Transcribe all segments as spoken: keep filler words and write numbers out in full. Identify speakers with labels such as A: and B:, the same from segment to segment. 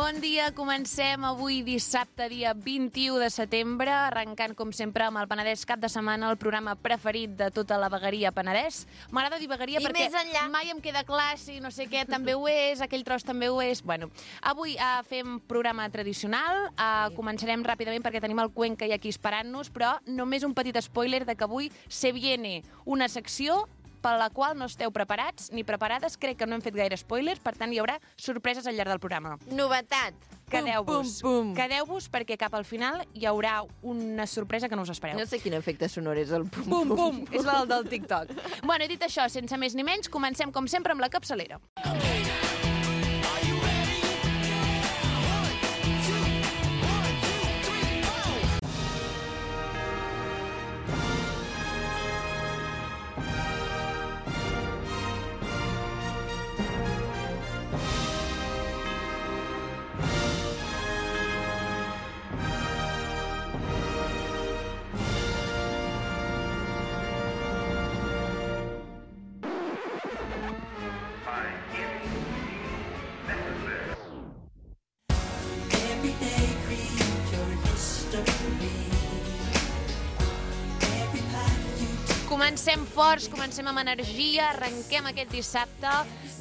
A: Bon dia, comencem avui dissabte, dia vint-i-u de setembre, arrencant, com sempre, amb el Penedès cap de setmana, el programa preferit de tota la vegueria Penedès. M'agrada dir vegueria
B: I
A: perquè
B: més enllà.
A: mai em queda clar si no sé què també ho és, aquell tros també ho és. Bueno, avui uh, fem programa tradicional, uh, començarem ràpidament perquè tenim el Cuenca i aquí esperant-nos, però només un petit spoiler de que avui se viene una secció per la qual no esteu preparats ni preparades. Crec que no hem fet gaire spoilers, per tant hi haurà sorpreses al llarg del programa.
B: Novetat.
A: Quedeu-vos,
B: Pum, pum, pum.
A: quedeu-vos perquè cap al final hi haurà una sorpresa que no us espereu.
B: No sé quin efecte sonor és el pum,
A: Pum, pum, és el del TikTok. Bueno, i dit això, sense més ni menys, comencem com sempre amb la capçalera. Comencem forts, comencem amb energia, arrenquem aquest dissabte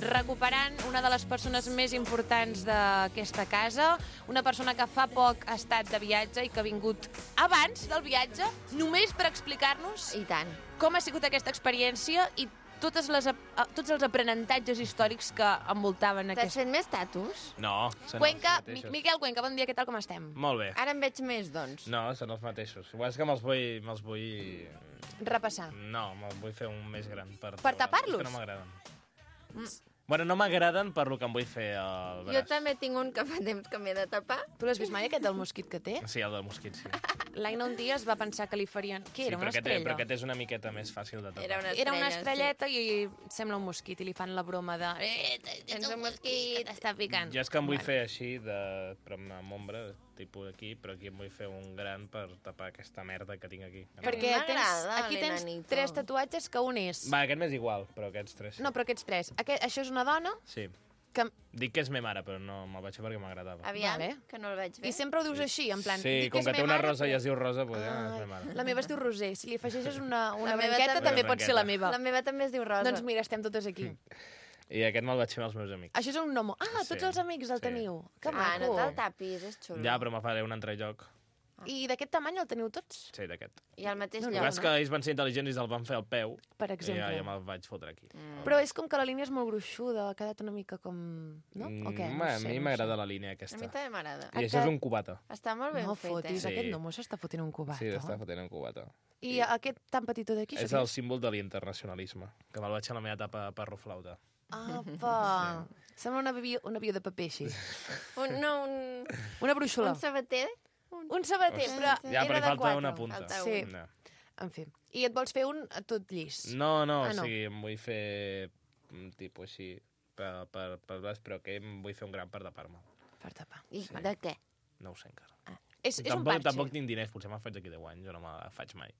A: recuperant una de les persones més importants d'aquesta casa, una persona que fa poc ha estat de viatge i que ha vingut abans del viatge, només per explicar-nos
B: I tant.
A: com ha sigut aquesta experiència i totes les, tots els aprenentatges històrics que envoltaven
B: T'has
A: aquesta...
B: fet més tatus?
C: No, són
A: Cuenca,
C: els mateixos.
A: Miquel Cuenca, bon dia, què tal, com estem?
C: Molt bé.
B: Ara en veig més, doncs.
C: No, són els mateixos. Igual és que me'ls vull... Me'ls vull...
A: Repassar.
C: No, me'ls vull fer un més gran. Per,
A: Per tapar-los?
C: És que no m'agraden. Mm. Bueno, no m'agraden per lo que em vull fer al braç.
B: Jo també tinc un que fa temps que m'he de tapar.
A: Tu l'has vist mai, aquest del mosquit que té?
C: Sí, el del mosquit, sí.
A: L'Aina un dia es va pensar que li farien... Què
C: sí,
A: era,
C: però
A: una
C: aquest,
A: estrella?
C: però aquest és una miqueta més fàcil de tapar.
B: Era una estrella,
A: Era una estrelleta sí. I sembla un mosquit i li fan la broma de... Eh,
B: tens un mosquit
A: que t'està picant.
C: Jo és que em vull fer així, de, però amb ombra, tipus aquí, però aquí em vull fer un gran per tapar aquesta merda que tinc aquí.
A: Perquè tens,
B: M'agrada
A: aquí tens
B: l'enanito.
A: tres tatuatges que un és...
C: Va, aquest m'és igual, però aquests tres sí.
A: No, però aquests tres. Aquest, això és una dona
C: Sí.
A: que...
C: Dic que és me mare, però no me'l vaig fer perquè m'agradava.
B: Aviam,
A: Vale.
B: que no el veig bé.
A: I sempre ho dius així, en plan...
C: Sí,
A: dic
C: com
A: és
C: que té
A: me
C: una
A: mare,
C: rosa i
A: però-
C: es diu rosa, doncs ja
A: Ah,
C: és me mare.
A: la meva es diu Roser. Si li afegeixes una, una
B: La meva
A: branqueta,
B: també.
A: també pot ser la
C: Branqueta.
A: meva.
B: La meva també es diu Rosa.
A: Doncs mira, estem totes aquí.
C: I aquest me'l vaig fer amb els meus amics.
A: Això és un gnomo. Ah, tots
C: Sí.
A: els amics el
C: Sí.
A: teniu. Que
B: Ah, no
A: maco.
B: te'l tapis, és xulo.
C: Ja, però me faré un altre lloc.
A: I d'aquest tamany el teniu tots?
C: Sí, d'aquest.
B: I al mateix
A: No,
C: El
A: no,
C: que
B: lloc.
C: passa és que ells van ser intel·ligents i se'l van fer al peu.
A: Per
C: I ja,
A: exemple.
C: ja me'l vaig fotre aquí.
B: Mm.
A: Però és com que la línia és molt gruixuda, ha quedat una mica com... No? O què?
C: Mm,
A: No
C: a
A: sé,
C: mi
A: no
C: m'agrada
A: sé.
C: la línia
B: A
C: aquesta.
B: mi també m'agrada.
C: I això és un cubata.
B: Està molt ben
A: No
B: fet,
A: fotis,
B: eh?
C: Sí.
A: aquest gnomo s'està fotent un cubat.
C: Sí, està fotent un cubata.
A: I aquest tan petitó d'aquí,
C: És
A: això
C: el símbol de l'internacionalisme, que me'l vaig fer a la meva etapa a perroflauta.
A: Apa! Sembla un avió, un avió de paper, així.
B: Un, no, un,
A: Una brúixola.
B: un sabater.
A: Un sabater, però
C: Ja, però
A: era
C: hi
A: de
C: falta
A: quatre.
C: una punta.
B: Falta
A: Sí.
B: un.
C: No.
A: En fi. I et vols fer un a tot llis?
C: No, no,
A: Ah,
C: o
A: no.
C: sigui, em vull fer un tipus així per, per, per braç, però que em vull fer un gran per tapar-me.
A: Per tapar.
B: I de què?
C: No ho sé encara.
A: És, és un
C: tampoc,
A: parxe.
C: tampoc tinc diners, potser me'n faig d'aquí deu anys, jo no me'n faig mai.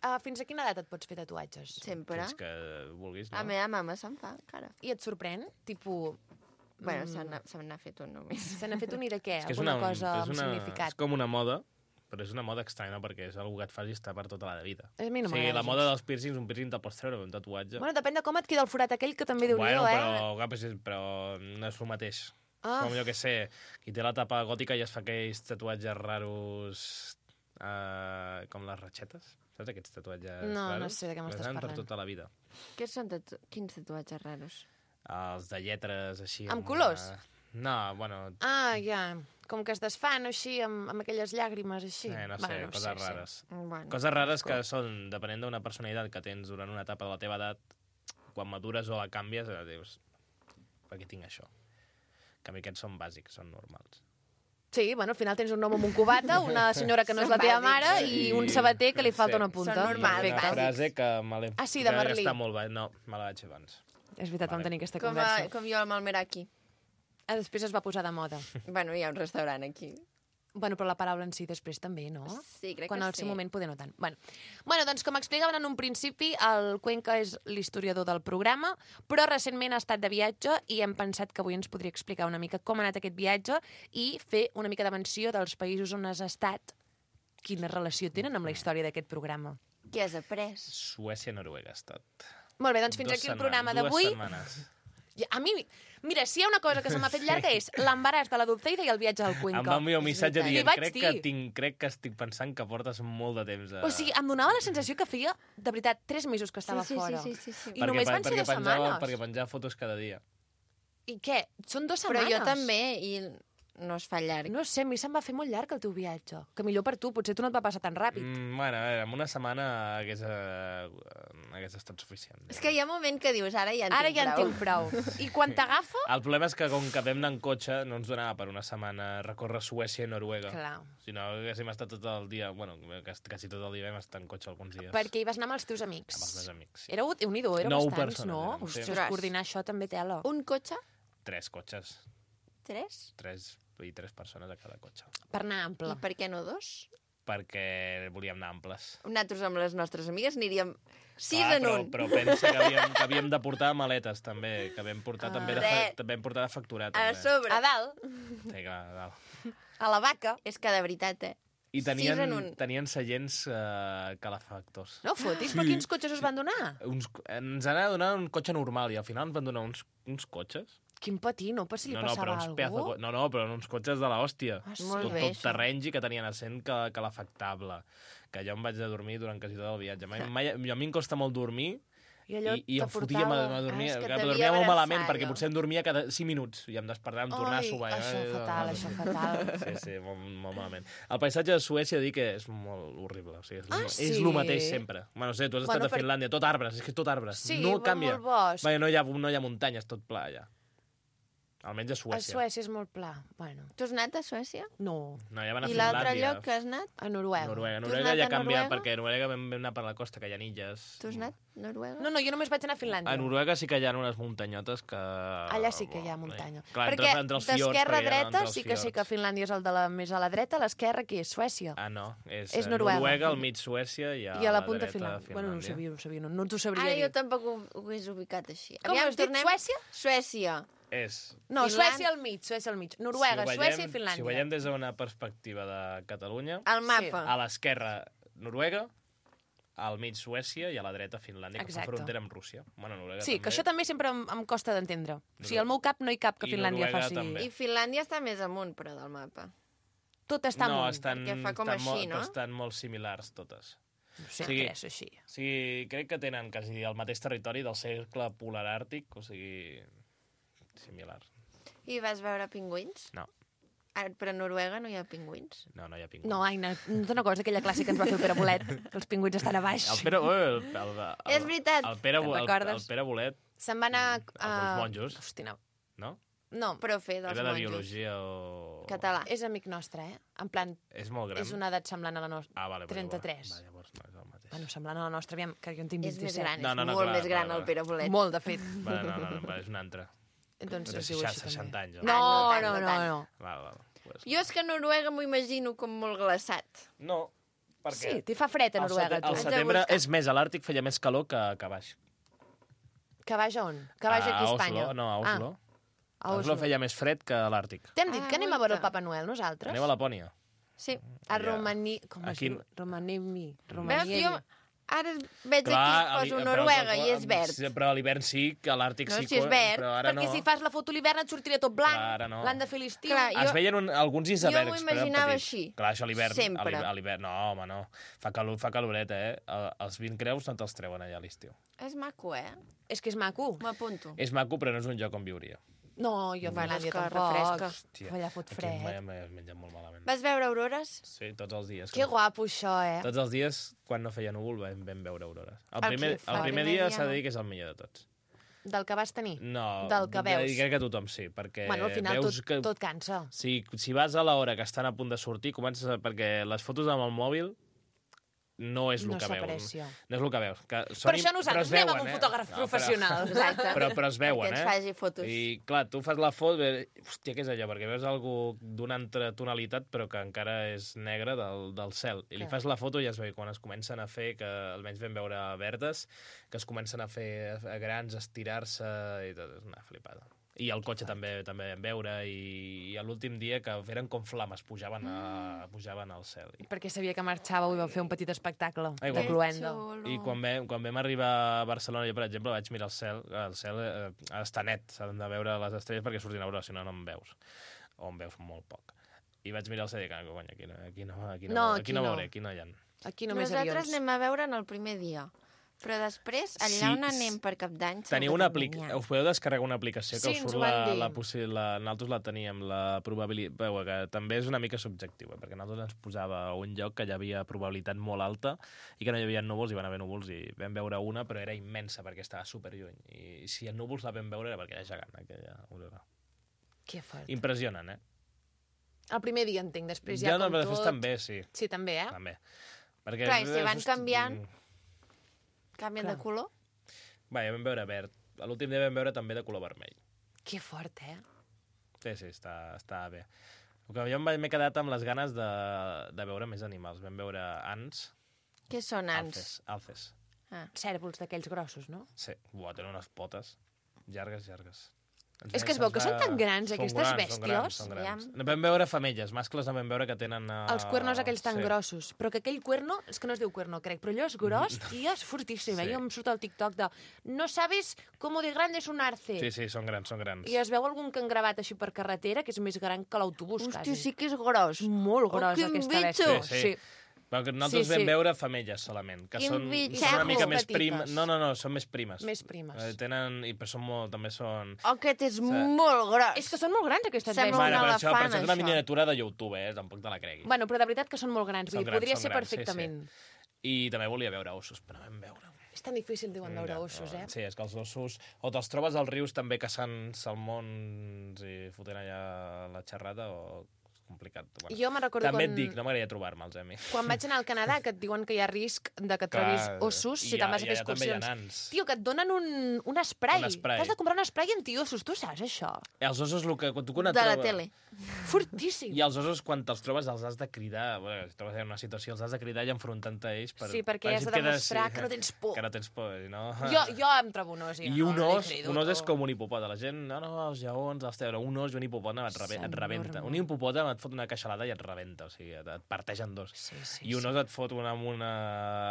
A: Uh, fins a quina edat et pots fer tatuatges?
B: Sempre.
C: Fins que vulguis, no?
B: La meva mama se'n fa, encara.
A: I et sorprèn? Tipo,
B: Bueno,
A: Mm.
B: se n'ha- se n'ha fet un només.
A: se n'ha fet un i de què?
C: És que és
A: Alguna
C: una,
A: cosa
C: és
A: amb
C: una,
A: significat?
C: És com una moda, però és una moda estranya perquè és una que et fas i està per tota la vida.
A: A mi no
C: o sigui,
A: m'agrada
C: la
A: gens.
C: moda dels piercings, un piercing te'l pots treure, un tatuatge.
A: Bueno, depèn de com et queda el forat aquell, que també diu
C: bueno
A: jo, eh?
C: però, clar, però, però no és el mateix.
A: Ah.
C: És com, jo què sé, qui té la tapa gòtica i es fa aquells tatuatges raros uh, com les ratxetes. Saps aquests tatuatges
A: No, no
C: raros?
A: sé de què m'estàs
C: Les fan
A: parlant.
C: per tota la vida.
B: Què són tatu... Quins tatuatges raros?
C: Els de lletres, així...
A: Amb colors?
C: Una... No, bueno,
A: Ah, ja. Com que es desfan així, amb, amb aquelles llàgrimes així.
C: eh, no sé,
A: Bueno,
C: coses
A: sé, sé.
C: rares.
B: Bueno,
C: Coses rares que són, depenent d'una personalitat que tens durant una etapa de la teva edat, quan madures o la canvies, eh, dius, per què tinc això? En canvi, aquests són bàsics, són normals.
A: Sí, bueno, al final tens un home amb un cubata, una senyora que no és la
B: Són
A: teva
B: bàsics.
A: mare i un sabater que li falta
C: Sí.
A: una punta.
B: Són normals,
C: Una
B: bàsics.
C: frase que me l'he...
A: Ah, sí, de
C: que
A: Merlí.
C: Està molt bé. No, me la vaig fer abans.
A: És veritat, vam
C: Vale.
A: tenir aquesta
B: com,
A: conversa.
B: a, com jo amb el Meraki.
A: Ah, després es va posar de moda.
B: Bueno, hi ha un restaurant aquí.
A: Bueno, però la paraula en si després també, no?
B: Sí, crec
A: Quan
B: que
A: al seu
B: sí.
A: moment poder no tant. Bueno. bueno, doncs com explicaven en un principi, el Cuenca és l'historiador del programa, però recentment ha estat de viatge i hem pensat que avui ens podria explicar una mica com ha anat aquest viatge i fer una mica de menció dels països on has estat, quina relació tenen amb la història d'aquest programa.
B: Què has après?
C: Suècia, Noruega ha estat.
A: Molt bé, doncs fins
C: Dos
A: aquí el
C: setmanes,
A: programa
C: dues
A: d'avui.
C: setmanes.
A: A mi, mira, si hi ha una cosa que se m'ha fet llarga és l'embaràs de la Dulceida i el viatge al Cuenca.
C: Em va enviar un missatge
B: veritat.
A: Li
C: dient
A: vaig
C: crec
A: dir.
C: que, tinc, crec que estic pensant que portes molt de temps a...
A: O sigui, em donava la sensació que feia, de veritat, tres mesos que estava
B: sí, sí,
A: fora.
B: Sí, sí, sí, sí.
A: I només van ser
C: perquè
A: dues
C: penjava,
A: setmanes.
C: Perquè penjava fotos cada dia.
A: I què? Són dues
B: Però
A: setmanes?
B: jo també, i no es fa llarg.
A: No sé, a mi se'm va fer molt llarg el teu viatge. Que millor per tu, potser tu no et va passar tan ràpid.
C: Mm, bueno, a veure, en una setmana hagués, eh, hagués estat suficient.
B: És que hi ha un moment que dius, ara ja en
A: Ara
B: tinc
A: ja en
B: prou.
A: tinc prou. I quan t'agafa...
C: El problema és que com que vam anar en cotxe no ens donava per una setmana recórrer Suècia i Noruega.
A: Clar.
C: Si no, haguéssim estat tot el dia... Bueno, quasi tot el dia vam estar en cotxe alguns dies.
A: Perquè hi vas anar amb els teus amics.
C: Amb els meus amics, sí.
A: Éreu, Déu-n'hi-do, éreu
C: Nou
A: bastants,
C: persones
A: no?
C: érem, sí.
A: Ostres, coordinar això també tela.
B: Un cotxe?
C: Tres cotxes.
B: Tres?
C: Tres i tres persones a cada cotxe.
A: Per anar ample.
B: I per què no dos?
C: Perquè volíem anar amples.
B: Nosaltres amb les nostres amigues aniríem sis
C: Clar,
B: en
C: però,
B: un.
C: però pensa que havíem, que havíem de portar maletes, també, que vam portar,
A: Ah.
C: també, de,
B: Re.
C: fa, vam portar de facturar,
B: A
C: també.
B: sobre.
A: A dalt,
C: Sí, clar, a dalt.
A: a la vaca.
B: És que de veritat, eh?
C: I
B: Sis en
C: tenien,
B: un.
C: tenien seients uh, calefactors.
A: No fotis,
C: Sí.
A: però quins cotxes us van donar?
C: Uns, ens anava a donar un cotxe normal i al final ens van donar uns, uns cotxes.
A: Quin patino, per si li
C: no, no,
A: passava
C: però uns
A: alguna
C: pedazo,
A: cosa.
C: no, no, però uns cotxes de l'hòstia.
A: Ah, sí?
B: Molt
C: Tot,
B: bé,
C: tot
B: això.
C: terrenys i que tenien assent cal, calefactable. Que jo em vaig de dormir durant quasi tot el viatge. Mai, mai, a mi em costa molt dormir
A: I allò
C: i, i em fotia,
A: t'aportava...
C: me, me dormia,
B: Ah, és que
C: que
B: et devia
C: dormia molt
B: abraçar,
C: malament,
B: allò.
C: perquè potser em dormia cada cinc minuts i em despertava, em tornava a
A: Ai,
C: sobar.
A: això
C: Eh,
A: fatal,
C: eh,
A: això fatal.
C: Sí, sí, molt, molt malament. El paisatge de Suècia, dic que és molt horrible. O sigui, és,
A: Ah,
C: és
A: sí?
C: el mateix sempre. Bueno, no sé, tu has estat
A: Bueno,
C: a
A: per-
C: Finlàndia, tot arbres, és que és tot arbres.
A: Sí,
C: no
A: va
C: canvia.
A: molt bosc.
C: Perquè no hi ha, no hi ha muntanyes, tot pla allà. Almenys a
A: A
C: Suècia.
A: Suècia és molt pla. Bueno,
B: Tu has anat a Suècia?
A: no.
C: No, ja van a
B: I l'altre
C: Finlàndia.
B: lloc que has anat?
A: A Noruega.
C: Noruega.
B: Tu has
C: Noruega
B: anat
C: ja
B: a
C: ha canviat,
B: Noruega?
C: perquè a Noruega vam, vam anar per la costa, que hi ha illes.
B: Tu has anat a Noruega?
A: No, no, jo només vaig anar a Finlàndia.
C: A Noruega sí que hi ha unes muntanyotes que...
A: Allà sí que hi ha muntanya.
C: Clar,
A: Perquè
C: entre, entre els fiords,
A: d'esquerra a
C: perquè hi ha
A: dreta
C: entre els
A: sí que sé que
C: fiords.
A: Finlàndia és el de la més a la dreta, a l'esquerra qui és? Suècia.
C: Ah, no. És,
A: És
C: eh,
A: Noruega.
C: Noruega, al mig Suècia i a,
A: I a la punta
C: dreta
A: Finlàndia. Bueno, no ho sabia, no ho sabia, no, no t'ho
B: Ara
A: sabria
B: jo
A: dir.
B: tampoc ho, ho hagués ubicat així.
A: Com has dit, Suècia?
B: Suècia.
C: És...
A: No,
B: Finlàndia-
A: Suècia al mig, Suècia al mig. Noruega,
C: si ho veiem,
A: Suècia i Finlàndia.
C: Si ho veiem des d'una perspectiva de Catalunya,
B: El mapa.
C: a l'esquerra Noruega, al mig Suècia i a la dreta Finlàndia, que
A: Exacte.
C: fa frontera amb Rússia. Bueno, Noruega
A: Sí,
C: també.
A: que això també sempre em, em costa d'entendre. O sigui, al meu cap no hi cap que
C: I
A: Finlàndia
C: Noruega
A: faci...
C: també.
B: I Finlàndia està més amunt, però, del mapa.
A: Tot està
C: no,
A: amunt.
C: estan,
B: perquè fa com
C: estan,
B: així,
C: molt,
B: no?
C: estan molt similars totes.
A: No sé
C: Sí.
A: què és així.
C: O sigui, crec que tenen quasi el mateix territori del cercle polar àrtic, o sigui, similar.
B: I vas veure pingüins?
C: No,
B: Ah, però a Noruega no hi ha pingüins.
C: no, no hi ha pingüins.
A: No, Aina, no te'n recordes d'aquella classe que ens va fer el Pere Bolet, que els pingüins estan a baix?
C: El Pere, ui, el, el, el,
B: És veritat.
C: El Pere,
A: Te'n
C: el, el,
A: recordes?
C: Pere Bolet,
A: Se'n va anar...
C: Els monjos.
A: Hosti, no.
C: no?
A: No,
B: Però fer dels
C: Era de
B: monjos.
C: biologia o...
B: Català.
A: és amic nostre, eh? En plan,
C: És molt gran.
A: és una edat semblant a la nostra.
C: Ah, vale, vale,
A: trenta-tres.
C: Va, llavors no és el mateix.
A: Bueno, semblant a la nostra, aviam, que jo en tinc
B: És més
A: vint-i-set.
B: gran,
C: No,
B: és
C: no, no,
B: molt
C: clar,
B: més gran
C: clar,
B: el
C: clar.
B: Pere Bolet.
A: Molt, de fet.
C: Va, no, no, no, va, és un altre.
A: Doncs
C: Però
A: es diu així,
C: seixanta
A: també.
C: anys. o-
A: No,
B: Ah,
A: no,
B: no
A: no,
B: tant,
A: no.
C: Val, val. Pues...
B: Jo és que Noruega m'ho imagino com molt glaçat.
C: No, perquè...
A: Sí, t'hi fa fred a
C: al
A: Noruega,
C: sete-
A: tu.
C: Al
B: Haig de
C: setembre
B: buscar.
C: és més, a l'Àrtic feia més calor que, que a baix.
A: Que baix a on? Que baix aquí a Espanya?
C: Oslo, no, a Oslo.
A: Ah, a
C: A Oslo
A: Oslo.
C: feia més fred que a l'Àrtic.
A: T'hem dit
B: Ah,
A: que anem a veure el
B: guaita.
A: Papa Noel, nosaltres?
C: Anem a Lapònia.
B: Sí.
A: A
C: allà.
A: Romani... Com es
C: Aquí-
A: diu? Romanemi.
B: Veus,
A: Romaniemi.
B: jo ara veig
C: Clar,
B: aquí,
C: a l'hi-
B: poso
C: però-
B: Noruega
C: però-
B: i és verd.
C: Sí, però a l'hivern sí, que a l'Àrtic
B: No,
C: sí.
B: si és
C: que-
B: verd,
C: però ara
A: Perquè
C: no.
A: si fas la foto a l'hivern et sortirà tot blanc.
C: Clar, ara no.
A: L'han de fer a l'estiu.
B: Clar,
C: Es
B: jo-
C: veien un, alguns icebergs,
B: m'ho
C: però eren
B: imaginava
C: petits.
B: així.
C: Clar, això a l'hivern...
B: Sempre.
C: a l'hivern- A l'hivern, no, home, no. Fa, calor, fa caloreta, eh? El- Els vint creus no te'ls treuen allà a l'estiu.
B: És maco, eh?
A: És que és maco.
B: M'apunto.
C: És maco, però no és un lloc on viuria.
A: No, jo a
B: Bueno,
A: Finlàndia
B: és que
A: tampoc.
B: refresca.
C: Hòstia,
A: Allà fot
C: aquí
A: fred.
C: mai- mai es menja molt malament.
B: Vas veure aurores?
C: Sí, tots els dies.
A: Que guapo, això, eh?
C: Tots els dies, quan no feia núvol, vam, vam veure aurores. El
A: Ah,
C: primer,
A: que fa.
C: el primer
B: El primer
C: dia
B: dia
C: s'ha de
B: no.
C: dir que és el millor de tots.
A: Del que vas tenir?
C: No,
A: Del que veus.
C: Crec que tothom sí, perquè
A: Bueno, al final
C: veus
A: tot,
C: que...
A: tot cansa.
C: Si, si vas a l'hora que estan a punt de sortir, comences a... perquè les fotos amb el mòbil no és el
A: No
C: que veus.
A: s'aprecia.
C: No és el que veus. Que
A: Per
C: són,
A: això nosaltres anem amb un
C: eh?
A: fotògraf
C: No,
A: professional.
B: Exacte.
C: Però, però es veuen,
B: Perquè ens
C: eh?
B: faci fotos.
C: I, clar, tu fas la foto, i, hòstia, què és allò? Perquè veus algú d'una altra tonalitat, però que encara és negre del, del cel. I li
A: Clar.
C: fas la foto i ja es veu quan es comencen a fer, que almenys vam veure verdes, que es comencen a fer a grans, a estirar-se, i tot, és una flipada. I el cotxe també també vam veure, i, i l'últim dia que eren com flames, pujaven, a, pujaven al cel. I,
A: Perquè sabia que marxava i vau fer un petit espectacle
C: Ai,
A: de
C: guai.
A: cloenda.
B: Xulo.
C: I quan vam, quan vam arribar a Barcelona, jo, per exemple, vaig mirar el cel, el cel eh, està net, s'han de veure les estrelles perquè surtin a veure, si no, no en veus. O en veus molt poc. I vaig mirar el cel i dic, ah, cony, aquí no, aquí no, aquí no,
A: No,
C: aquí
A: aquí
C: no
A: no.
C: veuré, aquí no hi ha.
A: Aquí només
B: Nosaltres
A: avions.
B: anem a veure en el primer dia. Però després, allà
C: Sí,
B: on anem per Cap d'Any...
C: Teniu
B: segur
C: una
B: que
C: aplicació,
B: n'hi ha.
C: us podeu descarregar una aplicació que
A: Sí,
C: us
A: ens
C: surt
A: ho van
C: la,
A: dir.
C: la, possi- la, nosaltres la teníem, la probabilitat, veu, que també és una mica subjectiu, eh? Perquè nosaltres ens posava a un lloc que hi havia probabilitat molt alta i que no hi havia núvols, hi van haver núvols i vam veure una, però era immensa perquè estava superlluny. I si en núvols la vam veure era perquè era gegant, aquella aurora.
A: Que fort.
C: Impressionen, eh?
A: El primer dia entenc, després
C: Ja,
A: ja
C: no,
A: com
C: però
A: tot...
C: després també, sí.
A: Sí, també, eh?
C: També. Perquè,
B: Clar, i si van
C: hosti,
B: canviant- Canvien
A: Clar.
B: de color?
C: Va, ja vam veure verd. A l'últim dia vam veure també de color vermell.
A: Que fort, eh?
C: Sí, sí, està, està bé. El que jo em vaig- m'he quedat amb les ganes de, de veure més animals. Vam veure ants,
B: Què són ants?
C: alces. alces.
B: Ah.
A: Cèrvols d'aquells grossos, no?
C: Sí, buah, tenen unes potes llargues, llargues. Ens
A: És
C: va-
A: que es veu
C: se'ns
A: que són
C: va-
A: tan grans,
C: Són
A: aquestes
C: grans, són grans,
A: bèsties.
C: Són grans.
B: Aviam.
C: No vam veure femelles, mascles no vam veure que tenen... Uh...
A: Els cuernos aquells tan
C: sí.
A: grossos. Però que aquell cuerno, és que no es diu cuerno, crec, però allò és gros i és fortíssim.
C: Sí.
A: Sí. Jo em surt al TikTok de no sabes cómo de grande es un arce.
C: Sí, sí, són grans, són grans.
A: I es veu algun que han gravat així per carretera que és més gran que l'autobús,
B: Hòstia,
A: quasi.
B: sí que és gros.
A: Molt gros,
B: Oh, quin
A: aquesta
B: bitxo!
A: bèstia.
C: Sí, sí. Però que nosaltres
A: Sí,
C: vam
A: sí.
C: veure femelles solament, que
B: Quin
C: són,
B: bitxo!
C: són una mica més
A: Petites.
C: primes. No, no, no, són més primes.
A: Més primes.
C: Eh, tenen, i però són molt, també són...
B: Oh, aquest és molt gros.
A: És que són molt grans, aquestes
B: Sembla
A: bèsties.
B: un
C: Mare, però això, però
B: elefant,
C: això és una
B: això.
C: miniatura de YouTube, eh? Tampoc te la creguis.
A: Bueno, però de veritat que són molt grans.
C: Són
A: Vull dir,
C: grans,
A: podria
C: són
A: ser
C: grans, sí,
A: perfectament.
C: I també volia veure ossos, però no vam veure.
A: És tan difícil, diuen, veure
C: Ja,
A: ossos, eh?
C: Sí, és que els ossos... O te'ls trobes als rius també caçant salmons i fotent allà la xerrada, o és complicat. Bueno,
A: Jo me'n recordo
C: també
A: quan...
C: et dic, no m'agradaria trobar-me'ls, eh, a mi.
A: Quan vaig anar al Canadà, que et diuen que hi ha risc de que trobis ossos
C: i
A: si te'n vas a
C: i
A: fer
C: allà també hi ha
A: excursions.
C: nans.
A: Tio, que et donen un, un spray.
C: Un spray.
A: T'has de comprar un spray antiossos, tu saps això?
C: Els ossos, el que, quan tu quan et
B: De la
C: trobes-
B: tele.
A: Fortíssim.
C: I els ossos, quan te'ls trobes, els has de cridar. Bueno, si et trobes en una situació, els has de cridar i enfrontar-te a ells. Per,
A: Sí, perquè
C: per
A: has de
C: si et quedes-
A: demostrar que no tens por.
C: Que no tens por, i no...
A: Jo, jo em trobo un os.
C: I
A: no,
C: un
A: no li
C: os,
A: crido,
C: un os és
A: tu.
C: com un hipopòtam. La gent, no, no, els lleons, els teus, un os i un hipopòtam et, rebe, et rebenta.
A: S'enorme.
C: Un hipopòtam et fot una queixalada i et rebenta, o sigui, et, et parteix en dos.
A: Sí, sí,
C: I un
A: sí.
C: os et fot una, amb, una,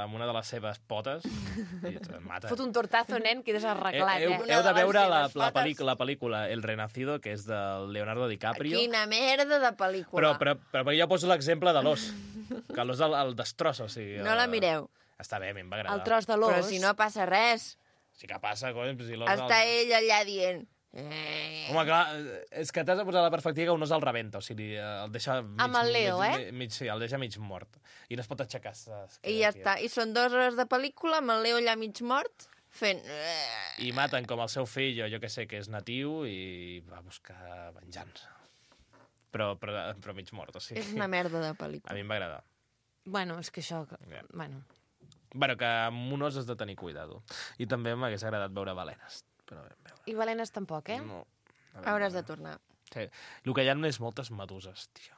C: amb una de les seves potes i et mata.
A: Fot un tortazo, nen, quedes arreglat,
C: heu,
A: eh?
B: Una
C: heu de
B: de les
C: veure la,
B: seves
C: la,
B: potes.
C: pel·lícula, la pel·lícula El Renacido, que és del Leonardo DiCaprio.
B: Quina merda de pel·lícula.
C: Però, però, però, però jo poso l'exemple de l'os, que l'os el, el destrossa. O sigui,
B: No la mireu.
C: Està bé, a mi em va agradar.
A: El tros de l'os.
B: Però si no passa res.
C: Sí que passa, cony. Si l'os
B: Està
C: el...
B: ell allà dient... Eh.
C: Home, clar, és que t'has de posar la perspectiva que un os el rebenta, o sigui, el deixa mig,
A: Amb el Leo,
C: mig,
A: eh?
C: Mig, sí, el deixa mig mort. I no es pot aixecar. es queda
B: I ja
C: aquí.
B: està. I són dues hores de pel·lícula amb el Leo allà mig mort fent... eh.
C: I maten com el seu fill, o jo que sé, que és natiu, i va buscar venjança. Però, però, però mig mort, o sigui.
B: És una merda de
C: A
B: pel·lícula.
C: mi em va agradar.
A: Bueno, és que això...
C: Ja.
A: Bueno,
C: Bueno, que amb un os has de tenir cuidado. I també m'hagués agradat veure balenes. Però vam veure.
A: i balenes tampoc, eh?
C: No.
B: Hauràs de tornar.
C: Sí. El que hi ha és moltes meduses, tio.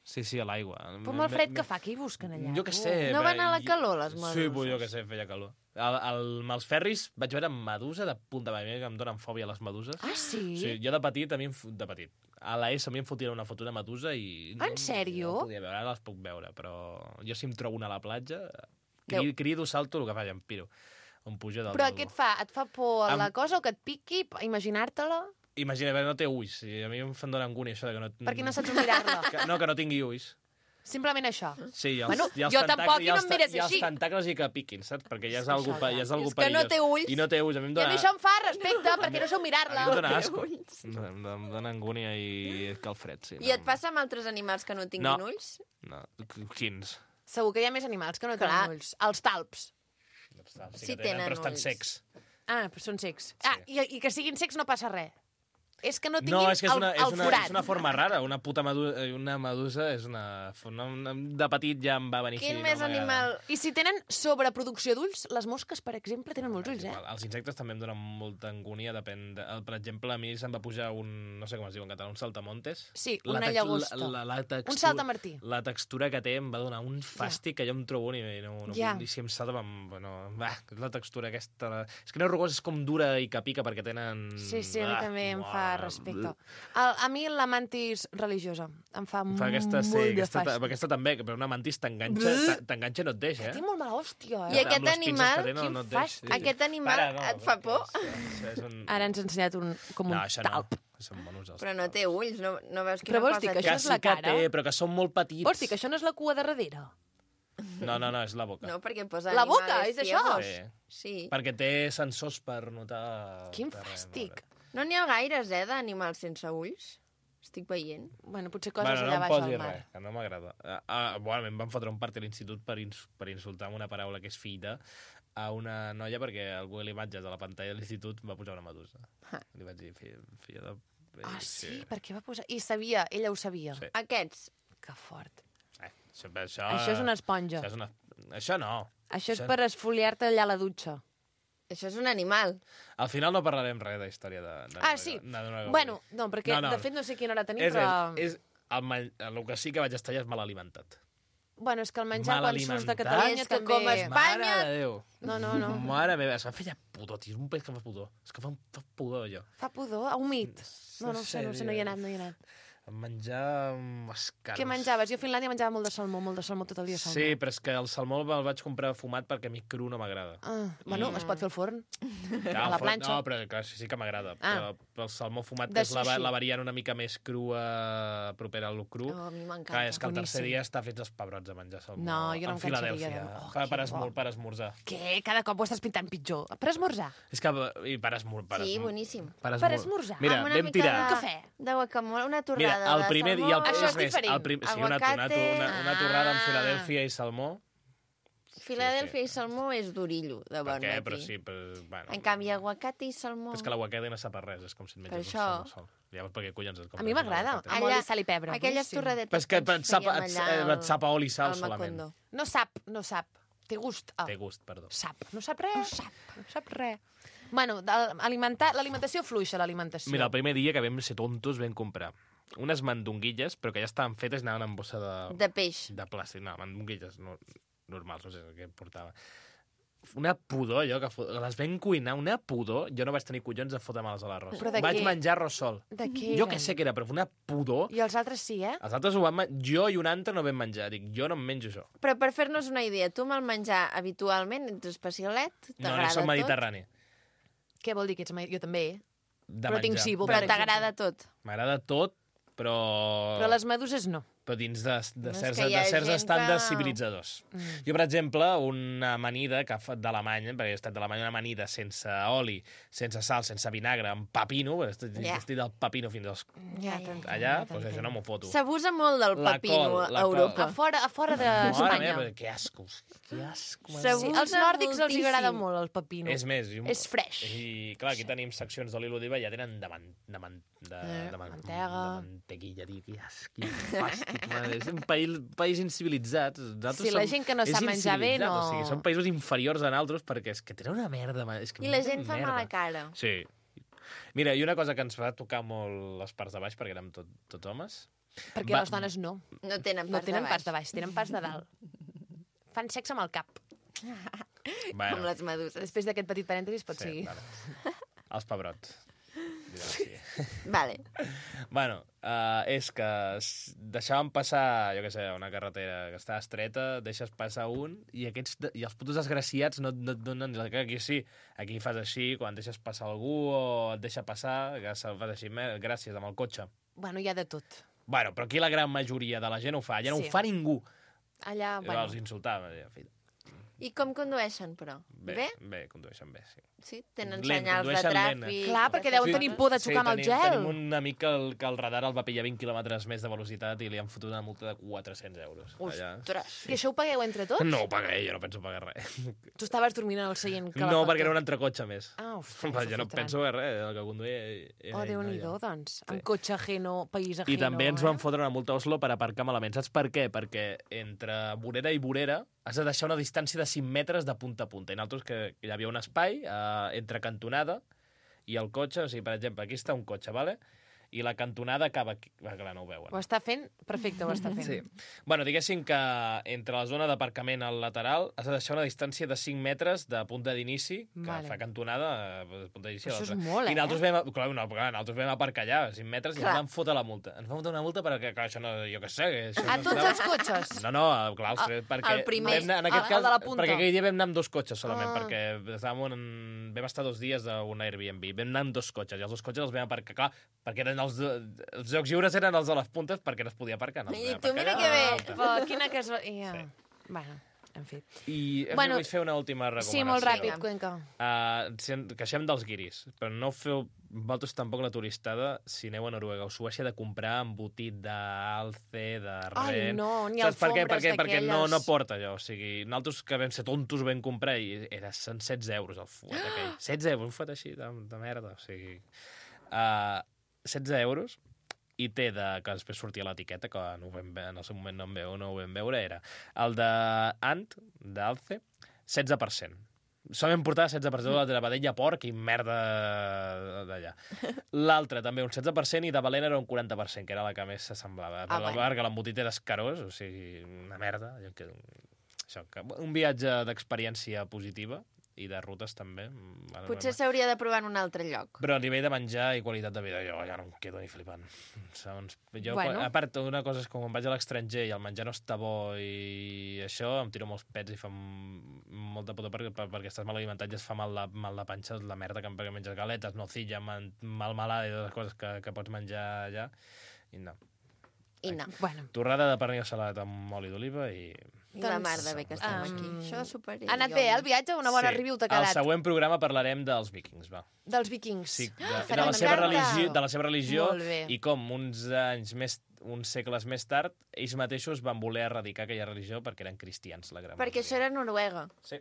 C: Sí, sí, a l'aigua.
A: Però amb el fred que fa, què hi busquen allà?
C: Jo què sé.
B: No
C: però
B: van a la
C: jo-
B: calor, les
C: Sí,
B: meduses?
C: pues jo què sé, feia calor. Al, al, amb els ferris vaig veure medusa de punta a mi que em donen fòbia les meduses.
A: Ah, sí?
C: Sí, jo de petit, a mi em, fu- de petit, a la ESO a mi em fotia una foto de medusa i...
A: En sèrio?
C: No podia veure, ara les puc veure, però jo si em trobo una a la platja,
B: Déu.
C: crido, crido salto, el que faig, em piro. Em pujo dalt
A: Però
C: del
A: què et
C: bo.
A: fa? Et fa por
C: Am-
A: la cosa o que et piqui? Imaginar-te-la?
C: Imagina, però no té ulls. I a mi em fan donar angúnia això de que no...
A: Perquè no saps mirar-la.
C: Que, no, que no tingui ulls.
A: Simplement això.
C: Sí, i els,
A: Bueno,
C: i els
A: jo
C: tentac-
A: tampoc i
C: i els
A: no em
C: ta-
A: mires
C: I els
A: així.
C: tentacles i que piquin, saps? Perquè ja és
A: que
C: algú,
A: això
C: pa-
A: ja-
C: ja és algú
B: És que no
C: perillós.
B: té ulls.
C: I no té ulls. A mi em
A: I a
C: dona...
A: mi això em fa respecte, perquè no sou
C: A mi
A: mirar-la.
C: em dona
B: té
C: asco.
B: ulls.
C: Em dona, em dona angúnia i calfred, sí.
B: I et passa amb altres animals que no tinguin
C: No.
B: ulls?
C: No, quins?
A: Segur que hi ha més animals que no
B: Clar.
A: tenen ulls. Els talps.
C: Sí,
B: Sí
C: que tenen,
B: tenen
C: però estan
B: ulls.
C: secs.
A: Ah, però són secs. Ah, i, i que siguin secs no passa res. És que no
C: No,
A: tinguin
C: és que és
A: el,
C: una, és,
A: el
C: una,
A: forat.
C: és una forma rara. Una puta medusa, una medusa és una, una, una... De petit ja em va venir
B: Quin
C: així.
B: més
C: no m'agrada.
B: animal...
A: I si tenen sobreproducció d'ulls, les mosques, per exemple, tenen molts ulls, eh?
C: Els insectes també em donen molta angúnia, depèn... De... Per exemple, a mi se'm va pujar un... No sé com es diu en català, un saltamontes.
A: Sí,
C: La
A: una
C: tex-
A: llagosta.
C: La, la, la textura,
A: Un saltamartí.
C: La textura que té em va donar un fàstic que jo em trobo i no, no,
A: Ja.
C: i si em salta... Em, bueno, va, la textura aquesta... És que no és rugós, és com dura i que pica perquè tenen...
A: Sí, sí, a mi
C: Ah,
A: també em
C: uah,
A: fa respecte. A, a mi la mantis religiosa em fa,
C: Fa aquesta, sí,
A: molt de
C: aquesta,
A: fàstic.
C: aquesta també, però una mantis t'enganxa, t'a- t'enganxa i no et deixa,
A: Té
C: eh?
A: molt mala hòstia,
B: I
A: eh?
B: aquest
C: Amb les pinces
B: animal,
C: que té, no,
A: quin
C: no et deixa.
A: fàstic.
B: Aquest animal et fa
C: perquè
B: por?
C: És, és, és un...
A: Ara ens ha ensenyat un, com un
C: No, això no.
A: talp.
C: Són monos, els
B: Però no té ulls, no, no veus
A: Però
B: quina
A: vols dir
B: cosa
A: que
B: té?
A: això
C: Que
A: és la
C: sí que
A: cara?
C: té, però que són molt petits.
A: Hosti, que això no és la cua de darrere.
C: No, no, no, és la boca.
B: No, perquè posa
A: La boca,
B: animales
A: és això?
B: ciegos.
C: Sí.
B: Sí.
C: Perquè té sensors per notar...
A: Quin
C: per res,
A: fàstic.
B: No n'hi ha gaires, eh, d'animals sense ulls. Estic veient.
A: Bueno, potser coses
C: Bueno, no
A: allà
C: em
A: baix
C: posi
A: al mar.
C: res, que no m'agrada. Uh, uh, bueno, em van fotre un part a l'institut per, ins per insultar amb una paraula que és fita a una noia perquè al Google Imatges de la pantalla de l'institut va posar una medusa.
B: Ah.
C: Li vaig dir, filla, filla de...
A: Ah, sí? Per què va posar... I sabia, ella ho sabia.
C: Sí.
B: Aquests.
A: Que fort.
C: Eh, això, això,
A: Això és una esponja.
C: Això, és una... això no.
A: Això és per esfoliar-te allà a la dutxa.
B: Això és un animal.
C: Al final no parlarem res de història de... de
A: Ah, sí?
C: de, de, de,
A: Bueno, no, perquè
C: No, no.
A: de fet no sé quina hora tenim,
C: és,
A: però...
C: és, és el, men- el que sí que vaig estar ja és mal alimentat.
A: Bueno, és que el menjar
C: Mal
A: quan surts de
C: alimentat.
A: Catalunya
B: És que
A: també...
B: com es- Espanya-
C: Mare de Déu.
A: No, no, no.
C: Mare meva, es va fer ja pudor, tio. És un país que fa pudor. És que fa, fa pudor, allò.
A: Fa pudor? A humit? No, no ho sé, no ho sé, no hi he anat, no hi he anat.
C: Menjar mm, escarns.
A: Què menjaves? Jo a Finlàndia menjava molt de salmó, molt de salmó tot el dia salmó.
C: Sí, però és que el salmó el vaig comprar fumat perquè a mi cru no m'agrada.
A: Ah, bueno,
B: Mm.
A: es pot fer al forn.
C: Ja,
A: A la
C: el fo-
A: planxa.
C: No, però clar, sí, sí que m'agrada.
A: Ah.
C: Però, però el salmó fumat,
A: De
C: que és la,
A: sushi.
C: la variant una mica més crua, propera al cru.
B: Oh, a mi m'encanta.
C: Clar, és que el tercer
A: Boníssim.
C: dia està fets els pebrots a menjar salmó.
A: No, jo no
C: en
A: em cansaria
C: Filadèlfia.
A: de- Oh,
C: per,
A: que
C: per,
A: bo.
C: esmor, per esmorzar.
A: Què? Cada cop ho estàs pintant pitjor. Per esmorzar?
C: És que... I per esmor... Per
B: Sí,
C: esmor-
B: boníssim.
C: Per,
A: Per esmorzar?
C: Mira,
B: Amb una
C: vam
B: mica
C: tirar...
B: de...
A: Cafè.
B: De guacamole, una
C: Mira,
B: torrada
C: el primer
B: de
C: dia...
B: salmó.
C: El,
A: Això és
C: més,
A: diferent.
C: El prim, sí, una, una,
B: Aguacate.
C: una, una torrada amb
B: Ah.
C: Filadèlfia i salmó.
B: Filadèlfia i salmó és durillo, de
C: Per
B: bon
C: què?
B: matí.
C: Però sí, però... Bueno,
B: En canvi, aguacate i salmó...
C: és que l'aguacate no sap a res, és com si et menges
B: Per
C: un
B: això-
C: salmó sol. Llavors, per què collons et
A: A
C: compres
A: mi
C: un
A: m'agrada,
C: aguacate?
A: amb oli, sal i pebre.
B: Aquelles
A: boníssim.
B: torradetes
C: Però és que
B: que
C: et
B: ens
C: sap,
B: fèiem
C: et,
B: allà
C: et sap a oli i sal
B: al
C: solament.
B: Macondo.
A: No sap, no sap. Té gust. Ah,
C: Té gust, perdó.
A: sap. No sap res. No sap. No sap res. Bueno, del- alimentar- l'alimentació fluixa, l'alimentació.
C: Mira, el primer dia que vam ser tontos vam comprar unes mandonguilles, però que ja estaven fetes i anaven en bossa de,
B: De peix.
C: de plàstic. No, mandonguilles no, normals, no sé què portava. Una pudor, allò, que fo- les vam cuinar, una pudor. Jo no vaig tenir collons de fotre-me'ls a l'arròs.
A: Però de
C: Vaig
A: què?
C: menjar arròs sol.
A: De què
C: Jo
A: eren?
C: que sé què era, però una pudor.
A: I els altres sí, eh?
C: Els altres ho van menjar. Jo i un altre no vam menjar. Dic, jo no em menjo això.
B: Però per fer-nos una idea, tu amb el menjar habitualment ets especialet?
C: No, no
B: T'agrada
C: soc
B: tot?
C: mediterrani.
A: Què vol dir que ets... mai- Jo també.
C: De
A: Però tinc
C: menjar.
A: cibo,
B: Però
A: per exemple.
B: t'agrada tot?
C: M'agrada tot, però...
A: Però les meduses no.
C: però dins de, de
B: No, és
C: certs,
B: que hi ha
C: de certs
B: gent
C: estàndards
B: que-
C: civilitzadors.
A: Mm.
C: Jo, per exemple, una amanida que fa d'Alemanya, perquè he estat d'Alemanya, una amanida sense oli, sense sal, sense vinagre, amb pepino, perquè estic,
B: Ja.
C: estic del pepino fins als...
A: Ja,
B: ja.
A: t'entenc,
C: Allà,
A: ja
C: doncs això no m'ho foto.
B: S'abusa molt del
C: La
B: pepino
C: col,
B: a
C: la col.
B: Europa.
A: A fora, a fora
C: Mare
A: d'Espanya.
C: meva, que asco, que asco.
B: Segur.
C: mare
A: Sí,
C: meva.
A: als nòrdics els
B: moltíssim.
A: agrada molt el pepino.
C: És més, i un-
A: És fresh.
C: I, clar, aquí tenim seccions d'oli d'oliva i ja tenen de, man, de, man, de,
A: Eh,
C: de, man,
A: mantega.
C: de mantequilla, tio, que asc, quin fàstic, mare. És un país, país incivilitzat. Nosaltres
A: Sí, la
C: som-
A: gent que no
C: és
A: sap menjar bé,
C: incivilitzat,
A: no-
C: O sigui, són països inferiors a nosaltres perquè és que tenen una merda. ma- És que
B: I la
C: una
B: gent fa
C: merda.
B: mala cara.
C: Sí. Mira, i una cosa que ens va tocar molt les parts de baix, perquè érem tot, tots homes.
A: Perquè
C: Va-
A: les dones no.
B: No tenen
A: No
B: pas
A: tenen
B: de
A: pas de
B: baix.
A: baix, tenen pas de dalt. Fan sexe amb el cap.
C: Bueno,
B: Com les meduses.
A: Després d'aquest petit parèntesis pots
C: sí,
A: seguir.
C: vale. Els pebrots. Sí.
B: Vale.
C: Bueno, uh, és que s- deixàvem passar, jo què sé, una carretera que està estreta, deixes passar un i aquests de- i els putos desgraciats no, no et donen ni la cara. Aquí sí, aquí fas així, quan deixes passar algú o et deixa passar, que se- fas així, "Mer- gràcies, amb el cotxe.
A: Bueno, hi ha de tot.
C: Bueno, però aquí la gran majoria de la gent ho fa, ja no
A: Sí.
C: ho fa ningú.
A: Allà,
C: Bueno.
A: bueno,
C: Els insultava. deia, "Fill,
B: I com condueixen, però?
C: Bé,
B: Bé?
C: bé, condueixen bé, sí.
B: Sí? Tenen
C: Lent,
B: senyals de
C: condueixen lent.
B: tràfic...
A: Clar, perquè deuen tenir por de xocar
C: sí,
A: amb el
C: tenim,
A: gel.
C: Tenim un amic que el, que el radar el va pillar vint quilòmetres més de velocitat i li han fotut una multa de quatre-cents euros. Allà.
B: Ostres!
A: I això ho pagueu entre tots?
C: No ho pagué, jo no penso pagar res.
A: Tu estaves dormint en el seient que la
C: No,
A: foto.
C: perquè era un entrecotxe més.
A: Ah, ostres,
C: Va, jo no
A: fotran.
C: penso que res, el que conduïa... Era
A: Oh,
C: ell,
A: Déu-n'hi-do,
C: no,
A: doncs.
C: Sí.
A: En cotxe ajeno, país ajeno.
C: I també ens
A: eh?
C: van fotre una multa a Oslo per aparcar malament. Saps per què? Perquè entre vorera i vorera has de deixar una distància de cinc metres de punta a punta. I nosaltres que hi havia un espai eh, entre cantonada i el cotxe. O sigui, per exemple, aquí està un cotxe, vale? I la cantonada acaba aquí. Va, clar, no ho veuen.
A: Ho està fent? Perfecte, ho està fent.
C: Sí. Bueno, diguéssim que entre la zona d'aparcament al lateral has de deixar una distància de cinc metres de punta d'inici, que
A: Vale.
C: fa cantonada, de punta d'inici a
A: Això és
C: l'altra.
A: molt, eh?
C: I nosaltres vam, clar, no, clar, nosaltres vam aparcar allà, cinc metres, i
B: Clar.
C: ens van fotre la multa. Ens van fotre una multa perquè, clar, això no, jo què sé... Que això
A: A
C: no
A: tots
C: estava-
A: els cotxes?
C: No, no, clar, els tres, perquè...
B: el primer.
C: vam anar- en aquest
A: Ah, el
C: cas,
A: de la punta.
C: perquè aquell dia vam anar amb dos cotxes solament,
A: Ah.
C: perquè estàvem en... vam estar dos dies d'un Airbnb, vam anar amb dos cotxes, i els dos cotxes els vam aparcar, clar, perquè eren els, els jocs lliures eren els de les puntes perquè no es podia aparcar. No els
B: I
C: vam
B: tu
C: aparcar
B: mira
C: allà
B: que bé.
C: a l'alta.
A: Però quina casualitat... Ja. Bueno, en fi.
C: I
A: Bueno,
C: bueno, vull fer una última recomanació.
A: Sí, molt ràpid,
B: Vinga.
A: Cuenca.
C: Uh, si en, queixem dels guiris, però no feu vosaltres tampoc la turistada si aneu a Noruega o Suècia de comprar embotit d'alce, de ren...
A: Ai, no, ni
C: Saps per què?
A: alfombres
C: Perquè, perquè no,
A: d'aquelles.
C: no porta allò. O sigui, nosaltres que vam ser tontos ho vam comprar i era cent setze euros el fuet aquell. setze euros, un fuet així de, de merda. O sigui, uh, setze euros i té de, que després sortia l'etiqueta, que no ho vam, ve- en el seu moment no, em veu, no ho vam veure, era el de Ant, d'Alce, setze per cent. Solament portava setze per cent de vedella, porc i merda d'allà. L'altre també un setze per cent i de Valent era un quaranta per cent, que era la que més s'assemblava.
B: Ah,
C: Per la
B: bueno.
C: part que l'embotit era escarós, o sigui, una merda. allò Que, això, que, un viatge d'experiència positiva i de rutes també. Bueno,
B: Potser s'hauria de provar en un altre lloc.
C: però a nivell de menjar i qualitat de vida, jo ja no em quedo ni flipant. Segons, jo,
A: Bueno.
C: bueno. A part, una cosa és que quan vaig a l'estranger i el menjar no està bo i això, em tiro molts pets i fa m- molta puta perquè, per- perquè estàs mal alimentat i es fa mal de, mal de panxa, la merda que em perquè menges galetes, nocilla, man, malmelada i totes les coses que, que pots menjar allà. I no.
B: I no.
A: Bueno,
C: Torrada de pernil salat amb oli d'oliva i...
B: I la
A: Doncs,
B: mar de bé que estem
A: um,
B: aquí. Això de superar.
A: ha anat bé, eh, el viatge? Una bona
C: Sí.
A: review t'ha
C: Al
A: quedat.
C: següent programa parlarem dels vikings, va.
A: Dels vikings.
C: Sí, de,
A: Ah,
C: de,
A: farem
C: la
A: una
C: seva
A: carta.
C: religió, de la seva religió
A: Molt bé.
C: i com uns anys més, uns segles més tard, ells mateixos van voler erradicar aquella religió perquè eren cristians, la gran
B: Perquè això era Noruega.
C: Sí.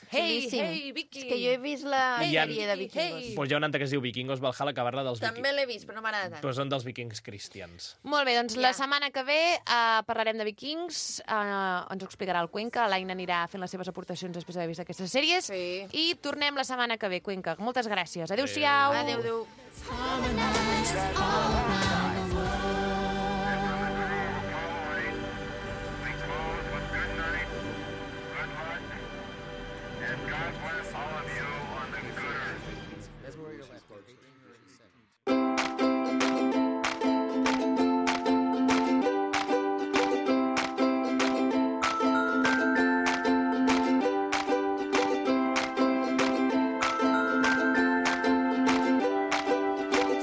A: Hey,
B: Xulíssim.
A: hey, Vicky!
B: És que jo he vist la
C: I hi ha-
B: sèrie de vikingos.
A: Hey.
C: Pues hi ha una altra que es diu Vikingos Valhalla, que parla dels
B: També
C: vikings.
B: l'he vist, però no m'agrada tant.
C: Però són dels vikings cristians.
A: Molt bé, doncs
B: Ja.
A: la setmana que ve uh, parlarem de vikings, uh, ens ho explicarà el Cuenca, l'Aina anirà fent les seves aportacions després d'haver vist aquestes sèries,
B: Sí.
A: i tornem la setmana que ve, Cuenca. Moltes gràcies. Adéu-siau.
B: Adéu, adéu.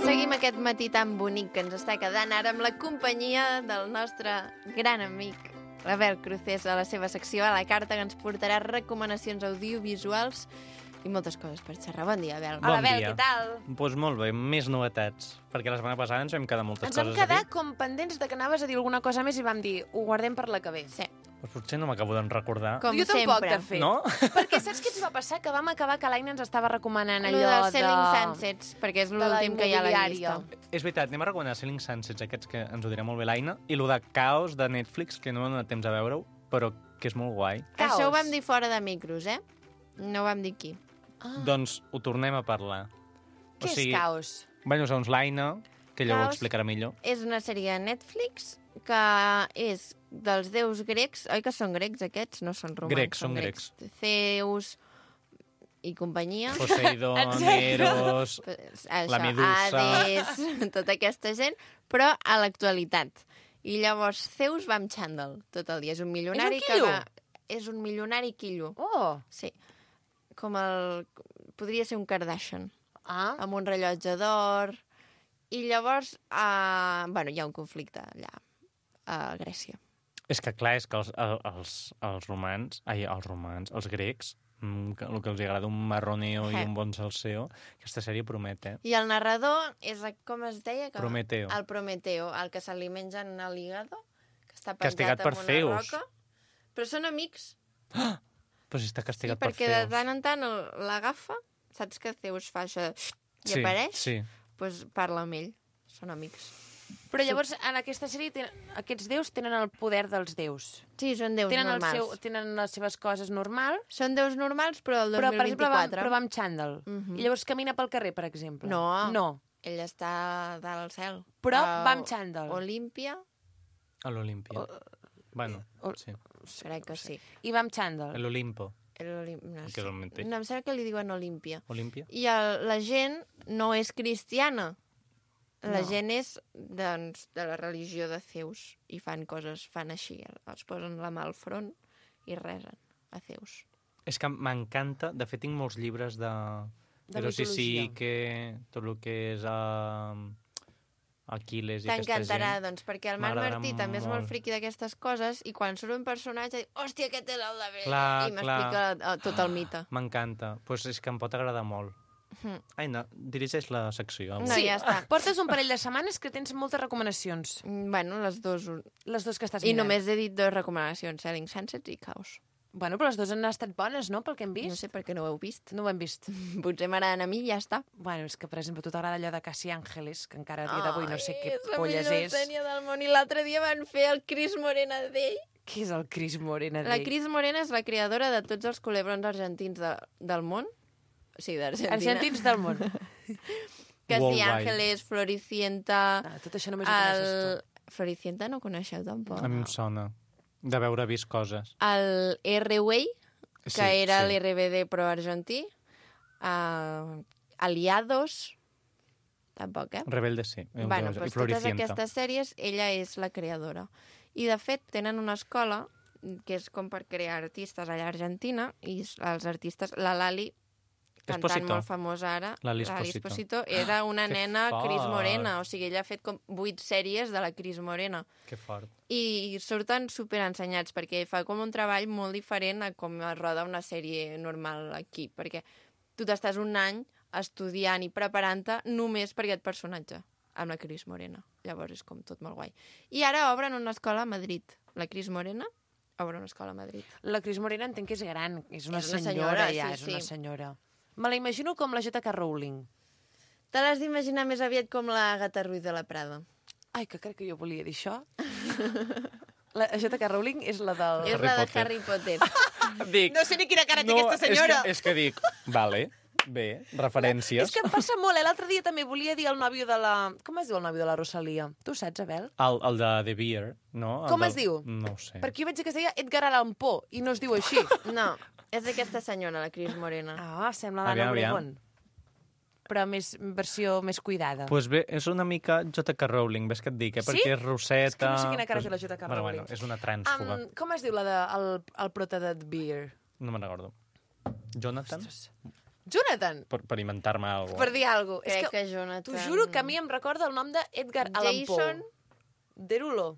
B: Seguim aquest matí tan bonic que ens està quedant ara amb la companyia del nostre gran amic, l'Abel Crucés, a la seva secció a la carta, que ens portarà recomanacions audiovisuals i moltes coses per xerrar. Bon dia, Abel.
A: Hola,
D: Bon
A: Bel,
D: dia.
A: què tal?
D: Doncs pues molt bé, més novetats, perquè la setmana passada ens vam quedar moltes
A: Ens vam
D: coses
A: quedar
D: a dir.
A: com pendents de que anaves a dir alguna cosa més i vam dir, ho guardem per la que ve.
B: Sí,
D: Pues potser no m'acabo d'en recordar.
B: com
A: jo tampoc,
B: sempre.
A: de fet.
D: No?
A: Perquè saps què ens va passar? Que vam acabar que l'Aina ens estava recomanant
B: Allò
A: allò
B: dels Selling Sunsets, perquè és
A: de la
B: l'últim que hi ha a la
A: immobiliària.
B: llista.
D: És veritat, anem a recomanar Selling Sunsets, aquests que ens ho dirà molt bé l'Aina, i lo de Caos de Netflix, que no hem donat temps a veure-ho, però que és molt guai.
A: Caos.
B: Això ho vam dir fora de micros, eh? No ho vam dir aquí.
A: Ah,
D: Doncs ho tornem a parlar.
A: què és caos?
D: Bueno, segons l'Aina, que ella ho
B: Caos.
D: explicarà millor.
B: És una sèrie de Netflix que és dels déus grecs. Oi que són grecs, aquests? No són romans.
D: Grecs, són grecs.
B: Zeus i companyia.
D: Poseidon,
A: Exacte.
D: Eros...
B: Això,
D: La Medusa.
B: Hades, tota aquesta gent, però a l'actualitat. I llavors Zeus va amb xandall tot el dia. És un milionari que
A: quillo?
B: va... És un milionari quillo.
A: Oh,
B: Sí. Com el... Podria ser un Kardashian.
A: ah.
B: Amb un rellotge d'or. I llavors, uh, bueno, hi ha un conflicte allà, a Grècia.
D: És que, clar, és que els, els, els romans, ai, els romans, els grecs, mm, que- el que els agrada un marroneo i
B: Eh.
D: un bon salseo, aquesta sèrie promet, eh?
B: I el narrador és, el- com es deia? Que...
D: Prometeo.
B: El Prometeo, el que se li mengen a l'hígado, que està
D: Castigat
B: penjat
D: per
B: amb una
D: Zeus.
B: roca. Però són amics.
D: Però si està
B: Sí,
D: castigat per
B: perquè de
D: Zeus.
B: tant en tant el- l'agafa, saps que Zeus fa això i
D: Sí,
B: apareix?
D: sí.
B: Doncs parla amb ell. Són amics.
A: Però llavors, en aquesta sèrie, tenen, aquests déus tenen el poder dels déus.
B: Sí, són déus
A: Tenen, el
B: normals.
A: seu, tenen les seves coses normal,
B: Són déus normals, però el
A: però, per exemple, va,
B: dos mil vint-i-quatre...
A: però va amb xàndal.
B: Mhm.
A: I llavors camina pel carrer, per exemple.
B: No.
A: No.
B: Ell està dalt al cel.
A: Però
B: A
A: va amb xàndal.
B: Olímpia,
D: A l'Olímpia. Bueno,
A: o-
D: sí.
B: crec que sí.
A: I va amb xàndal.
D: A l'Olimpo.
B: L'Olim- No,
D: Que
B: sé.
D: és el mateix.
B: no, em sembla que li diuen Olímpia.
D: Olímpia?
B: I el, la gent no és cristiana. La
A: No.
B: gent és doncs, de la religió de Zeus i fan coses, fan així. Es posen la mà al front i resen a Zeus.
D: És que m'encanta, de fet tinc molts llibres de...
A: De
D: Però sí, sí,
A: mitologia.
D: que tot el que és uh, Aquiles i aquesta
B: T'encantarà,
D: gent...
B: doncs, perquè el Marc
D: m'agradarà
B: Martí també és molt
D: molt.
B: friqui d'aquestes coses i quan surt un personatge diu, hòstia, aquest és el de bé,
D: Clar,
B: i m'explica
D: clar.
B: eh, tot el mite.
D: M'encanta. Doncs pues és que em pot agradar molt.
B: Mhm.
D: Ai, no, dirigeix la secció.
B: No,
A: Sí.
B: ja està.
A: Portes un parell de setmanes que tens moltes recomanacions.
B: Mm, Bueno, les dues.
A: Les dues que estàs
B: I
A: mirant.
B: només he dit dues recomanacions, Selling Sunsets i Caos.
A: Bueno, però les dues han estat bones, no?, pel que hem vist.
B: No sé per què no ho heu vist.
A: No ho hem vist.
B: Potser m'agraden a mi i ja està.
A: Bueno, és que, per exemple, a tu t'agrada allò de Casi Ángeles, que encara a dia d'avui no sé què
B: és la
A: polles
B: millor
A: és.
B: sèrie del món. I l'altre dia van fer el Cris Morena d'ell.
A: Què és el Cris Morena
B: La
A: d'ell?
B: Cris Morena és la creadora de tots els culebrons argentins de, del món. Sí, d'Argentina.
A: Argentins del món.
B: Casi
D: Worldwide.
B: Ángeles, Floricienta...
A: Ah, tot això només ho coneixes
B: El...
A: tu.
B: Floricienta no coneixeu tampoc.
D: A mi em sona de veure vist coses.
B: El R-Way, que
D: Sí,
B: era
D: sí.
B: l'R B D pro argentí. Uh, Aliados, tampoc, eh?
D: Rebelde sí. Eh,
B: Bueno,
D: I
B: doncs totes
D: Floricienta.
B: aquestes sèries, ella és la creadora. I, de fet, tenen una escola que és com per crear artistes allà a Argentina, i els artistes, la Lali, cantant
D: Esposito.
B: molt famosa ara,
D: Lali
B: Lali
D: Esposito.
B: Esposito, era una
D: que
B: nena
D: fort.
B: Cris Morena, o sigui, ella ha fet com vuit sèries de la Cris Morena.
D: Que fort.
B: I surten superensenyats, perquè fa com un treball molt diferent a com es roda una sèrie normal aquí, perquè tu t'estàs un any estudiant i preparant-te només per aquest personatge, amb la Cris Morena. Llavors és com tot molt guai. I ara obren una escola a Madrid. La Cris Morena obre una escola a Madrid.
A: La Cris Morena entenc que és gran, és una,
B: És una
A: senyora,
B: senyora,
A: ja,
B: sí,
A: és una
B: sí.
A: senyora. Me la imagino com la J K. Rowling.
B: Te l'has d'imaginar més aviat com la Agatha Ruiz de la Prada.
A: Ai, que crec que jo volia dir això. La J K. Rowling és la del...
B: És
D: Harry
B: la de
D: Potter.
B: Harry Potter.
D: Dic,
A: No sé ni quina cara té aquesta senyora.
D: És que, és que dic, vale, bé, referències.
A: És que em passa molt, eh? L'altre dia també volia dir el nòvio de la... Com es diu el nòvio de la Rosalia? Tu ho saps, Abel?
D: El, el de The Beer, no? El
A: Com
D: del-
A: es diu?
D: No ho sé.
A: Perquè jo vaig dir que es deia Edgar Allan Poe, i no es diu així.
B: No, és aquesta senyora, la Cris Morena.
A: Ah, sembla l'Anna
D: Aviam, aviam.
A: Obregón. Però més versió més cuidada.
D: Doncs pues bé, és una mica J K. Rowling, ves que et dic, eh?
A: Sí?
D: Perquè és roseta...
A: És que no sé quina cara
D: pues-
A: té la J K.
D: Bueno,
A: Rowling.
D: bueno, és una trànsfuga.
A: Um, com es diu la de, el, el prota de The Beer?
D: No me'n recordo. Jonathan?
A: Jonathan!
D: Per, per inventar-me alguna
A: Per dir alguna cosa.
B: Crec
A: És que
B: que Jonathan...
A: t'ho juro que a mi em recorda el nom d'Edgar Allan Poe.
B: Jason...
A: Derulo.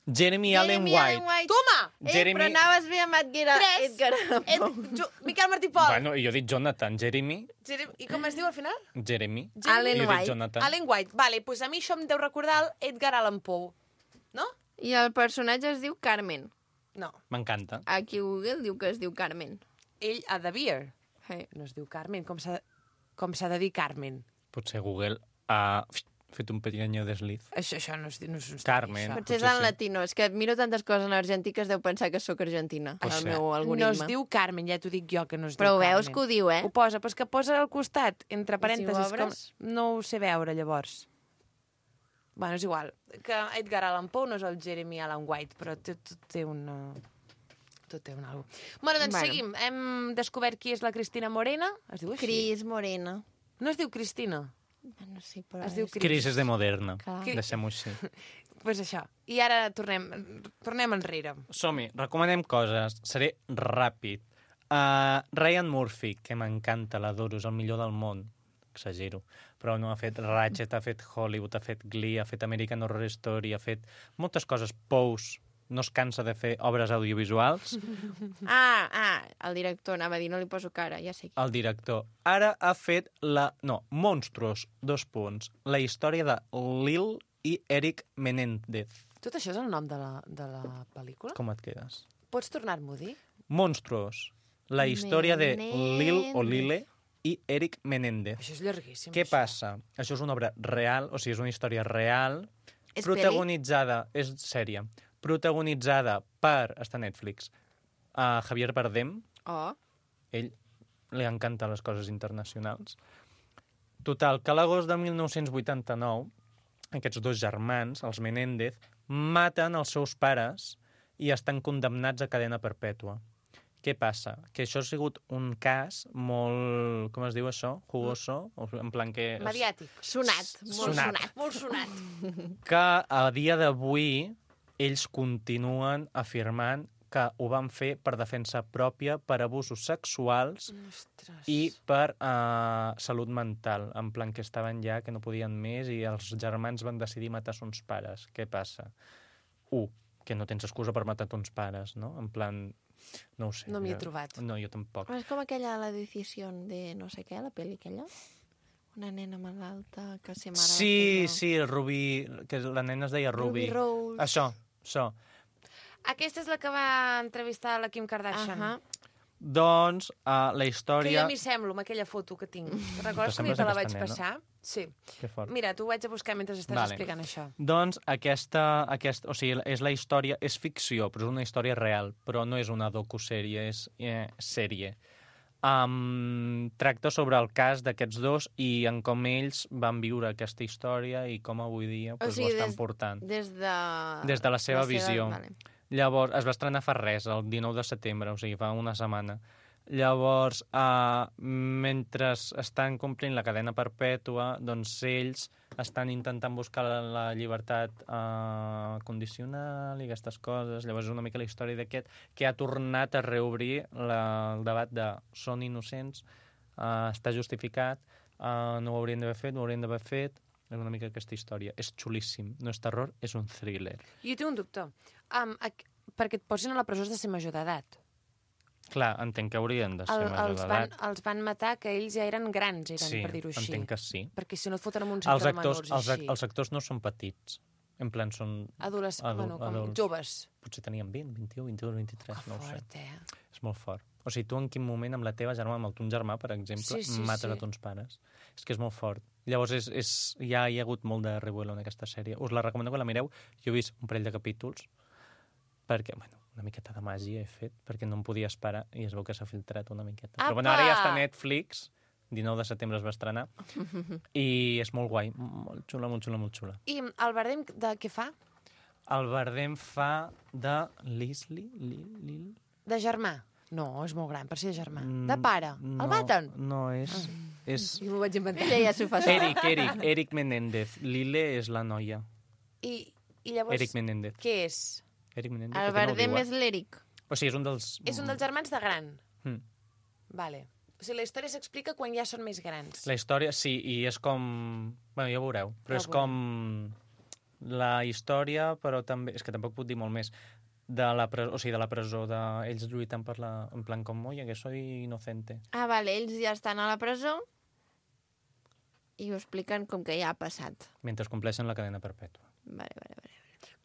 D: Jeremy Allen
B: Jeremy
D: White.
B: Allen White.
A: Toma!
B: Ei,
D: Jeremy-
B: però anaves bé amb Edgar,
A: Tres.
B: Edgar Allan
A: Ed,
B: Poe.
A: jo, Miquel Martí Pol.
D: Bueno, i jo he dit Jonathan. Jeremy?
A: Jeremy- I com es diu al final?
D: Jeremy.
B: Allen
D: I jo he dit
B: White.
D: Jonathan.
A: Allen White. Vale, doncs a mi això em deu recordar el Edgar Allan Poe. No?
B: I el personatge es diu Carmen.
A: No.
D: M'encanta.
B: Aquí Google diu que es diu Carmen.
A: Ell a The Beer.
B: Hey.
A: No es diu Carmen. Com s'ha com s'ha de dir Carmen?
D: Potser Google ha fet un pequeño desliz.
A: Això, això no es, no es, no es
D: Carmen.
A: Això.
B: Potser és
D: Potser
B: en
D: sí.
B: latino. És que miro tantes coses en argentí que es deu pensar que sóc argentina,
D: Pot
B: el
D: ser.
B: meu
A: No
B: algoritme.
A: es diu Carmen, ja t'ho dic jo que no es
B: Però ho
A: diu
B: veus
A: Carmen.
B: que ho diu, eh?
A: Ho posa, però és que posa al costat, entre
B: I si ho
A: parèntesis. com...
B: obres?
A: No ho sé veure, llavors. Bueno, és igual. Que Edgar Allan Poe no és el Jeremy Allan White, però tot, tot té una... Tot té un algo. Bueno, doncs
B: Bueno.
A: seguim. Hem descobert qui és la Cristina Morena. Es diu així?
B: Cris Morena.
A: No es diu Cristina.
B: No sé, però
A: Es diu
B: és...
A: Cris.
D: Cris és de moderna.
B: Clar.
D: Deixem-ho així.
A: Doncs pues això. I ara tornem, tornem enrere.
D: Som-hi, recomanem coses. Seré ràpid. Uh, Ryan Murphy, que m'encanta, l'adoro, és el millor del món. Exagero. Però no ha fet Ratchet, ha fet Hollywood, ha fet Glee, ha fet American Horror Story, ha fet moltes coses. Pose, no es cansa de fer obres audiovisuals.
B: Ah, ah, el director, anava a dir, no li poso cara, ja sé qui.
D: El director ara ha fet la... No, Monstruos, dos punts. La història de Lil i Eric Menéndez.
A: Tot això és el nom de la, de la pel·lícula?
D: Com et quedes?
A: Pots tornar-m'ho a dir?
D: Monstruos. La història de Lil o Lile i Eric Menéndez.
A: Això és llarguíssim.
D: Què
A: això.
D: passa? Això és una obra real, o sigui, és una història real,
B: És
D: protagonitzada, és sèrie, protagonitzada per, està a Netflix, a Javier Bardem.
B: Oh,
D: Ell li encanten les coses internacionals. Total, que a l'agost de mil nou-cents vuitanta-nou, aquests dos germans, els Menéndez, maten els seus pares i estan condemnats a cadena perpètua. Què passa? Que això ha sigut un cas molt... Com es diu això? Jugoso? En plan que...
A: Mediàtic.
B: sonat, molt
D: Sonat.
B: sonat.
A: Molt sonat.
D: Que a dia d'avui ells continuen afirmant que ho van fer per defensa pròpia, per abusos sexuals
A: Ostres.
D: i per uh, salut mental. En plan que estaven ja, que no podien més, i els germans van decidir matar sons pares. Què passa? Un, que no tens excusa per matar tons pares, no? En plan... No ho sé.
A: No m'hi he
D: jo-
A: trobat.
D: No, jo tampoc.
B: És com aquella, la decisió de no sé què, la pel·li aquella. Una nena malalta que se mare...
D: Sí, sí, el Rubí, que la nena es deia Ruby.
B: Ruby Rose.
D: Això, això.
A: Aquesta és la que va entrevistar la Kim Kardashian.
B: Ahà.
D: Doncs uh, la
A: Que jo
D: història...
A: m'hi semblo, amb aquella foto que tinc. Recordes que
D: sembles
A: te la vaig
D: aquesta nena?
A: passar? Sí.
D: Que fort.
A: Mira, t'ho vaig a buscar mentre estàs
D: Vale.
A: explicant això.
D: Doncs aquesta, aquesta, o sigui, és la història, és ficció, però és una història real, però no és una docusèrie, és eh, sèrie. Um, tracta sobre el cas d'aquests dos i en com ells van viure aquesta història i com avui dia pues,
B: sigui,
D: ho estan
B: des-
D: portant.
B: Des de...
D: Des de la seva visió.
B: Vale.
D: Llavors, es va estrenar fa res, el dinou de setembre, o sigui, fa una setmana. Llavors, uh, mentre estan complint la cadena perpètua, doncs ells estan intentant buscar la, la llibertat uh, condicional i aquestes coses. Llavors és una mica la història d'aquest que ha tornat a reobrir la, el debat de són innocents, uh, està justificat, uh, no ho haurien d'haver fet, no ho haurien d'haver fet. És una mica aquesta història. És xulíssim. No és terror, és un thriller.
A: Jo tinc un dubte. Um, ac- perquè et posin a la presó has de ser major d'edat.
D: Clar, entenc que haurien de ser
A: El,
D: major
A: els, van,
D: d'edat.
A: els van matar que ells ja eren grans, eren,
D: Sí,
A: per dir-ho així.
D: entenc que sí.
A: Perquè si no et foten en un
D: Els
A: centre de
D: actors,
A: menors
D: els,
A: i
D: ac-
A: així.
D: els actors no són petits. En plan, són...
A: Adolesc...
D: adul-
A: bueno, com
D: adults.
A: joves.
D: Potser tenien vint, vint-i-u, vint-i-dos, vint-i-tres,
A: Que
D: no ho sé.
A: fort, eh?
D: És molt fort. O sigui, tu en quin moment amb la teva germana, amb el ton germà, per exemple,
A: Sí, sí,
D: mates
A: sí.
D: a tons pares? És que és molt fort. Llavors, és, és, ja hi ha hagut molt de revuelo en aquesta sèrie. Us la recomano que la mireu. Jo he vist un parell de capítols perquè, bueno, una miqueta de màgia he fet, perquè no em podia esperar i es veu que s'ha filtrat una miqueta.
A: Apa!
D: Però bueno, ara ja està a Netflix, dinou de setembre es va estrenar, i és molt guai, molt xula, molt xula, molt xula.
A: I el Bardem de què fa?
D: El Bardem fa de Leslie? Li, li,
A: De germà? No, és molt gran per ser germà.
D: Mm,
A: De pare?
D: no,
A: El maten?
D: No, és... és...
A: Jo m'ho vaig inventar.
B: Ella ja s'ho fa sola.
D: Eric, Eric, Eric Menéndez. Lile és la noia.
A: I, i llavors,
D: Eric Menéndez.
A: què és?
D: Eric Menéndez,
B: El
D: aquest no ho
B: Bardem
D: diu,
B: és l'Eric.
D: eh? O sigui, és un dels...
A: És un dels germans de gran.
D: Mm.
A: Vale. O sigui, la història s'explica quan ja són més grans.
D: La història, sí, i és com... Bueno, ja ho veureu, però
A: Ja
D: és
A: ho
D: com la història, però també... És que tampoc puc dir molt més. De la, presó, o sigui, de la presó, de ells lluitant per la... En plan, com, oye, que soy inocente.
B: Ah, vale, ells ja estan a la presó i ho expliquen com que ja ha passat.
D: Mentre compleixen la cadena perpètua.
B: Vale, vale, vale.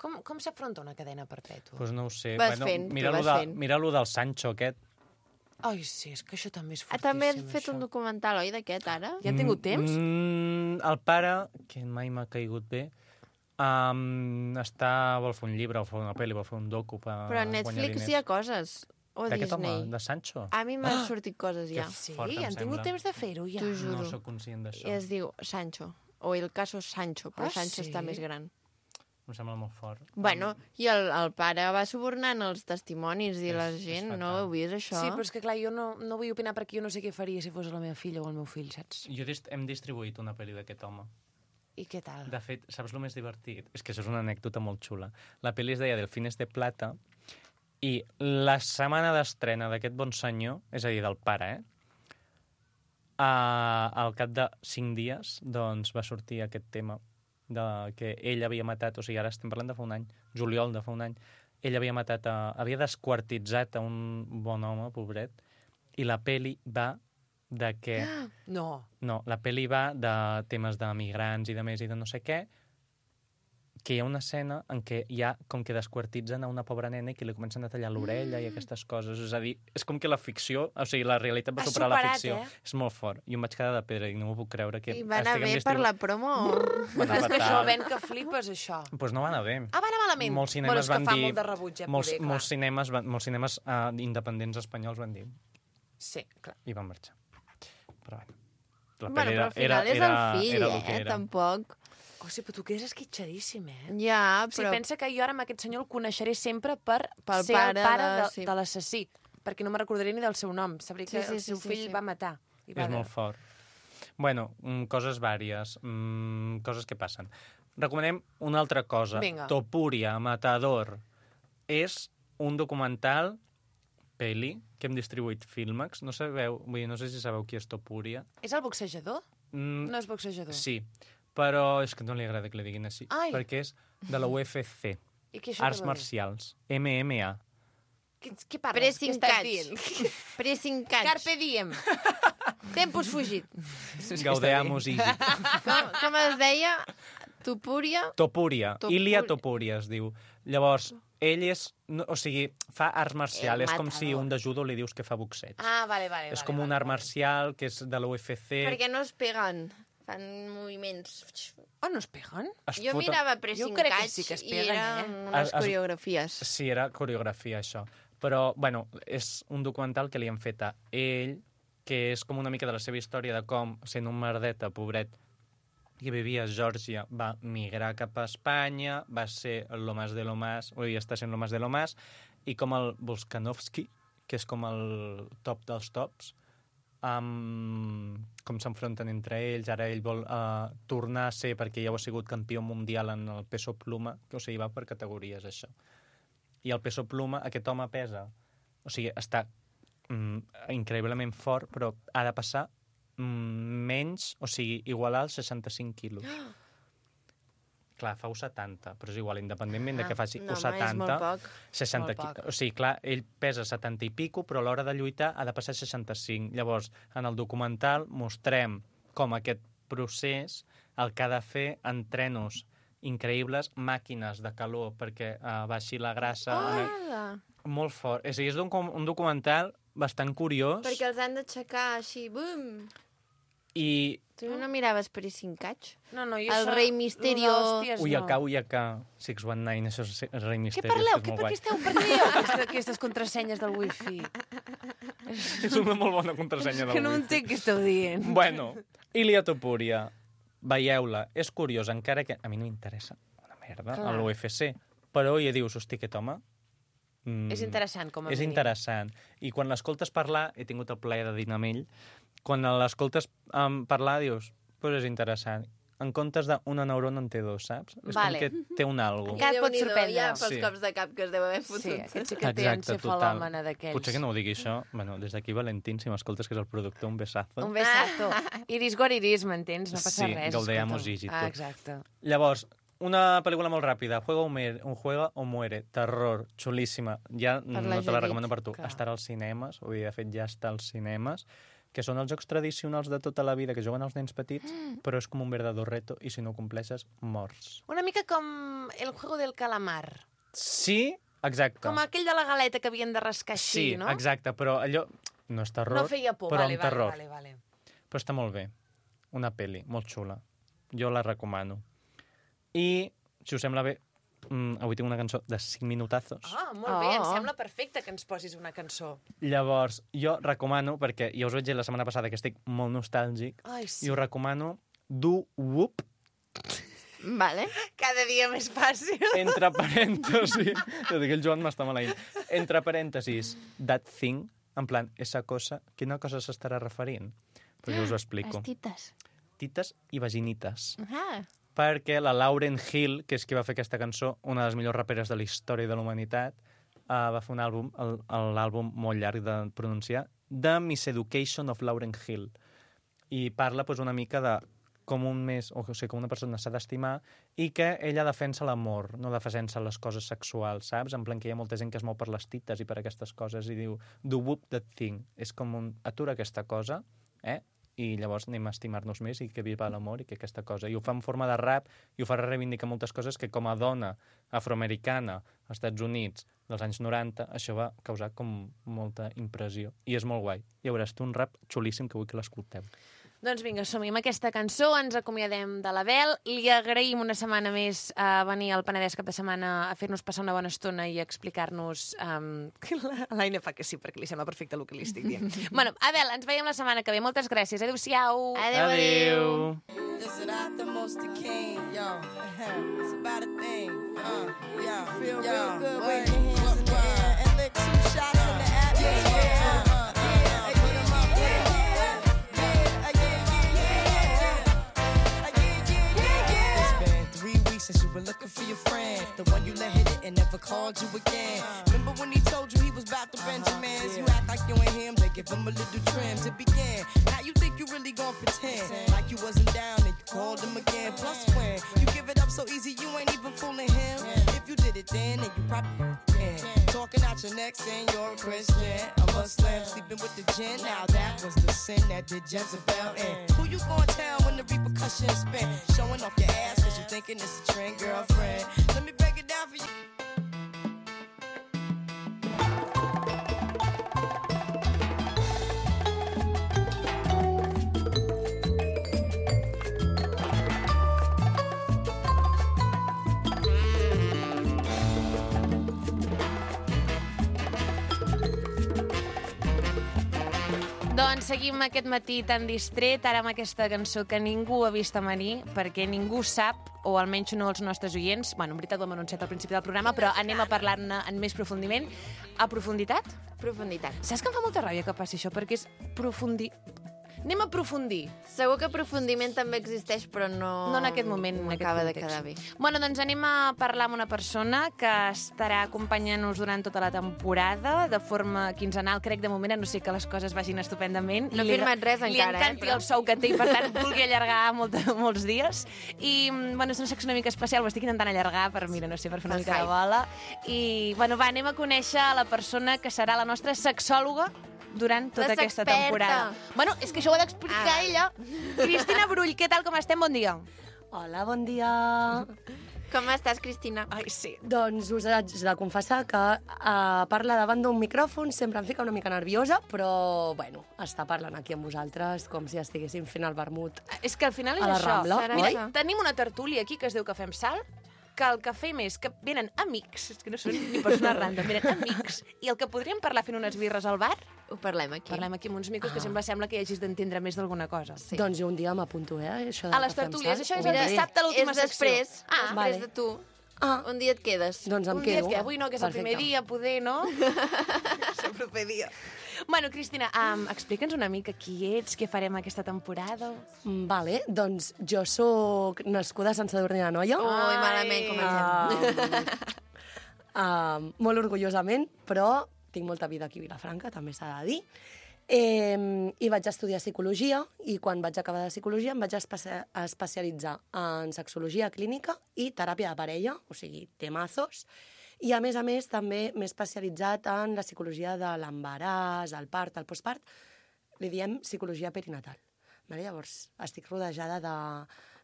A: Com, com s'afronta una cadena perpètua?
D: Doncs pues no ho sé.
B: Vas
D: bueno,
B: fent, tu
D: mira
B: vas
D: lo de,
B: fent.
D: mira lo del Sancho aquest.
A: Ai, sí, és que això també és
B: Ah,
A: fortíssim,
B: també has fet
A: això.
B: un documental, oi, d'aquest, ara?
A: Ja han tingut temps?
D: Mm, el pare, que mai m'ha caigut bé, um, està, vol fer un llibre, vol fer una pel·li, vol fer un docu per
B: Però a
D: guanyar
B: Netflix
D: diners.
B: hi ha coses. O
D: D'aquest home,
B: Disney.
D: de Sancho?
B: A mi m'han sortit coses ja.
A: Sí,
D: fort, em
A: han tingut
D: sembla.
A: temps de fer-ho, ja.
B: T'ho juro.
D: No sóc conscient d'això.
B: I es diu Sancho. O el caso Sancho, però
A: Ah,
B: Sancho
A: sí?
B: està més gran.
D: Em sembla molt fort.
B: Bueno, i el, el pare va subornant els testimonis i
D: És-
B: la
D: és
B: gent,
D: fatal.
B: no heu vist això?
A: Sí, però és que clar, jo no, no vull opinar perquè jo no sé què faria si fos la meva filla o el meu fill, saps?
D: Jo dist hem distribuït una pel·li d'aquest home.
A: I què tal?
D: De fet, saps el més divertit? És que això és una anècdota molt xula. La pel·li es deia Delfines de Plata i la setmana d'estrena d'aquest bon senyor, és a dir, del pare, eh? Uh, al cap de cinc dies doncs, va sortir aquest tema de que ell havia matat, o sigui, ara estem parlant de fa un any, juliol de fa un any, ell havia matat a, havia desquartitzat a un bon home, pobret, i la peli va de que...
A: No.
D: No, la peli va de temes de migrants i de més i de no sé què, que hi ha una escena en què ja com que desquartitzen a una pobra nena i que li comencen a tallar l'orella mm. i aquestes coses. És a dir, és com que la ficció, o sigui, la realitat va
A: Has
D: superar
A: superat,
D: la ficció.
A: Eh?
D: És molt fort. I em vaig quedar de pedra i no m'ho puc creure. Que
B: I va anar bé per la promo?
D: Va anar
A: És que això
D: fatal.
A: ven que flipes, això.
D: Doncs pues no va anar bé.
A: Ah, va anar malament?
D: Molts
A: bueno,
D: cinemes
A: és que
D: van
A: fa
D: dir...
A: molt de rebuig, eh,
D: molts,
A: poder, clar.
D: molts cinemes, van, molts cinemes uh, independents espanyols van dir
A: Sí, clar.
D: i van marxar. Però bueno. La
B: Bueno,
D: peli
B: però al final és el fill,
D: era el que
B: eh?
D: era.
B: Tampoc.
A: O sigui, però tu quedes esquitxadíssim, eh?
B: Ja,
A: O sigui,
B: però...
A: pensa que jo ara amb aquest senyor el coneixeré sempre per
B: Pel
A: ser
B: pare
A: el pare
B: de-
A: de,
B: sí.
A: de l'assassí, perquè no me recordaré ni del seu nom. Sabré que
B: Sí, sí,
A: el seu
B: sí, sí,
A: fill
B: sí.
A: va matar. I va
D: És molt fort. Bueno, mm, coses vàries, mm, coses que passen. Recomanem una altra cosa.
A: Vinga.
D: Topuria, Matador. És un documental, peli, que hem distribuït Filmax. No sabeu, vull dir, no sé si sabeu qui és Topuria.
A: És el boxejador?
D: Mm,
A: No és boxejador.
D: Sí, però és que no li agrada que li diguin així,
A: Ai.
D: perquè és de la U F C,
A: I què això
D: Arts
A: què vol dir?
D: Marcials, M M A.
A: Què, què parles?
B: Pressing
A: què estàs
B: catch.
A: dient?
B: Pressing catch.
A: Carpe diem. Tempus fugit.
D: Gaudeamus easy.
B: Com, com es deia? Tupúria?
D: Topuria,
B: Topuria.
D: Ilia Topuria es diu. Llavors, ell és, no, o sigui, fa arts marcial,
B: El
D: és com si
B: matador.
D: un de judo li dius que fa boxeig.
A: Ah, vale, vale.
D: és
A: vale,
D: com
A: vale,
D: un art
A: vale.
D: marcial que és de la U F C.
B: Perquè no es peguen. Fan moviments...
A: Oh, no es peguen?
D: Es
B: Jo
D: foten-
B: mirava Pressing
A: Jo crec que
B: Catch
A: sí que es
B: i
A: peguen,
B: eren
A: eh?
B: unes
D: Es- es-
B: coreografies.
D: Sí, era coreografia, això. Però, bueno, és un documental que li han fet a ell, que és com una mica de la seva història de com, sent un merdeta, pobret, que vivia a Geòrgia, va migrar cap a Espanya, va ser lo más de lo más, oi, està sent lo más de lo más, i com el Volkanovski, que és com el top dels tops, um, com s'enfronten entre ells, ara ell vol uh, tornar a ser, perquè ja ho ha sigut campió mundial en el peso pluma, que o sigui, va per categories, això. I el peso pluma, aquest home pesa, o sigui, està mm, increïblement fort, però ha de passar mm, menys, o sigui, igualar els seixanta-cinc quilos. Clar, fa u setanta, però és igual, independentment de que faci
B: no,
D: u
B: home, és
D: setanta,
B: molt poc.
D: seixanta
A: Molt poc.
D: qui- o sigui, clar, ell pesa setanta i pico, però a l'hora de lluitar ha de passar seixanta-cinc. Llavors, en el documental mostrem com aquest procés el que ha de fer entrenos increïbles, màquines de calor perquè uh, baixi la grassa.
B: Hola!
D: Molt fort. És a dir, és un, com- un documental bastant curiós
B: Perquè els han d'aixecar així, bum!
D: i...
B: Tu no miraves Pressing Catch?
A: No, no, jo
B: El
A: això-
B: rei Misterio.
A: lo d'hòsties, no.
D: Uyaka, Uyaka, sis one nine, això és el Rei
A: Què
D: Misteri.
A: parleu?
D: és
A: Què,
D: molt
A: per
D: guai.
A: què esteu per què dieu aquesta, aquestes contrasenyes del wifi?
D: És una molt bona contrasenya del
A: Que no
D: wifi.
A: entenc què esteu dient.
D: Bueno, Ilia Topuria, veieu-la, és curiós, encara que a mi no m'interessa una merda
A: Clar.
D: a l'U F C, però ja dius, hosti, aquest home... Mm,
A: És interessant, com a
D: És
A: mínim.
D: interessant. I quan l'escoltes parlar, he tingut el plaer de dinar amb ell, quan l'escoltes um, parlar, dius, pues és interessant. En comptes d'una neurona en té dos, saps? És
A: Vale.
D: com que té un algo.
A: Encara et pot
B: Déu-n'hi-do,
A: sorprendre.
B: Ja, pels
D: Sí.
B: cops de cap que es deu haver
A: Sí,
B: fotut.
A: aquest sí que té
D: Exacte,
A: encefalòmena d'aquells.
D: Potser que no ho digui això. Bueno, des d'aquí, Valentín, si m'escoltes, que és el productor, un besazo.
A: Un besato. Iris goriris, m'entens? No passa
D: Sí,
A: res.
D: gaudeamos
A: escolta'm.
D: ígito.
A: Ah, exacte.
D: Llavors, una pel·lícula molt ràpida, Juega o muere, un juega o muere, terror, xulíssima. Ja
B: la
D: no te la
B: Judit.
D: recomano per tu.
A: Clar.
D: Estarà als cinemes, vull dir, de fet ja està als cinemes, que són els jocs tradicionals de tota la vida que juguen els nens petits,
A: Mm.
D: però és com un verdador reto i si no ho compleixes, morts.
A: Una mica com el juego del calamar.
D: Sí, exacte.
A: Com aquell de la galeta que havien de rascar així,
D: sí,
A: no?
D: exacte, però allò no és terror,
A: No feia por,
D: però
A: vale,
D: amb
A: vale,
D: terror.
A: vale, vale.
D: Però està molt bé. Una pel·li, molt xula. Jo la recomano. I, si us sembla bé, mm, avui tinc una cançó de cinc minutazos.
A: Ah, molt bé, em
B: Oh.
A: sembla perfecte que ens posis una cançó.
D: Llavors, jo recomano, perquè ja us vaig dir la setmana passada que estic molt nostàlgic,
A: Ai, sí.
D: i us recomano Do Whoop,
B: Vale.
A: Cada dia més fàcil.
D: entre parèntesis, jo dic, el Joan m'està maleint, entre parèntesis, That Thing, en plan, esa cosa, quina cosa s'estarà referint? Però jo us ho explico.
B: Les tites.
D: Tites i vaginites.
B: Ah.
D: Perquè la Lauryn Hill, que és qui va fer aquesta cançó, una de les millors raperes de la història de la humanitat, uh, va fer un àlbum, el- l'àlbum molt llarg de pronunciar, The Miseducation of Lauryn Hill. I parla pues, una mica de com un més, o sigui, com una persona s'ha d'estimar, i que ella defensa l'amor, no defensa les coses sexuals, saps? En plan que hi ha molta gent que es mou per les tites i per aquestes coses i diu, do whoop that thing. És com un, atura aquesta cosa, eh? I llavors anem a estimar-nos més i que viva l'amor i que aquesta cosa. I ho fa en forma de rap i ho fa reivindicar moltes coses que com a dona afroamericana als Estats Units dels anys noranta, això va causar com molta impressió. I és molt guai. I veuràs tu un rap xulíssim que vull que l'escolteu.
A: Doncs vinga, som-hi amb aquesta cançó, ens acomiadem de la Bel, li agraïm una setmana més a venir al Penedès cap de setmana a fer-nos passar una bona estona i a explicar-nos... Um... L'Aina fa que sí, perquè li sembla perfecte el que li estic dient. Bueno, Abel, ens veiem la setmana que ve. Moltes gràcies. Adéu-siau.
B: Adéu, adéu.
E: Listen, I the most the king, yo. It's about a thing, uh, yo. Feel real good with your hands in the air and lick two shots in the atmosphere. Uh, yeah, hey, put 'em up, yeah, yeah, yeah, yeah, yeah, yeah, yeah. It's been three weeks since you were looking for your friend, the one you let hit it and never called you again. Remember when he told you he was about to Benjamins? You act like you ain't him, they give him a little trim to begin. Now you think you really gon' pretend like you wasn't down and you called him again. Plus when you give it up so easy, you ain't even fooling him. If you did it then, then you probably can. Talking out your neck saying you're a Christian, a Muslim, sleeping with the gin. Now that was the sin that did Jezebel in. Who you gonna tell when the repercussions spin? Showing off your ass cause you thinking it's a trend, girlfriend. Let me break it down for you.
A: Doncs seguim aquest matí tan distret, ara amb aquesta cançó que ningú ha vist a venir, perquè ningú sap, o almenys no els nostres oients, bueno, en veritat ho hem anunciat al principi del programa, però anem a parlar-ne en més profundiment. A profunditat?
B: Profunditat.
A: Saps que em fa molta ràbia que passi això, perquè és profundi... Anem a aprofundir.
B: Segur que aprofundiment també existeix, però no...
A: No en aquest moment, en aquest
B: acaba de
A: context.
B: quedar bé.
A: Bueno, doncs anem a parlar amb una persona que estarà acompanyant-nos durant tota la temporada, de forma quinzenal, crec, de moment, a no ser que les coses vagin estupendament.
B: No ha
A: Li-
B: firmat res
A: li
B: encara, eh,
A: encanti
B: però-
A: el sou que té i, per tant, vulgui allargar molt, molts dies. I, bueno, és una secció una mica especial, ho estic intentant allargar per, mira, no sé, per fer una
B: El
A: mica de
B: hype.
A: bola. I, bueno, va, anem a conèixer la persona que serà la nostra sexòloga durant tota
B: La
A: aquesta
B: sexperta.
A: temporada. Bueno, és que això ho ha d'explicar
B: Ah.
A: ella. Cristina Brull, què tal, com estem? Bon dia.
F: Hola, bon dia.
B: Com estàs, Cristina?
A: Ai, sí.
F: Doncs us haig de confessar que uh, parlar davant d'un micròfon sempre em fica una mica nerviosa, però, bueno, estar parlant aquí amb vosaltres com si estiguéssim fent el vermut.
A: És que al final és
F: A la
A: això.
F: Rambla,
B: Serà
A: Mira,
B: això.
A: tenim una tertúlia aquí que es diu que fem sal, que el que fem és que venen amics, és que no són ni persones random, venen amics, i el que podríem parlar fent unes birres al bar,
B: Ho parlem aquí.
A: parlem aquí amb uns micros, que sempre sembla que hi hagis d'entendre més d'alguna cosa.
B: Sí.
F: Doncs jo un dia m'apunto, eh? Això de
A: A les
F: que fem
A: tertúlies,
F: sal.
A: això és
F: Ho
A: el
F: diré.
A: dissabte, l'última
B: és després,
A: secció. Ah,
B: després
F: vale.
B: de tu.
F: Ah,
B: Un dia et quedes.
F: doncs em
A: un dia
F: quedo.
A: que avui no, que és el primer
F: Perfecte.
A: dia, poder, no? és el proper dia. Bueno, Cristina, um, explica'ns una mica qui ets, què farem aquesta temporada.
F: Mm, Vale, doncs jo sóc nascuda a Sant Sadurní d'Anoia.
B: Ui, malament comencem.
F: Ah, uh, molt orgullosament, però tinc molta vida aquí a Vilafranca, també s'ha de dir. Eh, I vaig estudiar psicologia i quan vaig acabar de psicologia em vaig espe especialitzar en sexologia clínica i teràpia de parella, o sigui, temazos. I a més a més també m'he especialitzat en la psicologia de l'embaràs, el part, el postpart. Li diem psicologia perinatal. Vale? Llavors estic rodejada de,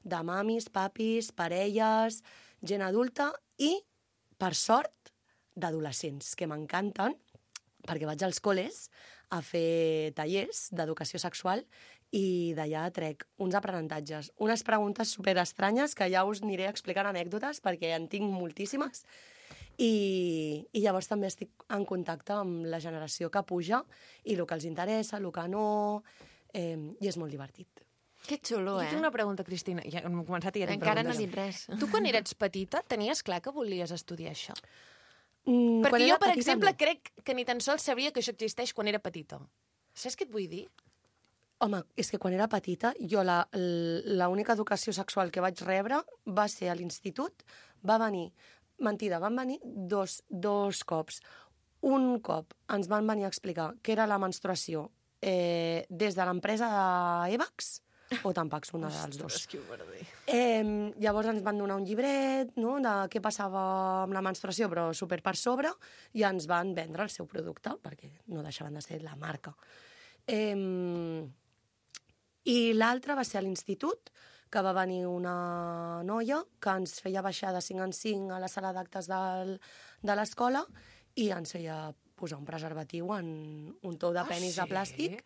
F: de mamis, papis, parelles, gent adulta i, per sort, d'adolescents, que m'encanten, perquè vaig als col·les a fer tallers d'educació sexual i d'allà trec uns aprenentatges, unes preguntes superestranyes que ja us aniré explicant anècdotes perquè en tinc moltíssimes i, i llavors també estic en contacte amb la generació que puja i el que els interessa, el que no, eh, i és molt divertit.
B: Que xulo,
A: Jo
B: eh?
A: tinc una pregunta, Cristina. Ja hem començat i ja tinc
B: Encara no he
A: preguntes.
B: dit res.
A: Tu, quan eres petita, tenies clar que volies estudiar això?
F: Mm,
A: Perquè
F: quan
A: jo,
F: era
A: per
F: petita,
A: exemple,
F: no.
A: crec que ni tan sols sabria que això existeix quan era petita. Saps què et vull dir?
F: Home, és que quan era petita, jo la- l'única educació sexual que vaig rebre va ser a l'institut, va venir, mentida, van venir dos, dos cops. Un cop ens van venir a explicar què era la menstruació eh, des de l'empresa d'Evax, o Tampax, una dels dos.
A: Ostres, que merder.
F: Eh, llavors ens van donar un llibret, no?, de què passava amb la menstruació, però super per sobre, i ens van vendre el seu producte, perquè no deixaven de ser la marca. Eh, I l'altre va ser a l'institut, que va venir una noia que ens feia baixar de cinc en cinc a la sala d'actes del, de l'escola i ens feia posar un preservatiu en un tou de penis
A: sí?
F: de plàstic,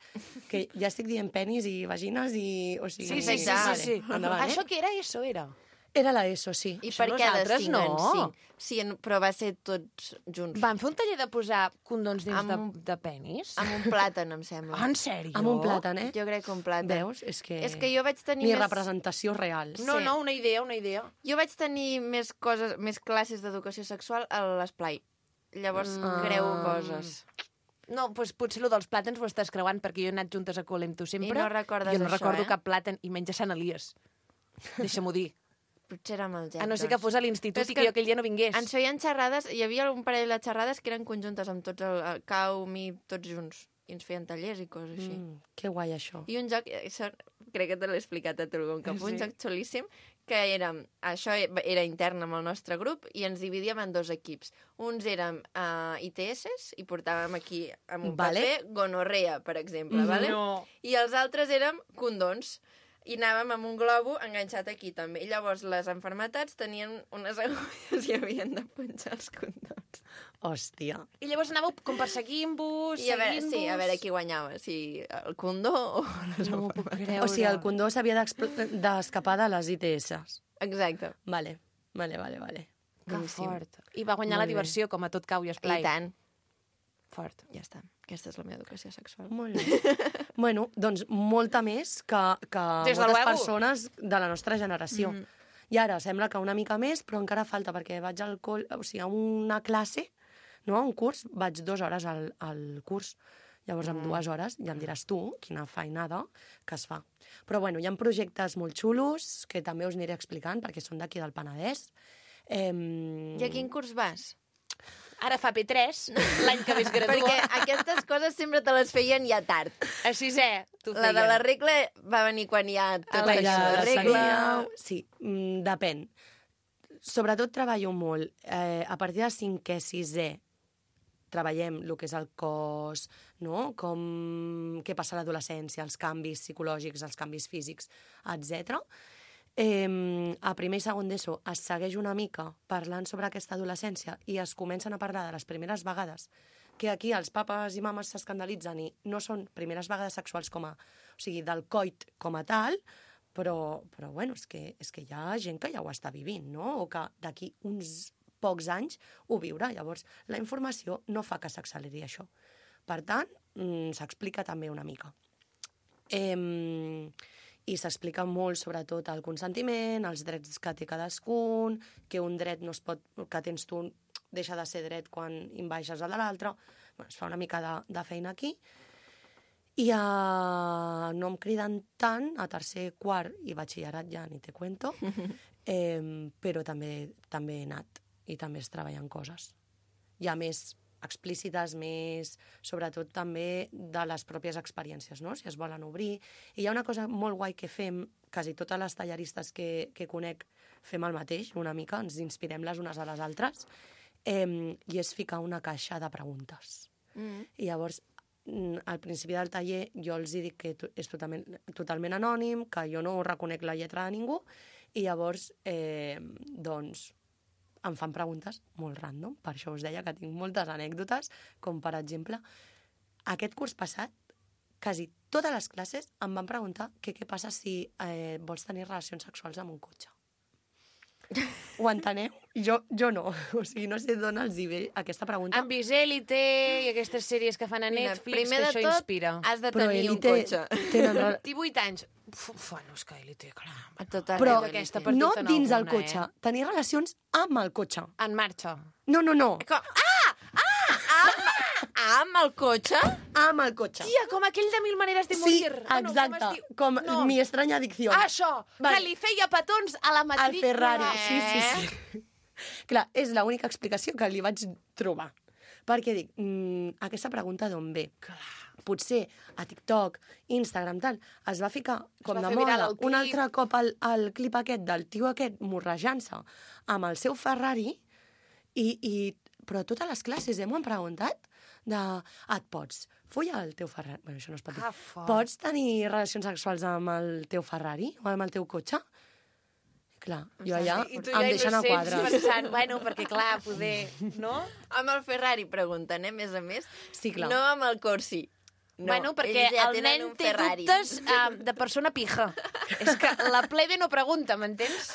F: que ja estic dient penis i vagines i... O sigui,
A: Sí, sí, sí,
F: vale,
A: sí, sí.
F: endavant,
A: Això
F: eh?
A: que era eso, era?
F: Era l'ESO, sí.
B: I
A: Això
B: per què de
A: nosaltres
B: cinc en
A: no.
B: cinc? Sí, en- però va ser tots junts.
A: Van fer un taller de posar condons dins
B: Amb
A: de,
B: un-
A: de penis?
B: Amb un plàtan, em sembla.
A: Ah, en sèrio?
F: Amb un plàtan, eh?
B: Jo crec que un plàtan.
F: Veus? És que...
B: És que jo vaig tenir
F: Ni
B: més...
F: representació real.
A: No,
B: Sí.
A: no, una idea, una idea.
B: Jo vaig tenir més coses, més classes d'educació sexual a l'esplai. Llavors
F: Mm.
B: creu coses.
A: No, doncs potser el dels plàtans ho estàs creuant, perquè jo he anat juntes a col·le amb tu sempre.
B: I no recordes
A: jo no
B: això,
A: recordo
B: eh?
A: cap plàtan, i menys a Sant Elies. Deixa-m'ho dir.
B: Potser era amb el Jack.
A: A no ser que
B: doncs.
A: fos a l'institut
B: Però és
A: i que
B: que
A: jo aquell dia no vingués.
B: Ens feien xerrades, hi havia un parell de xerrades que eren conjuntes amb tots, el, el Cau, mi, tots junts. I ens feien tallers i coses així.
F: Mm, que guai, això.
B: I un joc, això crec que te l'he explicat a tu algun cop,
A: Sí.
B: un joc xulíssim, que era, això era intern amb el nostre grup i ens dividíem en dos equips. Uns érem uh, I T S i portàvem aquí amb un
F: Vale.
B: paper gonorrea, per exemple, vale?
A: No.
B: I els altres érem condons. I anàvem amb un globo enganxat aquí també. I llavors les enfermetats tenien unes agulles i havien de punxar els condons.
F: Hòstia.
A: I llavors anàveu com perseguint-vos,
B: I a veure,
A: seguint-vos...
B: sí, a veure qui guanyava, si el condó o les
A: No m'ho puc
B: enfermetats.
A: creure.
F: O sigui, el condó s'havia d'expl- d'escapar de les I T S.
B: Exacte.
F: Vale, vale, vale, vale.
A: Que
F: Boníssim.
A: fort. I va guanyar
F: Molt
A: la
F: bé.
A: diversió, com a tot cau i esplai.
B: I tant.
A: Fort.
B: Ja està. Aquesta és la meva educació sexual.
F: Molt bé. Bueno, doncs molta més que, que
A: Des de
F: moltes
A: luego.
F: persones de la nostra generació.
B: Mhm.
F: I ara sembla que una mica més, però encara falta, perquè vaig al col... o sigui, a una classe, no, a un curs, vaig dues hores al, al curs. Llavors, en dues hores, ja em diràs tu quina feinada que es fa. Però, bueno, hi ha projectes molt xulos que també us aniré explicant, perquè són d'aquí del Penedès. Eh...
B: I a quin curs vas?
A: Ara fa P tres, l'any que més gradua.
B: Perquè aquestes coses sempre te les feien ja tard.
A: A sisè, t'ho
B: La
A: feien.
B: de la regla va venir quan ja tot
A: la
B: això
A: ja
B: de regla...
F: Seria... Sí, mm, depèn. Sobretot treballo molt. Eh, a partir de cinquè, sisè, treballem el que és el cos, no? Com, què passa a l'adolescència, els canvis psicològics, els canvis físics, etcètera. Eh, a primer i segon d'ESO es segueix una mica parlant sobre aquesta adolescència i es comencen a parlar de les primeres vegades, que aquí els papes i mames s'escandalitzen i no són primeres vegades sexuals com a... O sigui, del coit com a tal, però, però bueno, és que, és que hi ha gent que ja ho està vivint, no? O que d'aquí uns pocs anys ho viurà. Llavors, la informació no fa que s'acceleri això. Per tant, mm, s'explica també una mica. Eh, I s'explica molt, sobretot, el consentiment, els drets que té cadascun, que un dret no es pot, que tens tu deixa de ser dret quan invaixes el de l'altre. Bueno, es fa una mica de, de feina aquí. I a... no em criden tant, a tercer, quart i batxillerat ja ni te cuento, eh, però també, també he anat i també es treballen coses. Hi ha més explícites, més, sobretot també de les pròpies experiències, no? Si es volen obrir. I hi ha una cosa molt guai que fem, quasi totes les tallaristes que, que conec fem el mateix, una mica, ens inspirem les unes a les altres, eh, i és ficar una caixa de preguntes.
B: Mm.
F: I llavors, mm, al principi del taller, jo els dic que to- és totalment, totalment anònim, que jo no reconec la lletra de ningú, i llavors, eh, doncs, em fan preguntes molt random, per això us deia que tinc moltes anècdotes, com per exemple, aquest curs passat, quasi totes les classes em van preguntar que què passa si eh, vols tenir relacions sexuals amb un cotxe. Ho enteneu? Jo, jo no. O sigui, no sé d'on els hi ve aquesta pregunta.
A: Han vist Élite i aquestes sèries que fan a
B: Mira,
A: Netflix,
B: primer
A: que
B: de
A: això
B: tot,
A: inspira.
B: has de
F: Però
B: tenir un
F: Elite
B: cotxe.
F: tenen... re-
A: divuit anys. Uf, bueno, és que Élite, clar.
B: A tot
F: Però
B: arreu,
A: aquesta
B: Elite.
A: per
F: no
A: tot en
F: dins el
A: alguna,
F: cotxe,
A: eh?
F: tenir relacions amb el cotxe.
A: En marxa.
F: No, no, no,
B: Com... Ah! Ah! Amb, amb el cotxe?
F: amb el cotxe.
A: Tia, com aquell de Mil maneres de
F: Sí,
A: morir. Ah, no,
F: exacte,
A: com es diu?
F: com
A: No.
F: mi estranya adicció.
A: Ah, això,
F: Vale.
A: que li feia petons a la
F: Al
A: matrícula.
F: Ferrari, sí,
A: Eh?
F: sí, sí. Clar, és l'única explicació que li vaig trobar. Perquè dic, mm, aquesta pregunta d'on ve?
A: Clar.
F: potser a TikTok, Instagram, tal, es va ficar com
A: va
F: de
A: fer viral
F: moda
A: el clip.
F: un altre cop el, el clip aquest del tio aquest morrejant-se amb el seu Ferrari i, i però a totes les classes eh, m'ho han preguntat de, ah, et pots follar el teu Ferrari? Bueno, això no es pot dir.
A: Ah, fort.
F: Pots tenir relacions sexuals amb el teu Ferrari o amb el teu cotxe? Clar, jo allà
A: I tu
F: em
A: ja
F: deixen a
A: innocents
F: quadres.
A: pensant, bueno, perquè clar, poder, no?
B: Amb el Ferrari, pregunten, eh, a més a més.
F: Sí, clar.
B: No amb el Corsi. No,
A: bueno, perquè
B: ells ja
A: el
B: tenen
A: nen
B: un
A: té
B: Ferrari.
A: dubtes uh, de persona pija. És que la plebe no pregunta, m'entens?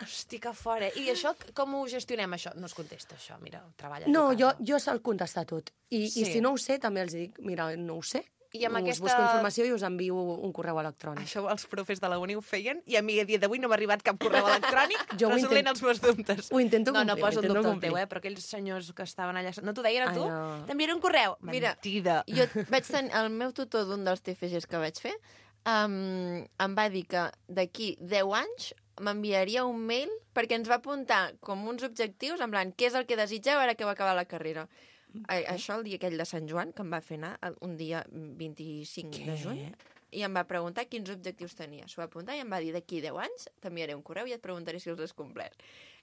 A: Hosti, que fora. I això, com ho gestionem, això? No es contesta, això, mira, treballa a
F: No,
A: tu
F: jo,
A: casa.
F: jo sé contestar tot. I,
A: Sí.
F: I si no ho sé, també els dic, mira, no ho sé.
A: I amb
F: us
A: aquesta-
F: busco informació i us envio un correu electrònic.
A: Això els profes de la uni ho feien i a mi a dia d'avui no m'ha arribat cap correu electrònic
F: Jo ho
A: resolent
F: intent-
A: els meus dubtes.
F: ho intento
A: no,
F: complir,
A: No, no poso
F: ho
A: en
F: intento
A: dubte el
F: complir.
A: teu, eh? Però aquells senyors que estaven allà... No t'ho deien a tu?
F: Ai, no.
A: T'enviaré un correu?
B: Mira,
A: Mentida.
B: Jo vaig tenir, el meu tutor d'un dels T F Gs que vaig fer um, em va dir que d'aquí deu anys m'enviaria un mail perquè ens va apuntar com uns objectius, en plan, què és el que desitgeu ara que va acabar la carrera. A, això el dia aquell de Sant Joan, que em va fer anar el- un dia vint-i-cinc de juny, i em va preguntar quins objectius tenia. S'ho va apuntar i em va dir, d'aquí deu anys t'enviaré un correu i et preguntaré si els has complert.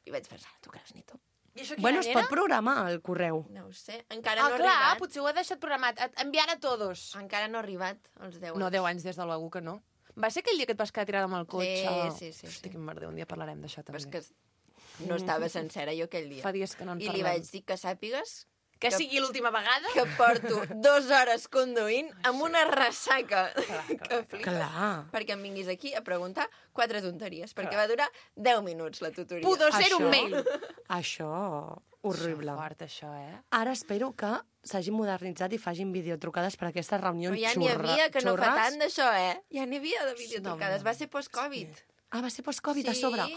B: I vaig pensar, tu creus ni tu?
A: I això quin
F: Bueno,
A: any
F: es
A: era?
F: pot programar el correu.
B: No ho sé, encara
A: Ah,
B: no ha
A: clar,
B: arribat.
A: potser ho ha deixat programat. Et- Enviar a todos.
B: Encara no ha arribat als deu anys.
A: No, deu anys des de l'U que no. Va ser aquell dia que et vas quedar tirada amb el cotxe?
B: Sí, sí, sí,
A: Hosti,
B: sí.
A: quin merder, un dia parlarem d'això
B: Però és
A: també.
B: que no estava sencera jo aquell dia.
A: Fa dies que no en
B: I li
A: parlem.
B: vaig dir que sàpigues
A: Que
B: que-
A: sigui l'última vegada?
B: que porto dues hores conduint amb una ressaca que flipes.
F: Clar.
B: Perquè em vinguis aquí a preguntar quatre tonteries, perquè va durar deu minuts la tutoria.
A: Pudor ser un
F: Això-
A: mail.
F: Això, horrible.
A: Això fort, això, eh?
F: Ara espero que s'hagin modernitzat i facin videotrucades per a aquestes reunions
B: Però ja n'hi
F: xurra,
B: havia, que no fa
F: xurres.
B: tant d'això, eh? Ja n'hi havia de videotrucades. Va ser post-Covid.
F: Ah, va ser post-Covid a sobre.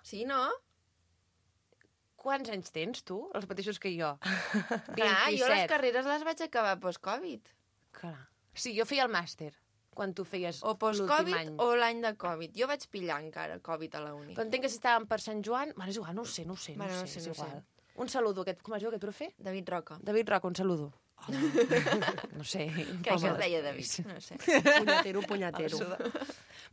B: Sí, no?
A: Quants anys tens, tu? Els mateixos que jo.
B: Clar, jo les carreres les vaig acabar post-Covid.
A: Clar. Sí, jo feia el màster, quan tu feies
B: O
A: l'últim
B: post-Covid
A: any.
B: o l'any de Covid. Jo vaig pillar encara Covid a la uni.
A: Però entenc que si estàvem per Sant Joan... Bueno, és igual, no ho sé, no ho sé, no,
B: Bueno,
A: ho
B: no
A: sé,
B: sé,
A: és
B: no ho
A: igual. Un saludo, aquest, com es diu aquest profe?
B: David Roca.
A: David Roca, un saludo. No sé.
B: Crec que es deia David, no sé.
F: Punyatero, punyatero.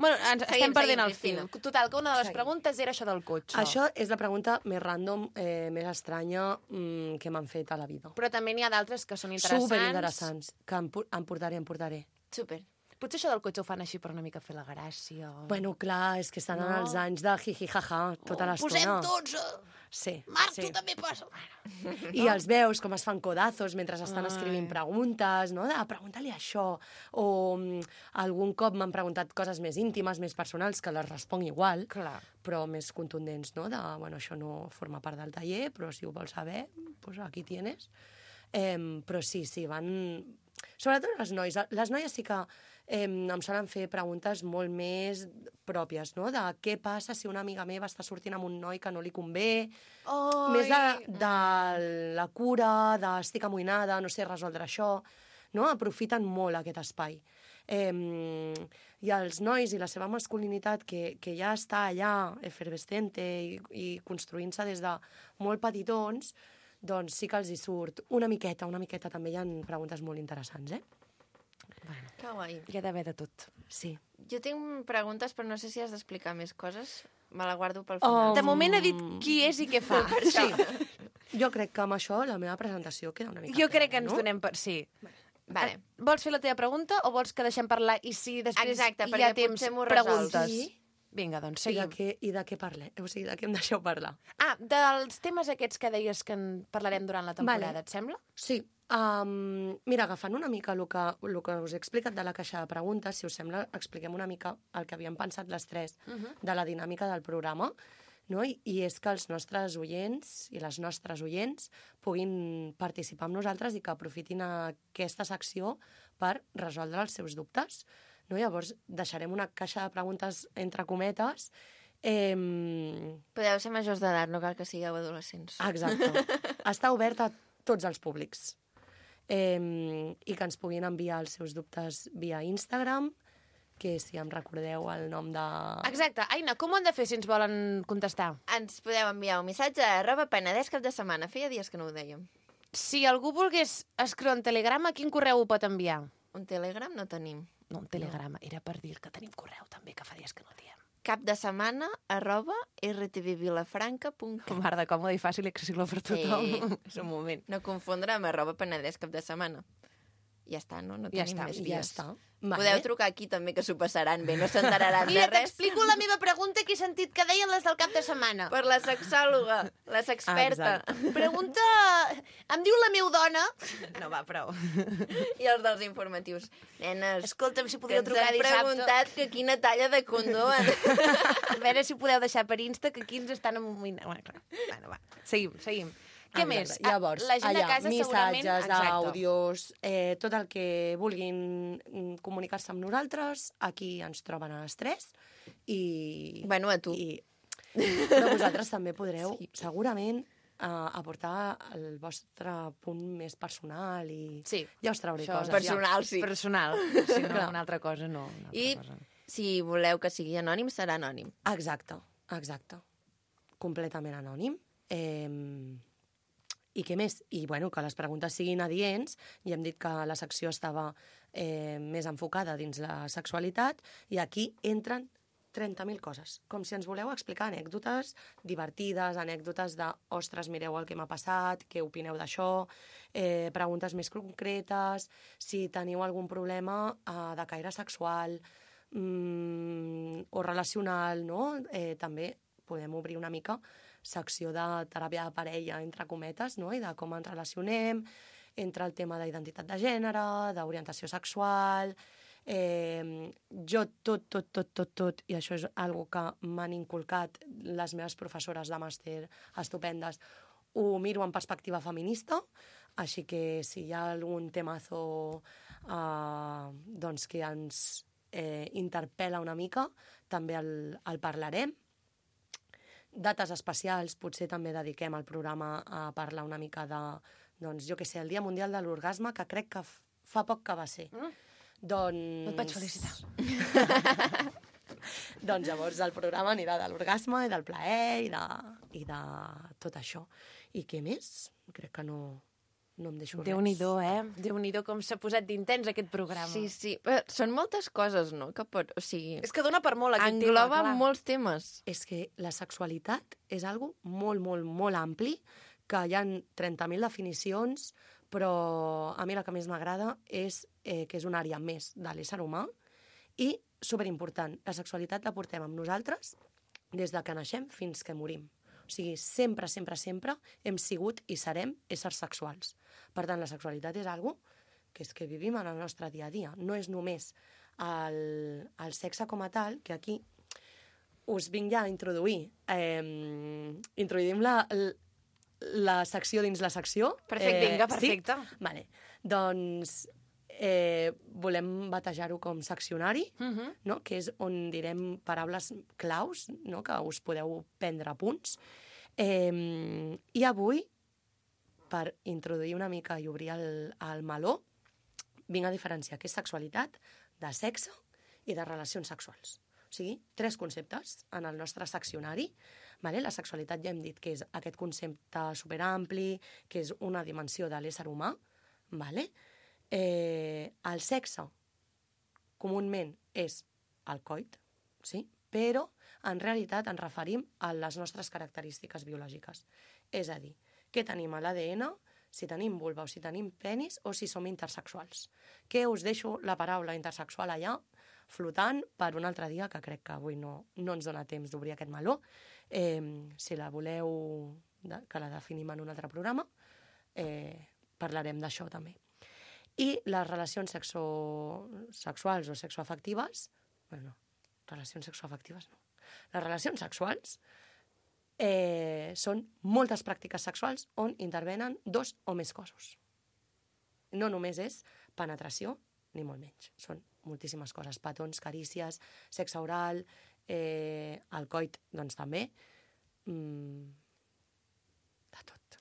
A: Bueno, ens estem
B: Seguim,
A: perdent
B: seguim,
A: el fil.
B: Cristina.
A: Total, que una de les
F: Seguim.
A: preguntes era això del cotxe.
F: Això és la pregunta més random, eh, més estranya mm, que m'han fet a la vida.
A: Però també n'hi ha d'altres que són interessants.
F: Superinteressants, que em, pu- em portaré, em portaré.
B: Super.
A: Potser això del cotxe ho fan així per una mica fer la gràcia. O...
F: Bueno, clar, és que estan
A: No.
F: en els anys de jiji-jaja tota
A: Oh,
F: l'estona.
A: posem tots... A...
F: Sí,
A: Marc,
F: sí.
A: tu també posa... Bueno,
F: I els veus com es fan codazos mentre estan escrivint preguntes, no? De pregunta-li això. O mm, algun cop m'han preguntat coses més íntimes, més personals, que les responc igual,
A: clar.
F: però més contundents, no? De, bueno, això no forma part del taller, però si ho vols saber, pues aquí tienes. Eh, però sí, sí, van... Sobretot les noies. Les noies sí que eh, em solen fer preguntes molt més pròpies, no? De què passa si una amiga meva està sortint amb un noi que no li convé,
A: Oh,
F: més de, de la cura, de estic amoïnada, no sé resoldre això, no? Aprofiten molt aquest espai. Eh, I els nois i la seva masculinitat, que, que ja està allà, efervescente i, i construint-se des de molt petitons, doncs sí que els hi surt una miqueta, una miqueta. També hi ha preguntes molt interessants, eh?
B: Que guai.
A: Hi ha d'haver de tot.
F: Sí.
B: Jo tinc preguntes, però no sé si has d'explicar més coses. Me la guardo pel
F: Oh.
B: final.
A: De moment ha dit qui és i què fa.
F: Sí. Jo crec que amb això la meva presentació queda una mica
A: Jo crec que
F: clara,
A: ens
F: no?
A: donem per... Sí.
B: Vale.
A: Vols fer la teva pregunta o vols que deixem parlar i si després
B: Exacte,
A: hi
B: perquè
A: ha temps
B: potser m'ho resols.
A: preguntes?
F: Sí.
A: Vinga, doncs,
F: I de,
A: seguim.
F: què, I de què parlem? O sigui, de què em deixeu parlar?
A: Ah, dels temes aquests que deies que en parlarem durant la temporada,
F: Vale.
A: et sembla?
F: Sí. Um, mira, agafant una mica el que, el que us he explicat de la caixa de preguntes, si us sembla, expliquem una mica el que havíem pensat les tres
A: Uh -huh.
F: de la dinàmica del programa, no? I, i és que els nostres oients i les nostres oients puguin participar amb nosaltres i que aprofitin aquesta secció per resoldre els seus dubtes. No? Llavors, deixarem una caixa de preguntes entre cometes. Eh,
B: Podeu ser majors d'edat, no cal que sigueu adolescents.
F: exacte. Està obert a tots els públics. Eh, I que ens puguin enviar els seus dubtes via Instagram, que si em recordeu el nom de...
A: Exacte. Aina, com ho han de fer si ens volen contestar?
B: Ens podeu enviar un missatge a arroba penedès cap de setmana. Feia dies que no ho dèiem.
A: Si algú volgués escriure un telegrama, quin correu ho pot enviar?
B: Un Telegram no tenim.
A: No, un telegrama. Era per dir que tenim correu, també, que fa dies que no el diem.
B: Cap de setmana arroba r t v vilafranca punt cat.
A: Mar de còmode i fàcil i accessible per tothom.
B: Sí.
A: És un moment.
B: No confondre amb arroba penedès cap de setmana. Ja està, no? No
A: Ja
B: tenim
A: està,
B: més
F: I
B: vies.
F: ja està.
B: Podeu trucar aquí també, que s'ho passaran bé, no s'enteraran de
A: Mira,
B: res.
A: t'explico la meva pregunta que he sentit que deien les del cap de setmana.
B: Per la sexòloga, la sexperta.
F: Exacte.
A: Pregunta... Em diu la meva dona... No, va, prou.
B: I els dels informatius. Nenes,
A: Escolta'm, si
B: que
A: podríeu
B: ens
A: trucar
B: han
A: dissabte.
B: preguntat que quina talla de condó han...
A: A veure si podeu deixar per Insta que aquí ens estan amoïnant. Bueno, clar. Bueno, va. Seguim, seguim. Què
F: Exacte.
A: més?
F: Llavors,
A: la gent
F: allà,
A: de casa segurament...
F: missatges,
A: Exacte.
F: àudios, eh, tot el que vulguin mm, comunicar-se amb nosaltres, aquí ens troben a les tres. I,
B: Bueno, a tu.
F: I, però vosaltres també podreu, sí. segurament, eh, aportar el vostre punt més personal i
A: Sí,
F: ja us trauré
A: això,
F: coses.
B: personal, sí.
A: Personal. Si no,
F: Clar.
A: una altra cosa no. Una altra
B: I
A: cosa.
B: si voleu que sigui anònim, serà anònim.
F: Ja. Exacte, exacte. Completament anònim. Eh, I què més? I, bueno, que les preguntes siguin adients. Ja hem dit que la secció estava eh, més enfocada dins la sexualitat i aquí entren trenta mil coses. Com si ens voleu explicar anècdotes divertides, anècdotes de ostres, mireu el que m'ha passat, què opineu d'això, eh, preguntes més concretes, si teniu algun problema eh, de caire sexual mm, o relacional, no? Eh, també podem obrir una mica secció de teràpia de parella, entre cometes, no? I de com ens relacionem, entre el tema d'identitat de gènere, d'orientació sexual... Eh, jo tot, tot, tot, tot, tot, i això és algo que m'han inculcat les meves professores de màster estupendes, ho miro en perspectiva feminista, així que si hi ha algun temazo eh, doncs que ens eh, interpel·la una mica, també el, el parlarem. Dates especials, potser també dediquem el programa a parlar una mica de, doncs, jo què sé, el Dia Mundial de l'Orgasme, que crec que f- fa poc que va ser. Mm. Doncs...
A: No et vaig felicitar.
F: Doncs llavors el programa anirà de l'orgasme i del plaer i de, i de tot això. I què més? Crec que no, no em deixo res.
A: Déu-n'hi-do, eh? Déu-n'hi-do com s'ha posat d'intens aquest programa.
B: Sí, sí. Però són moltes coses, no? Que pot... O sigui,
A: És que dona per molt aquest
B: engloba
A: tema, clar.
B: molts temes.
F: És que la sexualitat és algo molt, molt, molt ampli, que hi ha trenta mil definicions, però a mi la que més m'agrada és eh, que és una àrea més de l'ésser humà i, superimportant, la sexualitat la portem amb nosaltres des de que naixem fins que morim. O sigui, sempre, sempre, sempre hem sigut i serem éssers sexuals. Per tant, la sexualitat és algo que és que vivim en el nostre dia a dia. No és només el, el sexe com a tal, que aquí us vinc ja a introduir. Eh, introduïm la, la secció dins la secció.
A: Perfecte, vinga, perfecte.
F: Sí? Vale. Doncs eh, volem batejar-ho com seccionari,
A: Uh -huh.
F: no? Que és on direm paraules claus, no? Que us podeu prendre apunts. Eh, I avui, per introduir una mica i obrir el, el meló, vinc a diferenciar què és sexualitat, de sexe i de relacions sexuals. O sigui, tres conceptes en el nostre seccionari. Vale? La sexualitat ja hem dit que és aquest concepte superampli, que és una dimensió de l'ésser humà. Vale? Eh, el sexe, comúment, és el coit, sí? Però en realitat ens referim a les nostres característiques biològiques. És a dir, què tenim a l'A D N, si tenim vulva o si tenim penis o si som intersexuals. Que us deixo la paraula intersexual allà, flotant per un altre dia, que crec que avui no, no ens dona temps d'obrir aquest meló. Eh, si la voleu, de, que la definim en un altre programa, eh, parlarem d'això també. I les relacions sexo... sexuals o sexoafectives, bueno, relacions sexoafectives no. Les relacions sexuals eh, són moltes pràctiques sexuals on intervenen dos o més cossos. No només és penetració, ni molt menys. Són moltíssimes coses, petons, carícies, sexe oral, eh, el coit, doncs també, mm, de tot.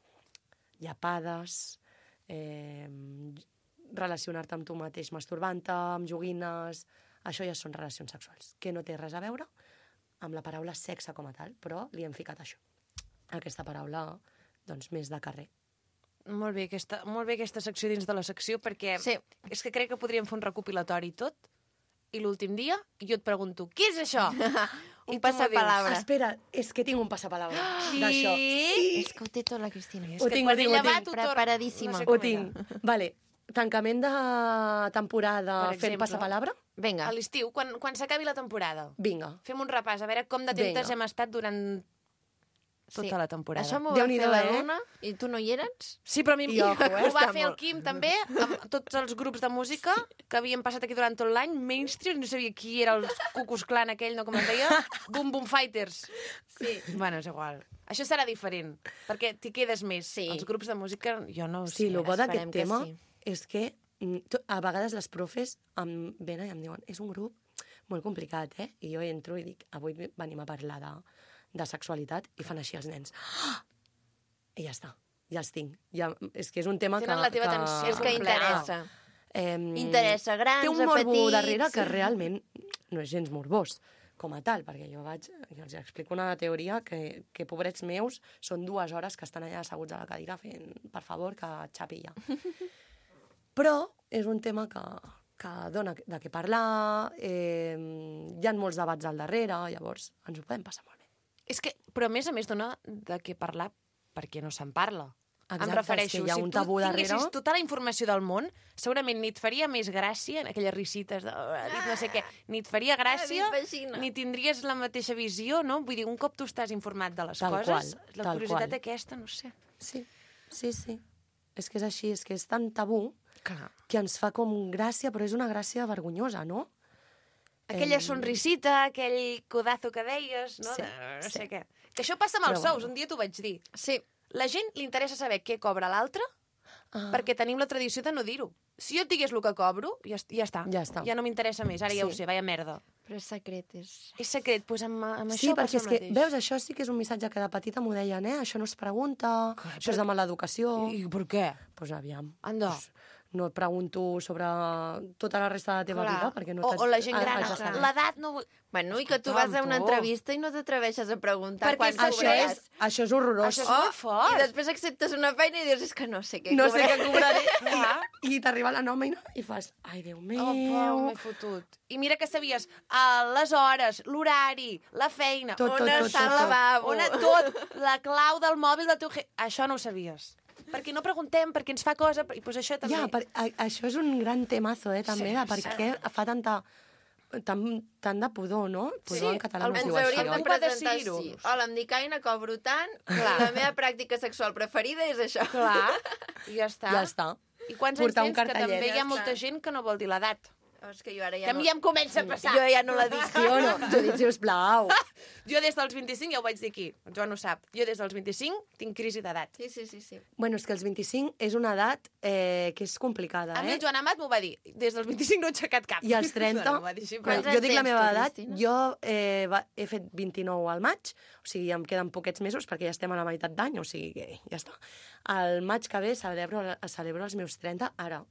F: Llepades, eh, relacionar-te amb tu mateix masturbant-te, amb joguines... Això ja són relacions sexuals, que no té res a veure amb la paraula sexe com a tal, però li hem ficat això. Aquesta paraula, doncs, més de carrer.
A: Molt bé, aquesta, molt bé aquesta secció dins de la secció, perquè
B: Sí.
A: és que crec que podríem fer un recopilatori i tot, i l'últim dia jo et pregunto, què és això?
B: Un
A: I tu m'ho
B: passapalabra.
F: Espera, és que tinc un passapalabra d'això.
A: Sí?
B: És que ho té tot la Cristina.
A: És
F: Ho
A: que
F: tinc,
A: quan
F: ho tinc,
A: ella
F: ho
A: va,
F: tinc.
A: tu tornes.
B: Preparadíssima.
A: No sé
F: Ho
A: com
F: tinc.
A: era.
F: Vale. Tancament de temporada
A: Per
F: fent
A: exemple.
F: passapalabra?
B: Vinga.
A: A l'estiu, quan, quan s'acabi la temporada,
F: Vinga.
A: fem un repàs, a veure com d'atentes
F: Vinga.
A: hem estat durant tota
B: Sí.
A: la temporada.
B: Això m'ho va
F: Déu-n'hi-do,
B: fer la
F: eh?
B: Luna i tu no hi eres?
A: Sí, però a mi
F: I ojo, eh?
A: ho va
B: Està
A: fer el
B: molt.
A: Quim també, amb tots els grups de música que havien passat aquí durant tot l'any, mainstream, no sabia qui era el Cucus Clan aquell, no com es deia, Boom Boom Fighters.
B: Sí.
A: Bueno, és igual. Això serà diferent, perquè t'hi quedes més.
B: Sí.
A: Els grups de música, jo no ho sé.
F: Sí, el bo d'aquest
B: esperem que
F: tema
B: sí.
F: és que mm, to- a vegades les profes em venen i em diuen és un grup molt complicat, eh? I jo entro i dic, avui venim a parlar de, de sexualitat, i fan així els nens. Ah! I ja està, ja els tinc. Ja, és que és un tema
A: Tenen
F: que...
A: la teva
F: que...
A: atenció
B: És que interessa.
F: Eh,
B: Interessa grans,
F: té un
B: a
F: morbo
B: petits.
F: darrere que realment no és gens morbós com a tal, perquè jo vaig, jo els explico una teoria que, que pobrets meus, són dues hores que estan allà asseguts a la cadira fent, per favor, que xapi ja. Però és un tema que, que dona de què parlar, eh, hi ha molts debats al darrere, llavors ens ho podem passar molt bé.
A: És que, però a més a més dona de què parlar perquè no se'n parla.
F: Exacte,
A: em refereixo,
F: és que hi ha
A: si
F: un
A: tu
F: tabú
A: tinguessis
F: darrere.
A: tota la informació del món, segurament ni et faria més gràcia, aquelles risites de... dit no sé què, ni et faria gràcia,
B: Ah, dit vagina.
A: ni tindries la mateixa visió, no? Vull dir, un cop tu estàs informat de les
F: Tal
A: coses,
F: qual,
A: la
F: tal
A: curiositat
F: qual.
A: aquesta, no sé.
F: Sí, sí, sí. És que és així, és que és tan tabú
A: Clar.
F: que ens fa com gràcia, però és una gràcia vergonyosa, no?
A: Aquella
F: Em,
A: sonrisita, aquell codazo que deies, no?
F: Sí,
A: de, no
F: sí.
A: sé què. Que això passa amb els
F: Però
A: sous,
F: bueno.
A: un dia t'ho vaig dir.
B: Sí.
A: La gent li interessa saber què cobra l'altre,
F: Ah.
A: perquè tenim la tradició de no dir-ho. Si jo et digués el que cobro, ja, est- ja està.
F: Ja està.
A: Ja no m'interessa més, ara ja ho
F: Sí.
A: sé, vaya merda.
B: Però és secret, és...
A: És secret, doncs amb, amb
F: Sí,
A: això
F: perquè
A: passa
F: és
A: el
F: que,
A: mateix.
F: veus, això sí que és un missatge que de petita m'ho deien, eh? Això no es pregunta,
A: Clar,
F: això és de mala educació.
A: I, I per què?
F: Doncs pues, aviam.
A: Anda.
F: Pues, no et pregunto sobre tota la resta de la teva
A: Clar.
F: vida, perquè no
A: o,
F: t'haig-
A: o la gent
F: ha-
A: gran,
F: haig de saber.
A: l'edat no... vull-
B: Bueno, i que tu
A: Escolta'm,
B: vas a una
A: tu.
B: entrevista i no t'atreveixes a preguntar
A: Perquè
B: quant
A: això
F: Això
B: cobraràs.
F: és, això és horrorós.
A: Això és molt fort.
B: I després acceptes una feina i dius, és que no sé què
F: no sé
B: cobraré.
F: què cobraré.
A: Clar.
F: I, i t'arriba la nòmina i fas, ai, Déu meu.
A: Oh, Pau, m'he fotut. I mira que sabies uh, les hores, l'horari, la feina,
F: Tot,
A: on
F: tot, tot,
A: està el
F: tot, tot.
A: lavabo, on tot, la clau del mòbil del teu... je- Això no ho sabies. Perquè no preguntem, perquè ens fa cosa, i doncs això també.
F: Ja, per, a, això és un gran temazo, eh, també,
A: Sí,
F: de per
A: sí.
F: què fa tanta, tant, tant de pudor, no? Pudor
A: Sí,
F: en català
A: el-
F: no es
B: Ens
F: diu així,
B: hauríem de
F: oi?
A: Algú va
B: presentar
A: decidir-ho.
B: així. Hola, em dic Aina, cobro tant, i
A: Clar.
B: la meva pràctica sexual preferida és això.
A: Clar, i ja està.
F: Ja està.
A: I quants
F: Portar un
A: anys tens? Que
F: cartellet.
A: també hi
B: Ja
A: ha molta
B: està.
A: gent que no vol dir l'edat.
B: Oh, és que jo ara ja
A: Que a mi ja em comença a passar.
B: Jo ja no la dic.
F: Sí o no? Judit, sisplau.
A: Jo des dels vint-i-cinc, ja ho vaig dir aquí, el Joan ho sap, jo des dels vint-i-cinc tinc crisi d'edat.
B: Sí, sí, sí, sí.
F: Bueno, és que els vint-i-cinc és una edat eh, que és complicada,
A: A mi
F: eh?
A: el Joan Amat m'ho va dir, des dels vint-i-cinc no he aixecat cap.
F: I als trenta,
A: No, m'ho va dir així,
F: quan
A: però...
B: Quants
F: jo dic la
B: anys
F: meva
B: tens tu,
F: edat,
B: Cristina?
F: jo eh, va, he fet vint-i-nou al maig, o sigui, em queden poquets mesos perquè ja estem a la meitat d'any, o sigui que ja està. Al maig que ve celebro, celebro els meus trenta. Ara,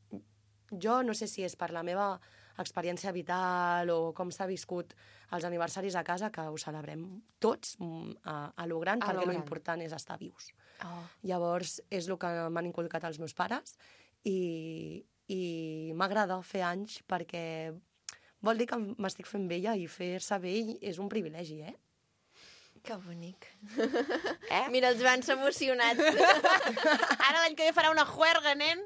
F: jo no sé si és per la meva experiència vital o com s'ha viscut els aniversaris a casa, que ho celebrem tots mm, a, a lo gran,
A: A lo
F: perquè
A: gran.
F: l'important és estar vius.
B: Oh.
F: Llavors, és el que m'han inculcat els meus pares i, i m'agrada fer anys perquè vol dir que m'estic fent vella i fer-se vell és un privilegi, eh?
B: Que bonic.
A: Eh?
B: Mira, el Joan s'ha emocionat.
A: Ara l'any que ve farà una juerga, nen.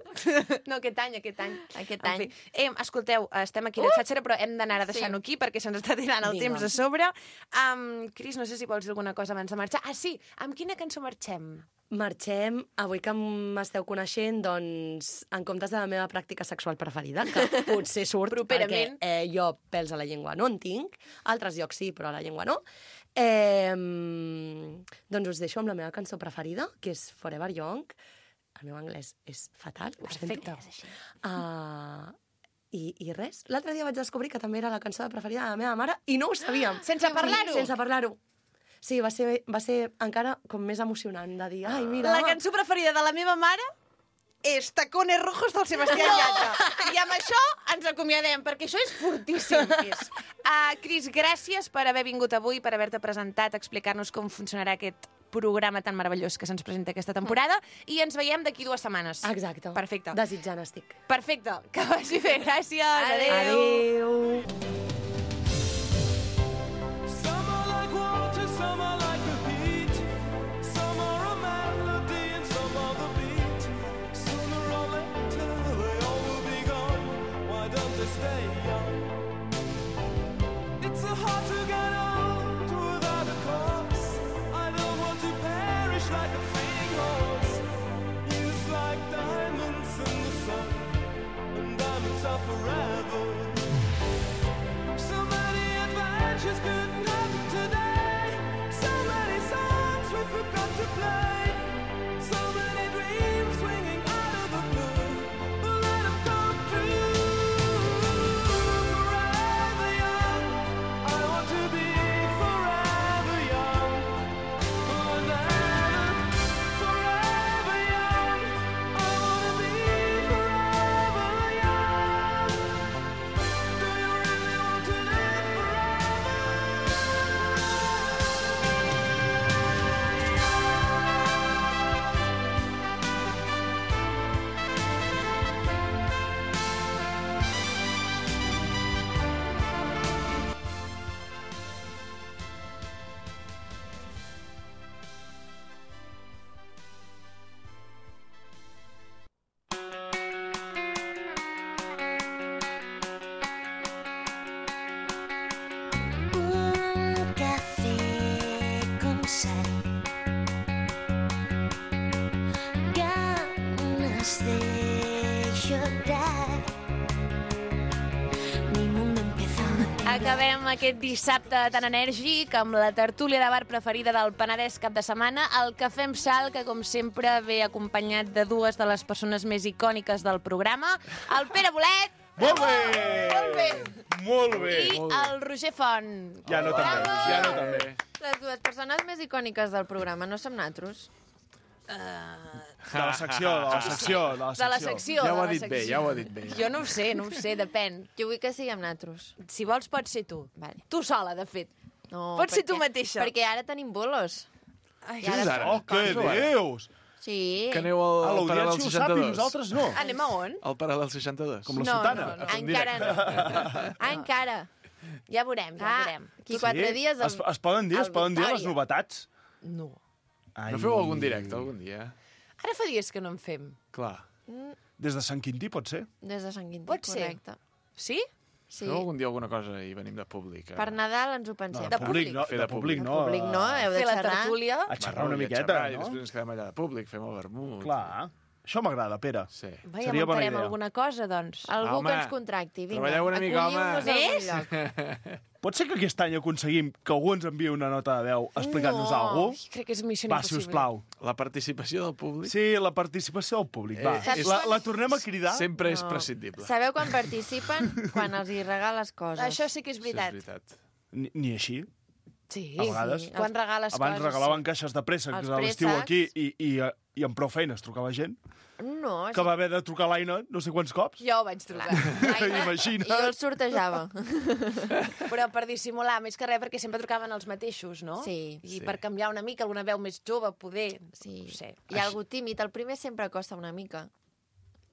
A: No, aquest any, aquest any.
B: Aquest
A: En
B: any.
A: fi. Eh, escolteu, estem aquí a la xatxera, però hem d'anar a deixar-ho aquí perquè se'ns està tirant el
F: Vinga.
A: temps a sobre. Um, Cris, no sé si vols dir alguna cosa abans de marxar. Ah, sí, amb quina cançó marxem?
F: Marxem, avui que m'esteu coneixent, doncs, en comptes de la meva pràctica sexual preferida, que potser surt
A: Properament.
F: perquè eh, jo pèls a la llengua no en tinc, altres llocs sí, però a la llengua no, eh, doncs us deixo amb la meva cançó preferida, que és Forever Young. El meu anglès és fatal, ho
A: Perfecte.
F: sento. Uh, i, I res, l'altre dia vaig descobrir que també era la cançó preferida de la meva mare i no ho sabíem.
A: Sense parlar-ho?
F: Sense parlar-ho. Sí, va ser, va ser encara com més emocionant de dir, ai, mira...
A: La cançó preferida de la meva mare és Tacones Rojos del Sebastián Yatra. I amb això ens acomiadem, perquè això és fortíssim. És. Uh, Cris, gràcies per haver vingut avui, per haver-te presentat, explicar-nos com funcionarà aquest programa tan meravellós que se'ns presenta aquesta temporada i ens veiem d'aquí dues setmanes.
F: Exacte.
A: Perfecte.
F: Desitjant estic.
A: Perfecte. Que vagi bé. Gràcies. Adéu.
F: Adéu.
E: Some are like water, some are like the heat. Some are a melody and some are the beat. Sooner or later they all will be gone. Why don't they stay young? It's so hard to get old without a cause. I don't want to perish like a fleeting horse. Youth like diamonds in the sun, and diamonds are forever. So many adventures couldn't happen today. So many songs we forgot to play. So many dreams swinging out of the blue. But let them come true. Forever young, I want to be forever young. Forever, forever young, I want to be forever young. Do you really want to live forever?
G: Un café con sal, ganas de llorar. Mi mundo empieza a
A: Acabem aquest dissabte tan enèrgic amb la tertúlia de bar preferida del Penedès cap de setmana, el Cafè amb Sal, que com sempre ve acompanyat de dues de les persones més icòniques del programa, el Pere Bolet
H: Molt bé!
A: Molt bé.
H: Molt bé!
A: i el Roger Font.
H: Ja no també,
A: Bravo!
H: ja no també.
B: Les dues persones més icòniques del programa, no som natros?
H: De la secció, de la secció, de la
A: De la
H: secció.
A: secció.
I: Ja ho
A: de
I: ha
A: la
I: dit bé,
A: secció.
I: ja ho ha dit bé.
A: Jo no ho sé, no ho sé, depèn.
B: Jo vull que siguem natros.
A: Si vols, pots ser tu.
B: Vale.
A: Tu sola, de fet.
B: No,
A: Pots ser tu
B: perquè-
A: mateixa.
B: Perquè ara tenim bolos.
A: Ai,
B: I ara...
I: ara?
H: Oh, què dius?
B: Sí.
I: Que aneu al,
H: A
I: al paral·lel
H: l'audiència ho sap i
I: seixanta-dos.
H: nosaltres no.
A: Anem a on?
I: Al paral·lel seixanta-dos.
H: Com la
A: No,
H: sotana.
A: no, no.
H: a fer un
B: Encara
H: directe.
B: no. Encara.
A: Ja veurem, ja
B: Ah,
A: veurem.
B: aquí quatre
H: Sí?
B: dies... al-
H: Es, es poden dir, es
B: al
H: poden dir les
B: Victòria.
H: novetats?
A: No.
H: Ai.
I: No feu algun directe algun dia?
A: Ara fa dies que no en fem.
I: Clar.
H: Des de Sant Quintí, pot ser?
B: Des de Sant Quintí,
A: Pot ser.
B: correcte.
A: Sí?
B: Sí.
I: Feu algun dia alguna cosa i venim de públic? eh?
B: Per Nadal ens ho pensem.
A: De
H: públic, no.
I: Fer
H: De
I: de
H: públic,
I: públic.
H: no.
B: De públic no, heu de
A: Fer la
B: xerrar.
A: tertúlia.
H: A xerrar una
I: i a
H: miqueta,
I: xerrar, I
H: no?
I: després ens quedem allà de públic, fem el vermut.
H: Clar. Això m'agrada, Pere.
I: Sí.
A: Vai,
H: Seria bona
A: muntarem
H: idea.
A: alguna cosa, doncs.
B: Algú
I: Home,
B: que ens contracti, vinga.
I: treballeu una mica, home.
B: acolliu-nos a algun
A: Més?
B: lloc.
H: Pot ser que aquest any aconseguim que algú ens enviï una nota de veu explicant-nos
A: No.
H: alguna cosa?
A: Crec que és missió
H: Va,
A: impossible.
H: sisplau.
I: La participació del públic
H: Sí, la participació del públic, va.
I: Eh, és-
H: La, la tornem a cridar?
I: sempre és
B: No.
I: prescindible.
B: Sabeu quan participen? Quan els hi regales coses.
A: Això sí que és
I: Això
A: veritat.
I: és veritat.
H: Ni, ni així.
A: Sí,
H: A vegades.
A: sí. Quan regales
H: Abans
A: coses...
H: regalaven caixes de préssecs
B: Els
H: a l'estiu
B: préssecs.
H: aquí i, i, i amb prou feines trucava gent
B: No,
H: que va haver de trucar a l'Aina no sé quants cops.
A: Jo ho vaig trucar.
H: Imagina't.
B: I jo el sortejava.
A: Però per dissimular, més que res, perquè sempre trucaven els mateixos, no?
B: Sí.
A: I
I: Sí.
A: per canviar una mica, alguna veu més jove, poder...
B: Sí.
A: No sé.
B: Hi ha algú tímid, el primer sempre costa una mica.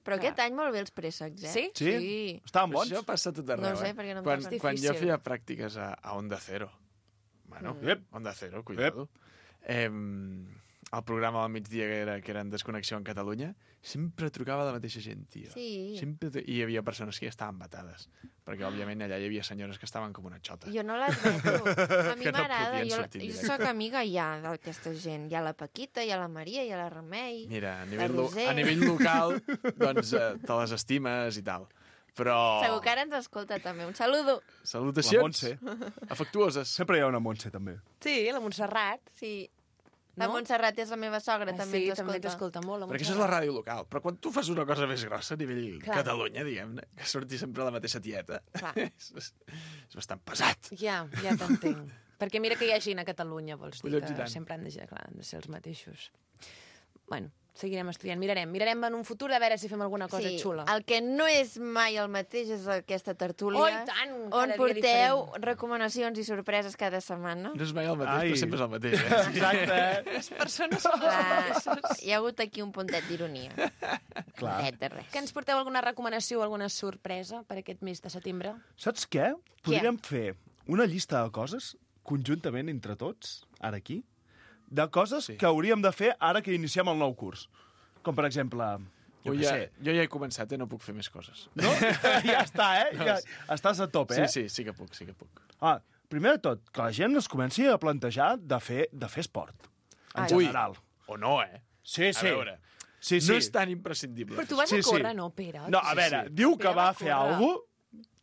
B: Però
A: Clar.
B: aquest any molt bé els préssecs, eh?
A: Sí?
H: Sí?
B: Sí.
H: Estaven
I: Però
H: bons?
I: això passa a tot arreu,
B: No sé,
I: eh?
B: perquè no em
I: quan,
B: toca.
I: quan jo
A: Difícil.
I: feia pràctiques a, a Onda Cero, bueno,
H: Mm. Ep.
I: Onda Cero, cuidado, eh, el programa del migdia que, era, que era en Desconnexió en Catalunya, sempre trucava la mateixa gent, tio.
B: Sí.
I: Sempre, tru- I hi havia persones que ja estaven batades, perquè, òbviament, allà hi havia senyores que estaven com una xota.
B: Jo no l'admeto. A mi
I: Que no
B: m'agrada.
I: podien
B: jo
I: sortir en
B: jo
I: directe.
B: sóc amiga ja d'aquesta gent. Hi ha la Paquita, hi ha la Maria, hi ha la Remei.
I: Mira, a nivell, lo,
B: Roser.
I: a nivell local, doncs eh, te les estimes i tal. Però...
B: Segur que ara ens escolta també. Un saludo.
H: La
I: Salutacions
H: Montse.
I: afectuoses.
H: Sempre hi ha una Montse, també.
A: Sí, la Montserrat.
B: Sí. La
A: No?
B: Montserrat és la meva sogra,
A: Ah,
B: també
A: sí,
B: ens
A: també
B: escolta.
A: t'escolta molt. La
I: Perquè això és la ràdio local. Però quan tu fas una cosa més grossa a nivell
A: Clar.
I: Catalunya, diguem-ne, que surti sempre la mateixa tieta,
B: Clar.
I: és, és, és bastant pesat.
A: Ja, ja t'entenc. Perquè mira que hi ha gent a Catalunya, vols dir,
I: Collons i
A: que
I: tant.
A: sempre han de, clar, han de ser els mateixos. Bueno, seguirem estudiant. Mirarem, mirarem en un futur a veure si fem alguna cosa
B: sí,
A: xula.
B: el que no és mai el mateix és aquesta tertúlia,
A: Oh, i tant, cada
B: on
A: dia
B: porteu
A: diferent.
B: recomanacions i sorpreses cada setmana.
I: No és mai el mateix,
H: Ai.
I: però sempre és el mateix. Eh?
H: Exacte.
A: Les persones són
B: Clar, hi ha hagut aquí un puntet d'ironia.
H: Clar.
B: Puntet de res.
A: Que ens porteu alguna recomanació o alguna sorpresa per aquest mes de setembre?
H: Saps què? Podríem fer una llista de coses conjuntament entre tots, ara aquí, de coses
I: Sí.
H: que hauríem de fer ara que iniciem el nou curs. Com, per exemple, jo
I: Ui,
H: què
I: ja,
H: sé.
I: jo ja he començat, eh? No puc fer més coses.
H: No? ja està, eh? Ja estàs a tope,
I: Sí,
H: eh?
I: sí, sí que puc, sí que puc.
H: Ah, primer de tot, que la gent es comenci a plantejar de fer, de fer esport, en
B: Ai.
H: general.
I: O no, eh?
H: Sí, sí.
I: A veure,
H: Sí, sí.
I: no és tan imprescindible.
A: Però tu vas
H: Sí,
A: a
H: sí.
A: córrer, no, Pere?
H: No, a veure,
I: sí.
H: diu que
A: Pere
H: va
A: va
H: a fer
A: córrer.
H: alguna cosa,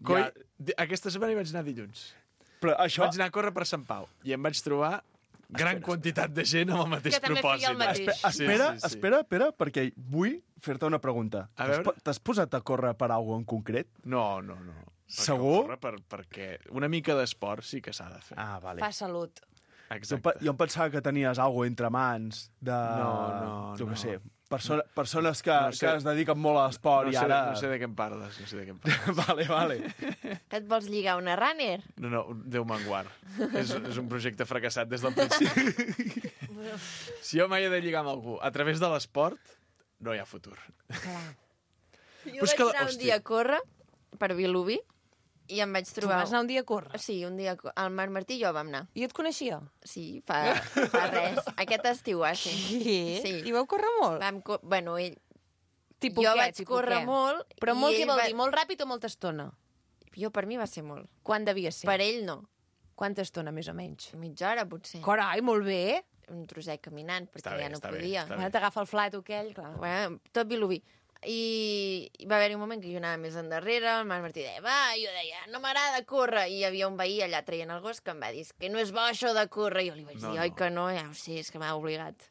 I: Coi,
H: ja,
I: di- aquesta setmana hi vaig anar dilluns.
H: però això...
I: Vaig anar a córrer per Sant Pau i em vaig trobar gran quantitat de gent amb el mateix
A: Que també feia
I: propòsit.
A: el mateix.
H: Espe- Espera, espera, espera, perquè vull fer-te una pregunta.
I: A
H: T'has
I: veure.
H: po- T'has posat a córrer per alguna en concret?
I: No, no, no. Perquè
H: Segur?
I: córrer Per, perquè una mica d'esport sí que s'ha de fer.
H: Ah, vale.
A: Fa salut.
H: Jo,
I: Exacte.
H: pe- jo em pensava que tenies alguna entre mans de...
I: No, no,
H: Jo
I: no.
H: què sé, perso persones que,
I: No sé.
H: que es dediquen molt a l'esport
I: no
H: i
I: sé,
H: ara...
I: no sé de què em parles, no sé de què em parles.
H: vale, vale.
B: Que et vols lligar una runner?
I: No, no, Déu me'n guard. és, és un projecte fracassat des del principi. Si jo mai he de lligar amb algú a través de l'esport, no hi ha futur.
A: Clar.
B: Jo
I: Però és
B: vaig
I: que-
B: anar un
I: hòstia.
B: dia a córrer per Vilobí i em vaig
A: Tu
B: trobar...
A: vas anar un dia a córrer.
B: Sí, un dia... El Marc Martí i jo vam anar.
A: I et coneixia?
B: Sí, fa, fa res. Aquest estiu, ah, sí.
A: Sí.
B: Sí.
A: I vau córrer molt?
B: Vam co bueno, ell...
A: Tipus
B: jo
A: què,
B: vaig
A: tipus
B: córrer
A: què?
B: molt...
A: Però
B: i
A: molt què
B: ell
A: vol
B: va-
A: dir? Molt ràpid o molta estona?
B: Jo, per mi va ser molt.
A: Quan devia ser?
B: Per ell, no.
A: Quanta estona, més o menys?
B: Mitja hora, potser.
A: Carai, molt bé.
B: Un trosset caminant, perquè
I: Està bé,
B: ja no
I: està bé,
B: podia.
I: està
A: Bueno, t'agafa el flat aquell, clar.
B: Bueno, tot Vilobí. I va haver-hi un moment que jo anava més endarrere, el Marc Martí deia, va, i jo deia, no m'agrada córrer, i hi havia un veí allà traient el gos que em va dir, que no és bo això de córrer, i jo li vaig
I: No,
B: dir, oi
I: no.
B: que no, ja ho sé, és que m'ha obligat.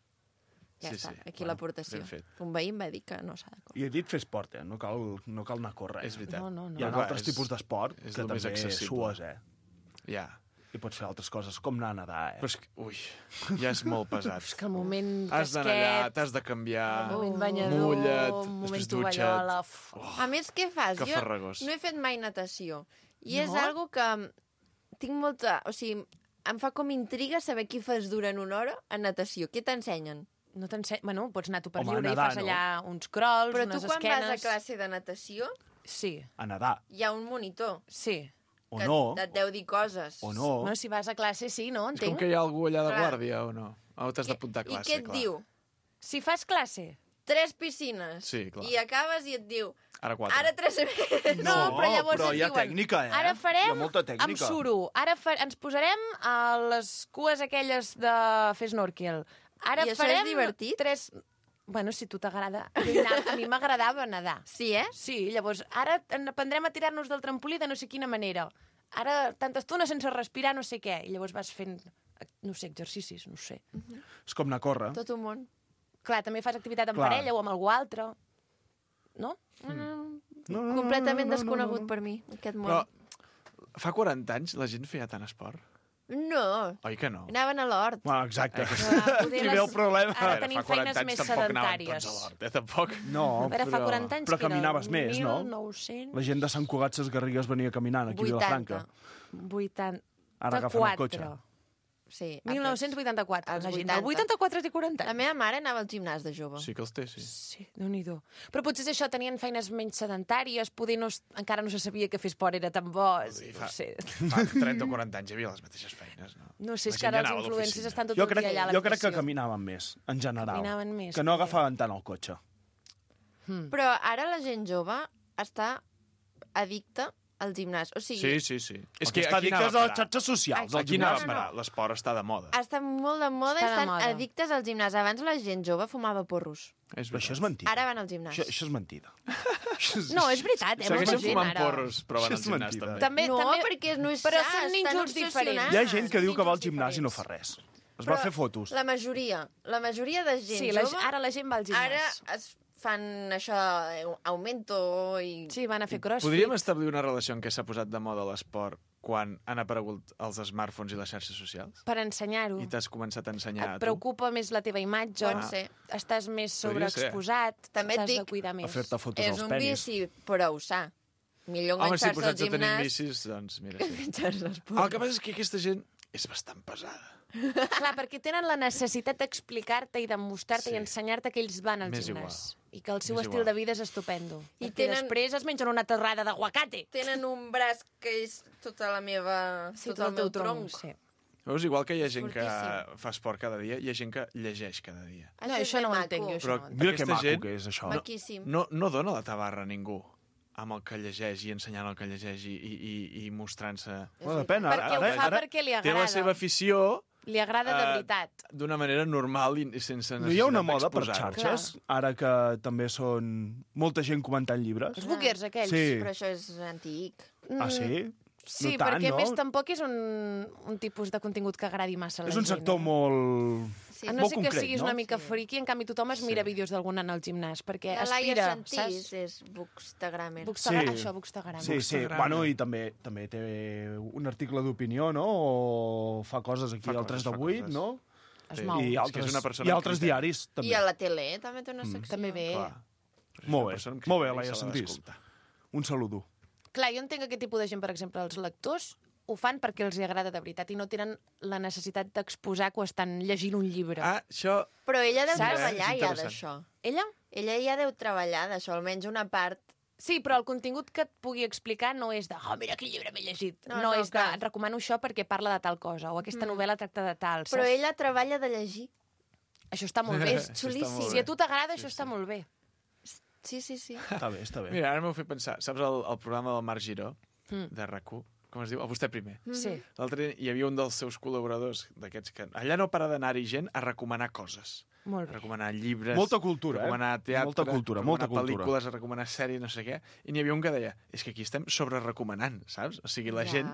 B: Ja
I: Sí,
B: està,
I: sí.
B: aquí
I: Bueno,
B: l'aportació.
I: ben fet.
B: Un veí em va dir que no s'ha de córrer.
H: I he dit fer esport, eh? No cal, no cal anar a córrer.
I: És veritat.
A: No, no, no.
H: Hi ha
I: Però clar,
H: altres
I: és-
H: tipus d'esport
I: és
H: que
I: el més
H: també
I: accessible.
H: sues, eh?
I: Ja.
H: I pots fer altres coses, com anar a nedar, eh?
I: Però és que, ui, ja és molt pesat.
A: És que el moment
I: Has d'anar allà,
A: casquet,
I: t'has de canviar,
A: el moment banyador,
I: mulla't,
A: el moment
I: després
A: tovallola...
I: dutxa't.
A: uf.
I: Oh,
B: A més, què fas?
I: que
B: Jo
I: farragós.
B: no he fet mai natació. I és
A: No?
B: algo que tinc molta... O sigui, em fa com intriga saber què fas durant una hora a natació. Què t'ensenyen?
A: No t'enseny... Bueno, pots anar tu per
H: Home,
A: lliure
H: nedar,
A: i fas
H: no?
A: allà uns crols,
B: Però tu
A: unes
B: quan
A: esquenes...
B: vas a classe de natació
A: Sí,
H: A nedar.
B: hi ha un monitor
A: sí.
H: O
B: que
H: no.
B: et deu dir coses.
H: O no.
A: Bueno, si vas a classe, sí, no?
I: És com
A: Entenc.
I: que hi ha algú allà de
B: Clar.
I: guàrdia o no? O t'has d'apuntar a
B: I
I: classe,
B: què et
I: clar.
B: diu?
A: Si fas classe...
B: Tres piscines.
I: Sí, clar.
B: I acabes i et diu,
I: Ara quatre.
B: ara tres més.
A: No, però llavors
H: però
A: et
H: hi ha
A: diuen,
H: tècnica, eh?
A: Ara
H: Hi
A: farem
H: ha molta
A: amb
H: tècnica.
A: suro. Ara fa... ens posarem a les cues aquelles de fer snorkel. Ara
B: I això és
A: farem
B: divertit?
A: tres... Bueno, si tu t'agrada. A mi na- a mi m'agradava nedar.
B: Sí, eh?
A: Sí, llavors, ara en- aprendrem a tirar-nos del trampolí de no sé quina manera. Ara, tanta estona sense respirar, no sé què. I llavors vas fent, no sé, exercicis, no sé.
H: És com anar a córrer.
B: Tot un món.
A: Clar, també fas activitat en
H: Clar.
A: parella o amb algú altre. No?
H: No, no,
B: Completament
H: no, no,
B: desconegut
H: no, no.
B: per mi, aquest món.
I: Però fa quaranta anys la gent feia tant esport?
B: No,
I: Oi que no?
B: anaven a l'hort.
H: Bueno, exacte.
A: Clar, poder
H: Aquí
A: les-
H: ve el problema.
A: Ara
I: A veure,
A: tenim
I: fa quaranta
A: feines
I: anys
A: més
I: tampoc anaven
A: sedentàries.
I: tots a l'hort, eh? Tampoc.
H: No,
A: A veure, fa
H: però,
A: quaranta anys
H: però
A: que era
H: caminaves més, no?
A: mil nou-cents
H: La gent de Sant Cugat Ses Garrigues venia caminant aquí a Vilafranca.
A: vuitanta
H: Ara agafen el cotxe.
B: Sí,
A: mil nou-cents vuitanta-quatre.
B: Als
A: La gent
B: vuitanta.
A: del vuitanta-quatre té quaranta.
B: La meva mare anava al gimnàs de jove.
I: Sí que els té, sí.
A: Sí, déu-n'hi-do. Però potser és això, tenien feines menys sedentàries, poder no, es- encara no se sabia que fer esport era tan bo.
I: Sí,
A: No
I: fa-
A: sé,
I: Fa trenta o quaranta anys hi havia les mateixes feines, no?
A: no sé,
I: La
A: és que
I: gent
A: ara
I: ja
A: els
I: anava a
A: influencers
I: l'oficina.
A: estan tot
H: Jo
A: el
H: crec,
A: dia allà a
H: jo crec que
A: l'habitació.
H: caminaven més, en general.
A: Caminaven més,
H: Que no
A: potser.
H: agafaven tant el cotxe.
B: Però ara la gent jove està addicta al gimnàs. O sigui,
I: Sí, sí, sí.
H: És
I: És
H: que
I: que
H: està
I: aquí
H: dit que
I: anava
H: és
I: a
H: a les
I: parar.
H: xarxes socials. al
I: Aquí anava
H: gimnàs.
I: a parar. L'esport està de moda.
B: està molt de moda i
A: Està de
B: estan
A: moda.
B: addictes al gimnàs. Abans la gent jove fumava porros.
I: És
H: Però això és
I: veritat.
H: mentida.
B: Ara van al gimnàs.
H: Això, això és mentida. Això és-
A: No, és veritat, eh? molta
I: Segueixen
A: gent
I: fumant
A: ara.
I: porros, però van
H: Això
I: al
H: és
I: gimnàs
H: mentida.
I: també.
A: També,
B: No,
A: també...
B: perquè no és
A: Però
B: sa,
A: són
B: estan
A: nínxols
B: obsessionats.
A: diferents.
H: Hi ha gent que diu que va al
A: Nínxols
H: gimnàs i no fa
A: diferents.
H: res. Es va
B: Però
H: fer fotos.
B: La majoria, la majoria de gent
A: Sí, la,
B: jove
A: ara la gent va al gimnàs.
B: ara es fan això, eh, augmento i...
A: Sí, van a fer crossfit.
I: Podríem establir una relació en què s'ha posat de moda l'esport quan han aparegut els smartphones i les xarxes socials?
A: Per ensenyar-ho.
I: I t'has començat a ensenyar
A: Et
I: a tu?
A: preocupa més la teva imatge,
B: Pot ser.
A: estàs més
I: Podria ser.
A: sobreexposat,
B: També et
A: t'has de
B: dic-
A: cuidar més.
H: A fer-te fotos
B: És
H: als
B: un
H: penis.
B: vici prou sa. Millor
I: Home, si
B: enganxar-se al
I: posats a tenir
B: gimnàs
I: vicis, doncs mira,
B: que
I: sí.
B: enganxar-se als
I: El que passa és que aquesta gent és bastant pesada.
A: Clar, perquè tenen la necessitat d'explicar-te i de mostrar-te
I: Sí.
A: i ensenyar-te que ells van al
I: M'és
A: gimnàs. I que el seu
I: M'és
A: estil
I: igual.
A: de vida és estupendo.
B: I
A: I
B: tenen-
A: després es mengen una torrada d'aguacate.
B: Tenen un braç que és tota la meva...
A: Sí,
B: tot el meu tronc.
A: Sí.
I: Veus, igual que hi ha gent que
B: Fortíssim.
I: fa esport cada dia, hi ha gent que llegeix cada dia.
A: No, això no ho entenc jo, això.
I: Però
A: no ho entenc.
H: Mira que
I: aquesta
H: maco
I: gent
H: que és això.
B: Maquíssim.
I: no, no dona la tabarra a ningú amb el que llegeix i ensenyant el que llegeix i, i, i, i mostrant-se.
H: Bueno, depèn. Ara,
A: Perquè ho
H: ara,
A: fa
H: ara,
A: perquè li
I: Té
A: agrada.
I: la seva afició
A: Li agrada de
I: eh,
A: veritat.
I: d'una manera normal i, i sense necessitat
H: no hi ha una moda per
I: d'exposar-ho.
H: xarxes, ara que també són molta gent comentant llibres?
A: Els bookers, aquells.
H: Sí.
B: Però això és antic.
H: Ah, sí?
A: Sí,
H: no tant,
A: perquè
H: no?
A: a més tampoc és un, un tipus de contingut que agradi massa a la
H: És un
A: gent.
H: sector
A: eh?
H: molt...
B: Sí.
A: A no
H: molt
A: ser que
H: concret,
A: siguis
H: no?
A: una mica friki, en canvi tothom es mira vídeos d'algú anant al gimnàs, perquè
B: La Laia
A: aspira,
B: Santís
A: saps?
B: és bookstagrammer.
A: Bookstagram,
H: Sí.
A: Això, Bookstagram.
H: Sí, sí.
I: Bookstagram.
H: Bueno, i també també té un article d'opinió, no? O fa coses aquí
I: Fa
H: al
I: coses,
H: tres de
I: fa
H: vuit,
I: coses.
H: no?
A: Es
I: Sí.
A: mou.
H: I
I: és que és
H: altres,
I: una persona
H: i
I: amb
H: altres
I: criteri.
H: diaris, també.
B: I a la tele eh? també té una secció.
A: També bé.
I: Clar.
H: Molt bé,
I: És una persona amb
H: molt bé,
I: criteri,
H: Laia
I: s'ha
H: Santís.
I: d'escoltar.
H: Un saludo.
A: Clar, jo entenc aquest tipus de gent, per exemple, els lectors ho fan perquè els hi agrada de veritat i no tenen la necessitat d'exposar quan estan llegint un llibre.
I: Ah, això...
B: Però ella deu
A: Saps?
B: treballar
I: És
B: ja
I: interessant.
B: d'això.
A: Ella?
B: Ella ja deu treballar d'això, almenys una part.
A: Sí, però el contingut que et pugui explicar no és de oh, mira quin llibre m'he llegit.
B: No,
A: No,
B: no,
A: és de
B: clar.
A: et recomano això perquè parla de tal cosa o aquesta
B: Mm.
A: novel·la tracta de tal,
B: Però
A: saps?
B: ella treballa de llegir.
A: Això està molt bé.
B: És
I: Això està molt
B: xulíssim.
I: bé.
A: Si a tu t'agrada,
I: Sí,
A: això
I: sí.
A: està molt bé.
B: Sí, sí, sí.
H: Està bé, està bé.
I: Mira, ara m'ho fet pensar. Saps el, el programa del Marc Giró,
A: Mm.
I: de RAC u? Com es diu? A vostè primer.
A: Sí.
I: L'altre dia hi havia un dels seus col·laboradors d'aquests que... Allà no para d'anar-hi gent a recomanar coses.
A: Molt
I: A
A: bé.
I: recomanar llibres,
H: Molta cultura,
I: a
H: eh?
I: recomanar teatre,
H: Molta cultura,
I: a
H: molta
I: recomanar
H: cultura.
I: pel·lícules, a recomanar sèries, no sé què. I n'hi havia un que deia, és que aquí estem sobre-recomanant, saps? O sigui, la
B: Ja.
I: gent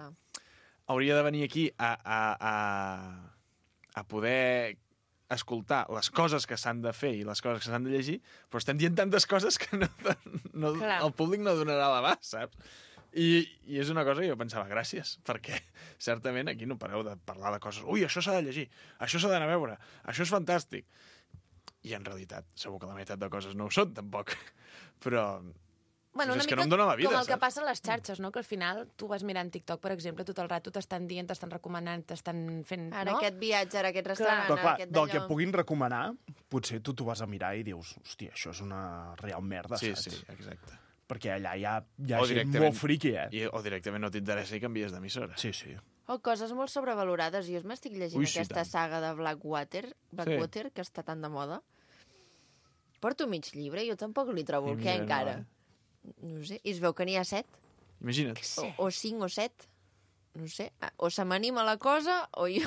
I: hauria de venir aquí a, a, a, a poder escoltar les coses que s'han de fer i les coses que s'han de llegir, però estem dient tantes coses que no, no,
A: Clar.
I: el públic no donarà l'abast, saps? I, I és una cosa que jo pensava, gràcies, perquè certament aquí no pareu de parlar de coses. Ui, això s'ha de llegir, això s'ha d'anar a veure, això és fantàstic. I en realitat, segur que la meitat de coses no ho són, tampoc. Però
A: Bueno,
I: Pues
A: una
I: és que
A: mica
I: no em dóna la vida,
A: com el que
I: saps?
A: passa a les xarxes, no? Que al final tu vas mirant TikTok, per exemple, tot el rato t'estan dient, t'estan recomanant, t'estan fent...
B: Ara
A: no?
B: aquest viatge, ara aquest restaurant,
H: Però, clar,
B: aquest
H: del que
B: d'allò.
H: et puguin recomanar, potser tu t'ho vas a mirar i dius, hòstia, això és una real merda,
I: sí,
H: saps?
I: sí, exacte.
H: Perquè allà hi ha, hi ha
I: O
H: gent
I: directament-
H: molt friqui, eh?
I: I, o directament no t'interessa i canvies d'emissora.
H: Sí, sí.
B: O coses molt sobrevalorades. Jo m'estic llegint
H: Ui, sí,
B: aquesta
H: tant.
B: saga de Blackwater, Blackwater que està tan de moda. Porto mig llibre, jo tampoc li trobo
I: I
B: el què
I: mira, no,
B: encara.
I: eh?
B: No ho sé, i es veu que n'hi ha set,
I: Imagina't.
B: o, o cinc o set. No ho sé, o se m'anima la cosa, o jo...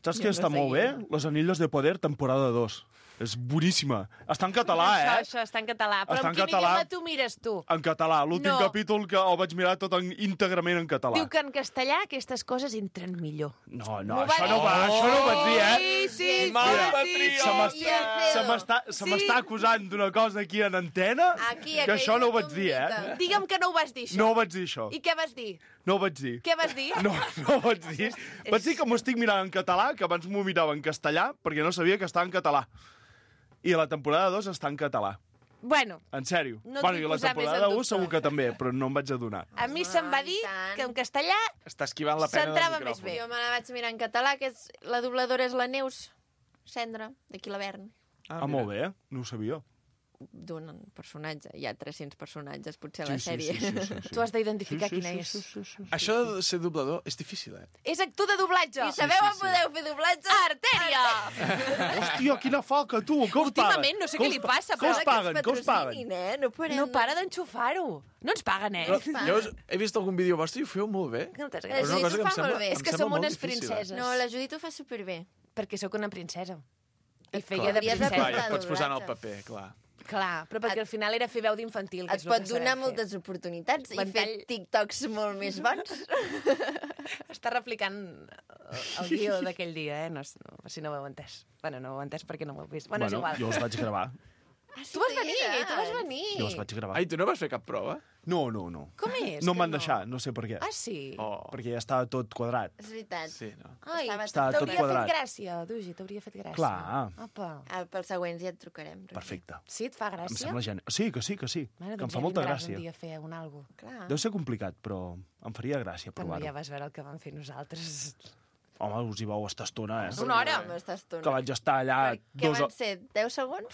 H: Saps
B: Jo
H: què
B: no
H: està
B: sé
H: molt
B: què.
H: bé? Los Anillos de Poder, temporada dos. És boníssima. Està en català,
A: això,
H: eh?
A: Això està en català. Però
H: Està
A: en
H: en
A: quin
H: català.
A: idioma tu mires, tu?
H: En català. L'últim
A: No.
H: capítol que el vaig mirar tot en, íntegrament en català.
A: Diu que en castellà aquestes coses entren millor.
H: No, no,
A: M'ho va
H: això no,
A: dir.
H: va, això no ho vaig dir, eh?
A: Sí, sí,
I: Mal
A: sí,
I: patriot.
H: Se
A: sí,
H: m'està-
A: sí.
B: I el
H: Se
B: Pedro.
H: m'està se
A: Sí.
H: m'està acusant d'una cosa aquí en antena
B: Aquí,
H: que
B: aquell
H: això no ho vaig dir, eh?
B: tombita.
A: Digue'm que no ho vas dir, això.
H: No ho vaig dir, això.
A: I què vas dir?
H: No ho vaig dir.
A: Què vas dir?
H: No, no ho vaig dir. Vaig dir que m'ho estic mirant en català, que abans m'ho mirava en castellà, perquè no sabia que estava en català. I la temporada dos està en català.
A: Bueno,
H: En sèrio.
A: No
H: bueno,
A: et
H: i
A: vull
H: la
A: posar més
H: temporada
A: en
H: un
A: dubte.
H: segur que també, però no em vaig adonar.
A: a mi se'm va
B: Ai,
A: dir
B: tant.
A: que en castellà
I: Està esquivant la pena del
A: S'entrava més
I: micròfon.
A: bé.
B: Jo me la vaig mirar en català, que és, la dobladora és la Neus Cendra, d'aquí l'Avern,
H: Ah, molt bé, no ho sabia.
B: d'un personatge. Hi ha tres-cents personatges, potser, a
H: Sí,
B: la
H: sí,
B: sèrie.
H: sí, sí, sí, sí.
A: tu has d'identificar
H: Sí, sí,
A: quina
H: sí,
A: és.
H: sí, sí, sí, sí.
I: Això de ser doblador és difícil, eh?
A: És actor de doblatge.
B: I sabeu
I: sí,
B: on
I: sí.
B: podeu fer doblatge?
A: Artèria!
H: Hòstia, quina falca, tu! Que us paguen?
A: Últimament, no sé
H: Que
A: què
H: us
A: li
H: pa-
A: passa,
H: Que
A: però
H: us
A: ara
H: paguen, que us paguen.
B: Patrocinin, eh? No parem.
A: No para d'enxufar-ho. No ens paguen, eh?
I: Però jo us, he vist algun vídeo vostre i ho feu molt bé.
A: Moltes
B: La
I: Però és una
A: gràcies.
I: cosa que
B: Judit
I: em
B: ho fa
I: sembla,
B: molt bé.
I: em
A: És que
I: sembla
A: som
I: molt
A: unes
I: difícil, eh?
A: princeses.
B: No, la Judit ho fa superbé.
A: Perquè sóc una princesa. I
B: Et
A: feia de
B: hauries de
A: princesa.
I: Clar, ja
B: Doblatge.
I: et pots posar en el paper, clar.
A: Clar, però perquè
B: Et-
A: al final era fer veu d'infantil. que
B: Et
A: és el
B: pot
A: que sabem
B: donar
A: fer.
B: moltes oportunitats i
A: Ventall.
B: fer TikToks molt més bons.
A: Està replicant el, el guió d'aquell dia, eh? No, no, si no ho heu entès. Bueno, no ho heu entès perquè no ho heu vist. Bueno, és igual.
H: jo els vaig gravar.
B: Ah, sí,
A: Tu vas
B: que hi
A: venir,
B: eres.
A: tu vas venir.
H: Jo els vaig gravar.
I: Ai, tu no vas fer cap prova?
H: No, no, no.
A: Com és?
H: No
A: que
H: em van deixar, no sé per què.
A: Ah, sí?
I: Oh,
H: Perquè ja estava tot quadrat.
B: És veritat.
I: sí, no?
A: Ai,
B: Estava
H: Estava tot
A: t'hauria fet
H: quadrat.
A: gràcia, Dugi, t'hauria fet gràcia.
H: Clar.
A: Apa.
B: Ah, pels següents ja et trucarem. Roger.
H: Perfecte.
A: Sí, et fa
H: Em
A: gràcia?
H: sembla genial. Sí, que sí, que sí.
A: Bueno,
H: que em
A: doncs
H: fa
A: ja
H: molta
A: vindràs
H: gràcia.
A: un dia a fer un algo.
B: Clar.
H: Deu ser complicat, però em faria gràcia
A: Però ja
H: provar-ho.
A: vas veure el que vam fer nosaltres.
H: Home, us hi vau estar estona, eh?
A: Una hora.
B: Amb aquesta estona.
H: Que vaig estar allà
B: Què
H: dos,
B: van
H: o...
B: ser? deu segons?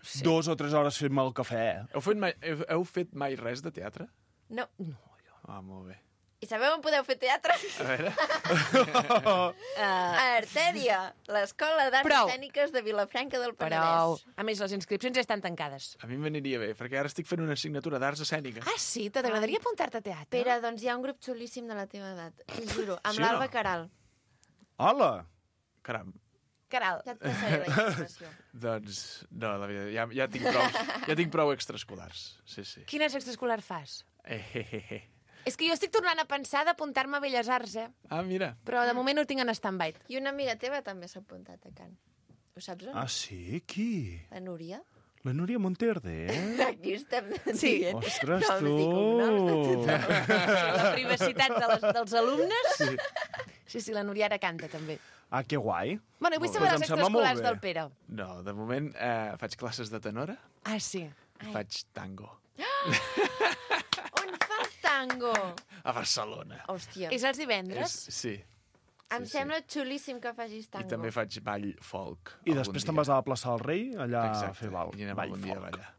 A: Sí.
H: dos o tres hores fent-me el cafè. eh?
I: Heu fet, mai, heu, heu fet mai res de teatre?
B: No.
I: Ah, molt bé.
B: I sabeu on podeu fer teatre?
I: A veure...
B: A Artèria, l'Escola d'Arts
A: Prou.
B: Escèniques de Vilafranca del
A: Prou.
B: Penedès.
A: A més, les inscripcions ja estan tancades.
I: A mi m'aniria bé, perquè ara estic fent una assignatura d'arts escèniques.
A: Ah, sí? T'agradaria apuntar-te a teatre?
B: Pere, doncs hi ha un grup xulíssim de la teva edat, t'ho juro, amb
I: Sí o no?
B: l'Alba Caral.
H: Hola!
I: Caram.
A: Caral.
B: Ja et passaré la informació.
I: Doncs, no, la veritat, ja, ja, tinc prou, ja tinc prou extraescolars. Sí, sí.
A: Quines extraescolars fas?
I: Eh, eh, eh, eh.
A: És que jo estic tornant a pensar d'apuntar-me a Belles Arts, eh?
I: Ah, mira.
A: Però de moment ho tinc en stand-by.
B: I una amiga teva també s'ha apuntat a Can. Ho saps on?
H: Ah, sí? Qui?
B: La Núria?
H: La Núria Monterde, eh?
B: Aquí estem
A: Sí.
B: dient.
H: Ostres,
B: Noms i
H: tu!
B: cognoms de tothom.
A: La privacitat de les, dels alumnes. Sí. sí, sí, la Núria ara canta, també.
H: Ah, que guai.
A: Bueno, i vull
H: Molt
A: saber
H: bé.
A: les
H: Doncs em sembla molt
A: extraescolars
H: bé.
A: del Pere.
I: No, de moment eh, faig classes de tenora,
A: Ah, sí.
I: faig tango.
B: On fas tango?
I: A Barcelona.
B: Hòstia,
A: És els divendres?
I: És, sí.
B: em
I: sí,
B: sembla xulíssim que facis tango.
I: I també faig ball folk.
H: I després te'n vas a la plaça del Rei, allà
I: Exacte.
H: a fer ball.
I: I anem
H: ball
I: algun dia a
H: folk.
I: ballar.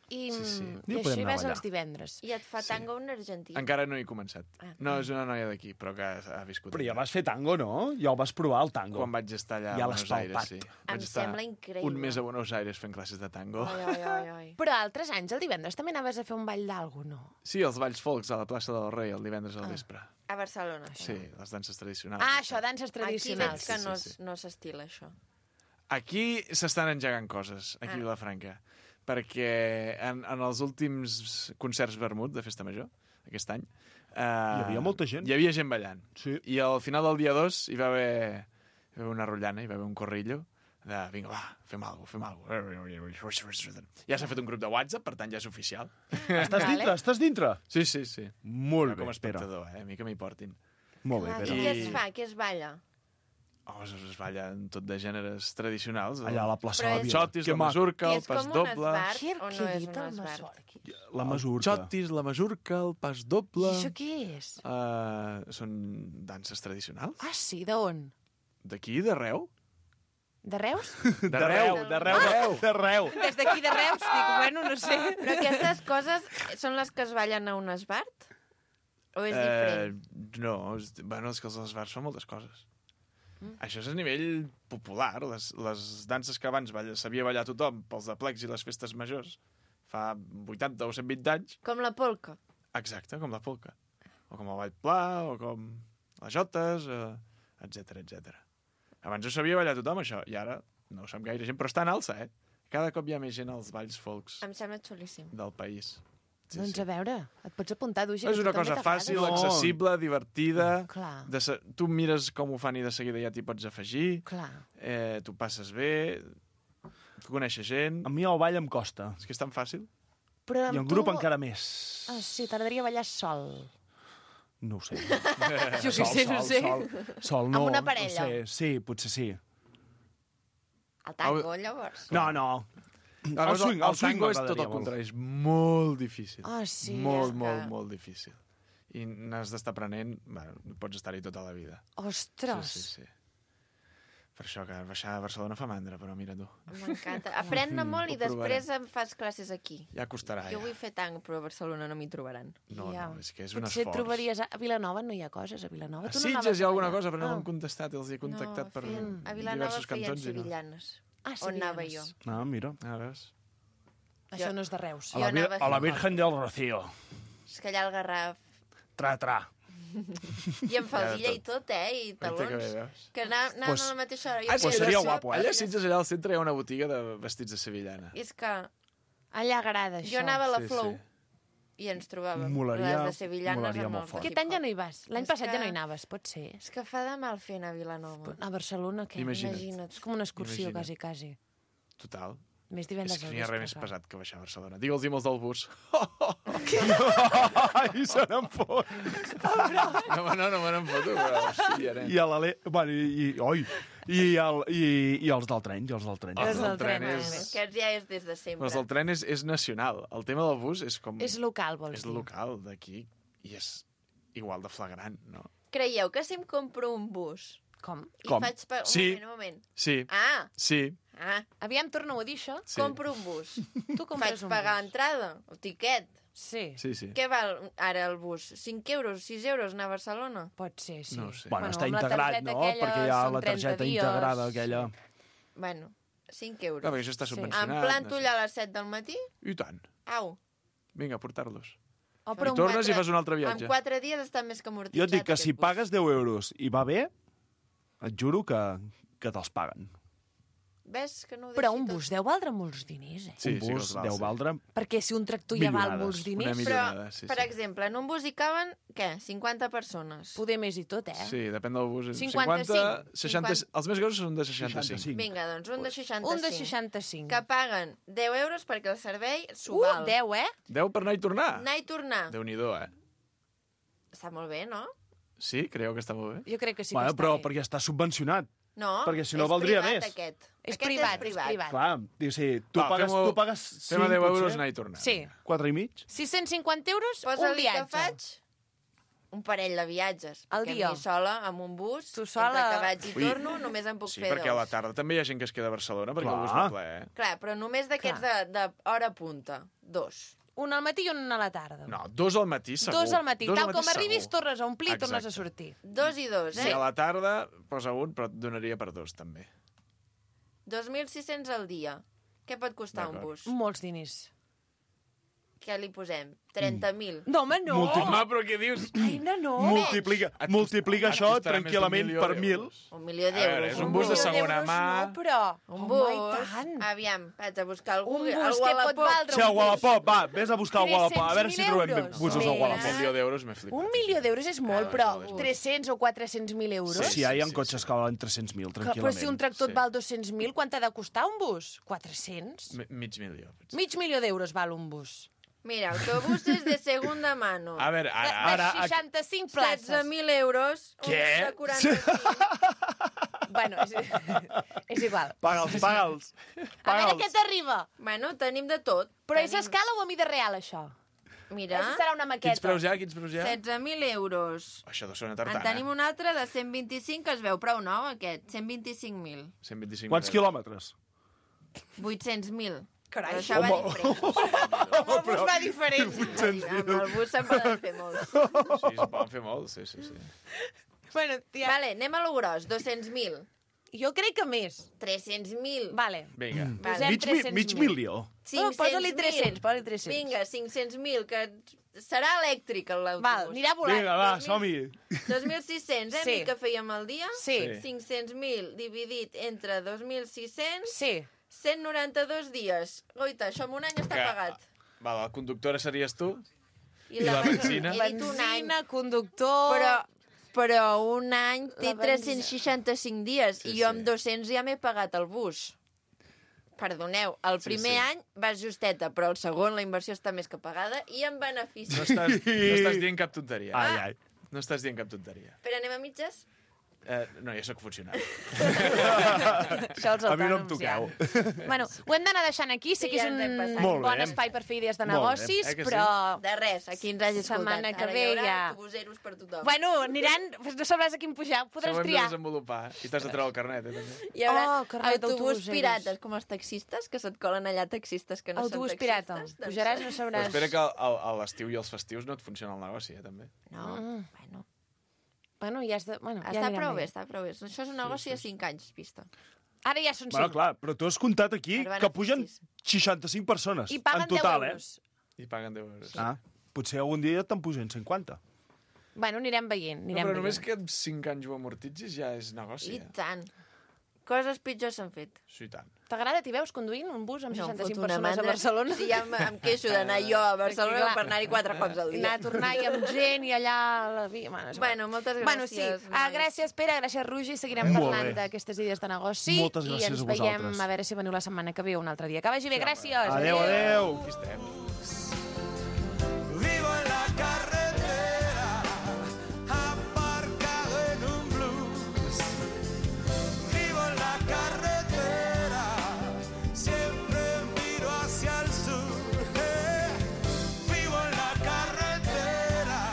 A: I,
I: Sí, sí.
A: i
H: Ja
A: això
H: podem
A: hi
H: anar a
A: vas
H: ballar.
A: els divendres.
B: I et fa tango un argentí.
I: Encara no he començat.
B: Ah.
I: No, és una noia d'aquí, però que ha viscut.
H: Però ja
I: allà.
H: vas fer tango, no? Ja el vas provar, el tango.
I: Quan vaig estar allà
H: Ja
I: a
H: l'has
I: Buenos Aires,
H: palpat.
I: sí.
B: Em
I: Vaig estar
B: sembla increïble.
I: un mes a Buenos Aires fent classes de tango.
B: Ai, ai, ai, ai.
A: Però altres anys, el divendres, també anaves a fer un ball d'algú, no?
I: Sí, els balls folks a la plaça del Rei el divendres al vespre.
B: A Barcelona.
I: Sí, les danses tradicionals.
A: Ah, això, danses
B: Aquí veig
A: tradicionals.
B: que
I: Sí,
B: no,
I: sí, sí.
B: no s'estila, això.
I: Aquí s'estan engegant coses, aquí
B: Ah.
I: a Vilafranca, perquè en, en els últims concerts vermut de Festa Major, aquest any... Eh, hi
H: havia molta gent.
I: Hi havia gent ballant.
H: Sí.
I: I al final del dia dos hi va haver, hi va haver una rotllana, hi va haver un corrillo de, vinga, va, fem alguna cosa, fem alguna cosa. Ja s'ha fet un grup de WhatsApp, per tant ja és oficial.
H: Estàs
A: Vale.
H: dintre? Estàs dintre?
I: Sí, sí, sí.
H: Molt
I: Jo
H: bé,
I: com a
H: espera.
I: espectador, eh? A mi que m'hi portin.
H: Molt bé,
B: Clar,
H: Pere.
B: i
I: I-
B: què es fa? Què es balla?
I: Oh, es, es balla en tot de gèneres tradicionals.
H: Allà a la plaça
B: Però
H: de la
B: és-
H: Vila.
I: Xotis,
H: Que
I: la
H: maco.
I: masurca,
B: I
I: el
B: és
I: pas
B: com un
I: doble...
B: esbart
A: Què,
B: o no
A: què
B: és
A: dit
B: un
A: el
B: esbart?
A: Masorqui?
H: La
I: El
H: masurca.
I: xotis, la masurca, el pas doble...
A: I això què és?
I: Uh, són danses tradicionals?
A: Ah, sí, d'on?
I: D'aquí, d'arreu?
A: De Reus?
H: D'arreu, d'arreu, d'arreu. D'arreu.
A: Des d'aquí de Reus? Dic, bueno, no sé.
B: Però aquestes coses són les que es ballen a un esbart? O és diferent?
I: Eh, no, és, bueno, és que els esbars són moltes coses. Mm. Això és a nivell popular. Les, les danses que abans balla, sabia ballar tothom pels aplecs i les festes majors fa vuitanta o cent vint anys.
B: Com la polca?
I: Exacte, com la polca. O com el ball pla, o com les jotes, eh, etcètera, etcètera. Abans ho sabia ballar tothom, això, i ara no ho sap gaire gent, però està en alça, eh? Cada cop hi ha més gent als balls folks
B: Em sembla xulíssim.
I: del país. Sí,
A: Doncs
I: sí.
A: a veure, et pots apuntar, Dugi.
I: És
A: que
I: una
A: a tu també
I: cosa
A: t'agrada.
I: fàcil,
H: No.
I: accessible, divertida.
A: Clar,
I: De se... Tu mires com ho fan i de seguida ja t'hi pots afegir.
A: clar.
I: Eh, tu passes bé, tu coneixes gent...
H: A mi el ball em costa.
I: És que és tan fàcil.
A: Però
H: I
A: amb
H: en grup
A: tu...
H: encara més.
A: Ah, sí, t'agradaria ballar sol.
H: No ho sé.
A: Jo què sé, no
H: sol,
A: sé.
H: sol, sol, no.
A: Amb una parella.
H: No sé. Sí, potser sí.
B: El tango, llavors?
H: No, no.
I: El,
H: El swing, el
I: el
H: swing
I: tango és tot
H: m'agradaria
I: el
H: molt.
I: contrari, és molt difícil.
A: Ah, sí.
I: molt,
B: és que-
I: molt, molt difícil. I n'has d'estar aprenent... Bueno, pots estar-hi tota la vida.
A: Ostres.
I: Sí, sí, sí. Per això que baixar a Barcelona fa mandra, però mira tu.
B: M'encanta. Aprèn-ne molt i
I: Ho provarem.
B: després em fas classes aquí.
I: Ja costarà,
B: Jo
I: ja.
B: vull fer tango, però a Barcelona no m'hi trobaran.
I: No,
A: Ja.
I: no, és que és un
A: Potser et
I: esforç.
A: trobaries... A a Vilanova no hi ha coses, a Vilanova.
I: A
A: Tu no
I: Sitges
A: anaves
I: hi ha
A: a
I: alguna
A: ballar?
I: cosa, però no
A: Ah.
I: m'han contestat. Els he contactat
B: no,
I: per
B: feien, a Vilanova
I: diversos
B: feien
I: cantons i no.
B: sevillanes.
A: Ah,
B: On anava jo?
A: sevillanes.
H: Ah, mira.
I: A veure...
A: Això no és de Reus.
H: A la,
B: Jo
H: vir
B: anava a
H: a la
B: fer-
H: Virgen del Rocío.
B: És que allà al Garraf...
H: Tra, tra.
B: I amb faldilla
I: Ja de
B: i tot, eh? I
I: Té que bé,
B: talons.
I: veus?
B: Que anà- anàvem
H: Pues-
B: a la mateixa hora. Jo
I: Ah,
B: feia
H: pues seria
B: això,
H: guapo, eh?
I: Allà a Sitges, allà al centre, hi ha una botiga de vestits de sevillana.
B: I és que
A: Allà agrada, això.
B: jo anava a la
I: Sí,
B: Flow
I: sí.
B: i ens trobàvem
H: Molaria-
B: les de sevillanes
H: molaria
B: amb
H: molt
B: el
H: fort.
A: Aquest any ja no hi vas. L'any
B: És
A: passat
B: que-
A: ja no hi anaves, pot ser.
B: És que fa de mal fer anar a Vilanova.
A: A Barcelona, què?
I: Imagina't.
B: Imagina't.
A: És com una excursió,
I: Imagina't.
A: quasi, quasi.
I: Total.
A: Més
I: És
A: divendres
I: que
A: al
I: n'hi ha res més
A: vespre.
I: pesat que baixar a Barcelona. Digue'ls-hi molts del bus.
H: I se n'en fot.
I: No, no, no me n'en foto, però hòstia, nen.
H: I a l'ale... Bueno, i, i, oi, i, el, i, i els del tren, i els del tren.
I: Els
A: Els
I: del
A: del
I: tren
A: tren,
I: és...
B: Que ja és des de sempre.
I: Els del tren és, és nacional. El tema del bus és com...
A: És local, vols
I: És
A: dir?
I: local, d'aquí, i és igual de flagrant, no?
B: Creieu que si em compro un bus
A: Com?
B: i
H: Com?
B: faig... Pa... Un
I: Sí.
B: moment, un moment.
I: Sí,
B: Ah,
I: sí,
B: ah,
A: Aviam, torna-ho a dir, això.
I: sí.
B: compro un bus.
A: Tu
B: Faig
A: compres un
B: pagar
A: bus.
B: entrada, el tiquet.
A: Sí,
I: Sí, sí.
B: Què val ara el bus? cinc euros, sis euros anar a Barcelona?
A: pot ser, sí.
I: No ho sé.
H: Bueno,
A: Bueno,
H: està
A: amb la
H: integrat,
A: targeta
H: no?
A: aquella
H: Perquè hi ha
A: són
H: la targeta
A: trenta dies.
H: integrada aquella.
B: Bueno, cinc euros.
I: Clar, perquè això està
A: Sí.
I: subvencionat.
B: Em planto
I: no sé.
B: allà a les set del matí?
I: I tant.
B: Au.
I: Vinga, a portar-los.
A: Oh,
B: Però
I: I
B: en
I: tornes
B: quatre-
I: i fas un altre
B: En
I: viatge.
B: quatre dies està més que amortitzat.
H: Jo et dic que
B: aquest
H: si
B: bus.
H: pagues deu euros i va bé, et juro que, que te'ls paguen.
B: Ves que no ho
A: Però
B: deixi
A: un
B: tot?
A: bus deu valdre molts diners, eh?
I: Sí,
H: un
I: sí que
H: bus
I: els val,
H: deu
I: sí.
H: valdre...
A: Perquè si un tractor ja val
H: Milionades.
A: molts
I: Una
A: diners,
I: millonada,
B: Però,
I: sí,
B: per
I: sí.
B: exemple, en un bus hi caben, què, cinquanta persones?
A: poder més i tot, eh?
I: Sí, depèn del bus.
A: cinquanta-cinc.
I: cinquanta, seixanta, els més grossos són de seixanta-cinc.
H: seixanta-cinc.
B: Vinga, doncs un de seixanta-cinc.
A: Un de seixanta-cinc.
B: Que paguen deu euros perquè el servei s'ho
A: Uh,
B: val.
A: deu, eh?
I: deu per anar i tornar?
B: Anar i tornar.
I: Déu-n'hi-do, eh?
B: Està molt bé, no?
I: Sí, creieu que està molt bé?
A: Jo crec que sí
H: Bueno,
A: que està
H: però
A: bé.
H: perquè està subvencionat.
B: No,
H: Perquè si no
B: és
H: valdria
B: privat,
H: més.
B: Aquest.
A: És
B: aquest
A: privat,
B: és privat.
A: és privat.
H: Clar, diu, sí, tu,
I: Va,
H: pagues,
I: fem-ho-
H: tu pagues
I: Fem a
H: cinc,
I: deu euros
H: potser,
I: anar i tornar.
A: Sí.
H: quatre i mig.
A: sis-cents cinquanta euros, un
B: Posa-li
A: viatge.
B: que faig un parell de viatges.
A: Al
B: perquè
A: dia.
B: a mi sola, amb un bus,
A: Tu sola-
B: entre que vaig i
I: Ui.
B: torno, només en puc
I: Sí,
B: fer
I: perquè a la
B: dos.
I: tarda també hi ha gent que es queda a Barcelona perquè
H: Clar.
I: el bus va ple, eh?
B: Clar, però només d'aquests de, de hora punta. Dos.
A: Un al matí i un a la tarda.
I: No, dos al matí segur.
A: Dos al matí.
I: Dos al
A: Tal com
I: matí
A: arribis,
I: segur.
A: tornes a omplir i tornes a
I: Exacte.
A: sortir.
B: Dos i dos,
I: Sí.
B: eh?
I: A la tarda posa un, però et donaria per dos, també.
B: dos mil sis-cents al dia. Què pot costar un
I: D'acord.
B: bus?
A: Molts diners.
B: Què li posem? trenta mil.
A: No, home, no.
H: Multi-
I: Home, però què dius?
A: Aina, no.
H: Multiplica,
I: Et
H: multiplica
I: costa-
H: això
I: et costarà més d'un
H: tranquil·lament
I: milió
H: per
I: d'euros.
H: mil.
B: Un milió
I: A veure,
B: d'euros.
I: és un bus de
A: milió
I: segona
A: d'euros
I: mà.
A: No, però...
B: Un
A: Home,
B: bus.
A: i tant.
B: Aviam, vaig a buscar algú.
A: Un bus
B: al
A: que pot
B: Wallapop.
A: valdre
H: Sí, a Wallapop, va, vés a buscar el Wallapop, a veure si
A: tres-cents mil
H: trobem
A: euros.
H: busos al
A: Mira.
I: Un
H: Wallapop.
I: milió d'euros m'he flipat.
A: Un milió d'euros és molt,
I: Ah,
A: però
I: és molt.
A: tres-cents o quatre-cents mil euros...
H: Sí, sí, hi ha
I: sí,
H: cotxes
I: sí.
H: que valen tres-cents mil,
A: Que, però si un
H: tranquil·lament.
A: tractor
I: Sí.
A: et val dos-cents mil, quant t'ha de costar un bus? quatre-cents?
I: Mi- Mig milió. potser.
A: Mig milió d'euros val un bus.
B: Mira, autobuses de segunda mano.
I: A veure,
A: De,
I: ara...
A: de
I: ara
A: seixanta-cinc
B: setze
A: places.
B: mil euros. un
I: Què?
B: de quaranta-cinc.
A: Bueno, és, és igual.
H: Paga'ls, paga'ls.
A: A veure
H: Paga'ls.
A: què t'arriba.
B: Bueno, tenim de tot.
A: Però és a
B: Tenim-
A: escala o a mida real, això?
B: Mira,
A: Això serà una
I: Quins
A: maqueta.
I: preus hi ha? Quins preus hi ha?
B: setze mil euros.
I: Això deu ser una
B: En
I: tartana.
B: tenim un altre de cent vint-i-cinc que es veu prou nou, aquest. cent vint-i-cinc mil.
I: cent vint-i-cinc
H: Quants
I: euros.
H: quilòmetres?
B: vuit-cents mil.
A: Carai,
B: Però això va
H: home.
B: diferent.
A: El bus va diferent.
B: Amb el bus se'n poden fer molts.
I: Sí, se'n poden fer molts, sí, sí, sí.
A: Bueno, tia,
B: Vale, anem a lo gros. dos-cents mil.
A: jo crec que més.
B: tres-cents mil.
A: Vale.
I: Vinga.
A: Posem
H: Mig, mi-
A: tres-cents
H: mig
A: mil.
H: milió.
A: No,
B: cinc-cents
A: posa-li
B: mil.
A: tres-cents, posa-li tres-cents.
B: Vinga, cinc-cents mil, que serà elèctric l'autobús.
A: Val, anirà volant.
H: Vinga, va,
B: dos mil-
H: som-hi.
B: dos mil sis-cents, eh,
A: Sí.
B: sí. que fèiem al dia?
A: Sí,
I: Sí.
B: cinc-cents mil dividit entre dos mil sis-cents,
A: sí.
B: cent noranta-dos dies. Goita, això en un any està
I: Que-
B: pagat.
I: Va, la conductora series tu?
B: I,
I: I la benzina?
B: He dit un any.
A: Benzina, conductor...
B: Però, però un any té
A: La benzina.
B: tres-cents seixanta-cinc dies
I: Sí,
B: i jo
I: sí.
B: amb dos-cents ja m'he pagat el bus. Perdoneu, el
I: Sí,
B: primer
I: sí.
B: any vas justeta, però el segon la inversió està més que pagada i en benefici.
I: No estàs, no estàs dient cap tonteria.
H: Ai, ai.
I: No estàs dient cap tonteria.
B: Però anem a mitges?
I: Eh, no, ja sóc funcionari.
A: Això els
H: A mi no em
A: autònoms ja.
H: toqueu.
A: Bueno, ho hem d'anar deixant aquí. Sé
B: Sí,
A: que és
B: ja ens hem
A: un
B: passat.
H: Molt
A: bon
H: bé.
A: espai per fer idees de
H: Molt bé.
A: negocis,
I: Eh que sí?
A: però...
B: De res, aquí ens hagi escoltat.
A: Setmana que
B: Ara
A: ve
B: hi haurà
A: ja-
B: autobuseros per tothom.
A: Bueno, aniran... No sabràs a quin pujar,
I: Això
A: podràs
I: ho hem de
A: triar.
I: desenvolupar. I t'has de treure el carnet, eh, també.
B: Hi haurà
A: Oh, carnet
B: autobús
A: d'autobuseros.
B: pirates, com els taxistes, que se't colen allà taxistes que no
A: Autobús
B: són
A: pirata.
B: taxistes. doncs-
A: Pujaràs, no
I: Però
A: sabràs...
I: espera que al- a l'estiu i els festius no et funciona el negoci, eh, també.
B: No,
A: Mm.
B: bueno.
A: Bueno, ja has de... Bueno, ja
B: Està
A: anirem
B: prou bé,
A: veient.
B: està prou bé. Això és un negoci a cinc anys, vista.
A: Ara ja són
H: Bueno,
A: cinc.
H: clar, però tu has comptat aquí
B: Per
H: que pugen
B: beneficis.
H: seixanta-cinc persones
A: I paguen
H: en total,
A: deu euros.
I: I paguen deu euros.
H: eh? Ah, potser algun dia te'n pugen cinquanta.
A: Bueno, anirem veient,
I: No,
A: anirem
I: però
A: veient.
I: només que en cinc anys ho amortitzis ja és negoci.
B: I
I: Eh?
B: tant. Coses pitjors s'han fet.
I: Sí, tant.
A: T'agrada? T'hi veus conduint un bus amb
B: No, em
A: seixanta-cinc
B: foto una
A: persones a
B: mandra.
A: Barcelona?
B: Sí, ja em, em queixo d'anar jo a Barcelona
A: Perquè, clar,
B: per anar-hi quatre cops al dia.
A: Anar a tornar i amb gent i allà a la via... Bueno, és igual.
B: Bueno, moltes
A: Bueno, sí.
B: gràcies,
A: Ah,
B: nois.
A: gràcies, Pere, gràcies, Roger. Seguirem
H: Molt
A: parlant
H: bé.
A: d'aquestes idees de negoci.
H: Moltes gràcies
A: I ens
H: a
A: veiem,
H: vosaltres.
A: a veure si veniu la setmana que ve un altre dia. Que vagi bé, gràcies.
H: Adéu, adéu.
I: Aquí estem.
E: Vivo en la carretera, aparcado en un blues. Vivo en la carretera, siempre miro hacia el sur. Eh. Vivo en la carretera,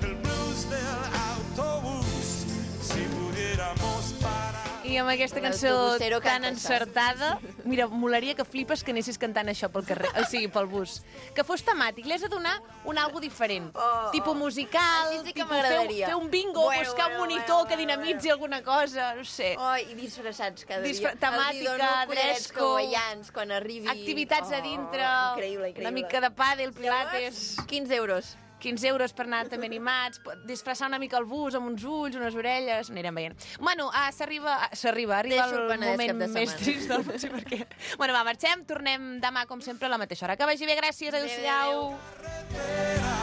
E: el blues del autobús. Si pudiéramos parar.
A: I amb aquesta cançó
B: L'autobussero
A: tan
B: canta,
A: encertada, mira, molaria que flipes que anessis cantant això pel carrer, o sigui, pel bus. Que fos temàtic, li has de donar un algo diferent.
B: Oh,
A: Tipo musical,
B: Així sí que
A: tipo fer,
B: m'agradaria.
A: fer un bingo,
B: Bueno,
A: buscar un
B: bueno,
A: monitor
B: bueno,
A: que
B: bueno,
A: dinamitzi alguna cosa, no sé.
B: Oh, i disfressats cada
A: Disfra-
B: dia.
A: temàtica,
B: Els hi dono collarets
A: dress code,
B: hawaians quan arribi.
A: Activitats a
B: Oh,
A: dintre,
B: Increïble, increïble.
A: una mica de pàdel, pilates...
B: quinze euros.
A: quinze euros per anar també animats, disfressar una mica el bus amb uns ulls, unes orelles, anirem veient. Bueno, uh, s'arriba, uh, s'arriba, arriba
B: Deixo el
A: el
B: Penedès
A: moment
B: cap de
A: més
B: setmana.
A: trist del potser perquè... Bueno, va, marxem, tornem demà, com sempre, a la mateixa hora. Que vagi bé, gràcies,
B: Adéu,
A: adéu-siau.
B: adéu.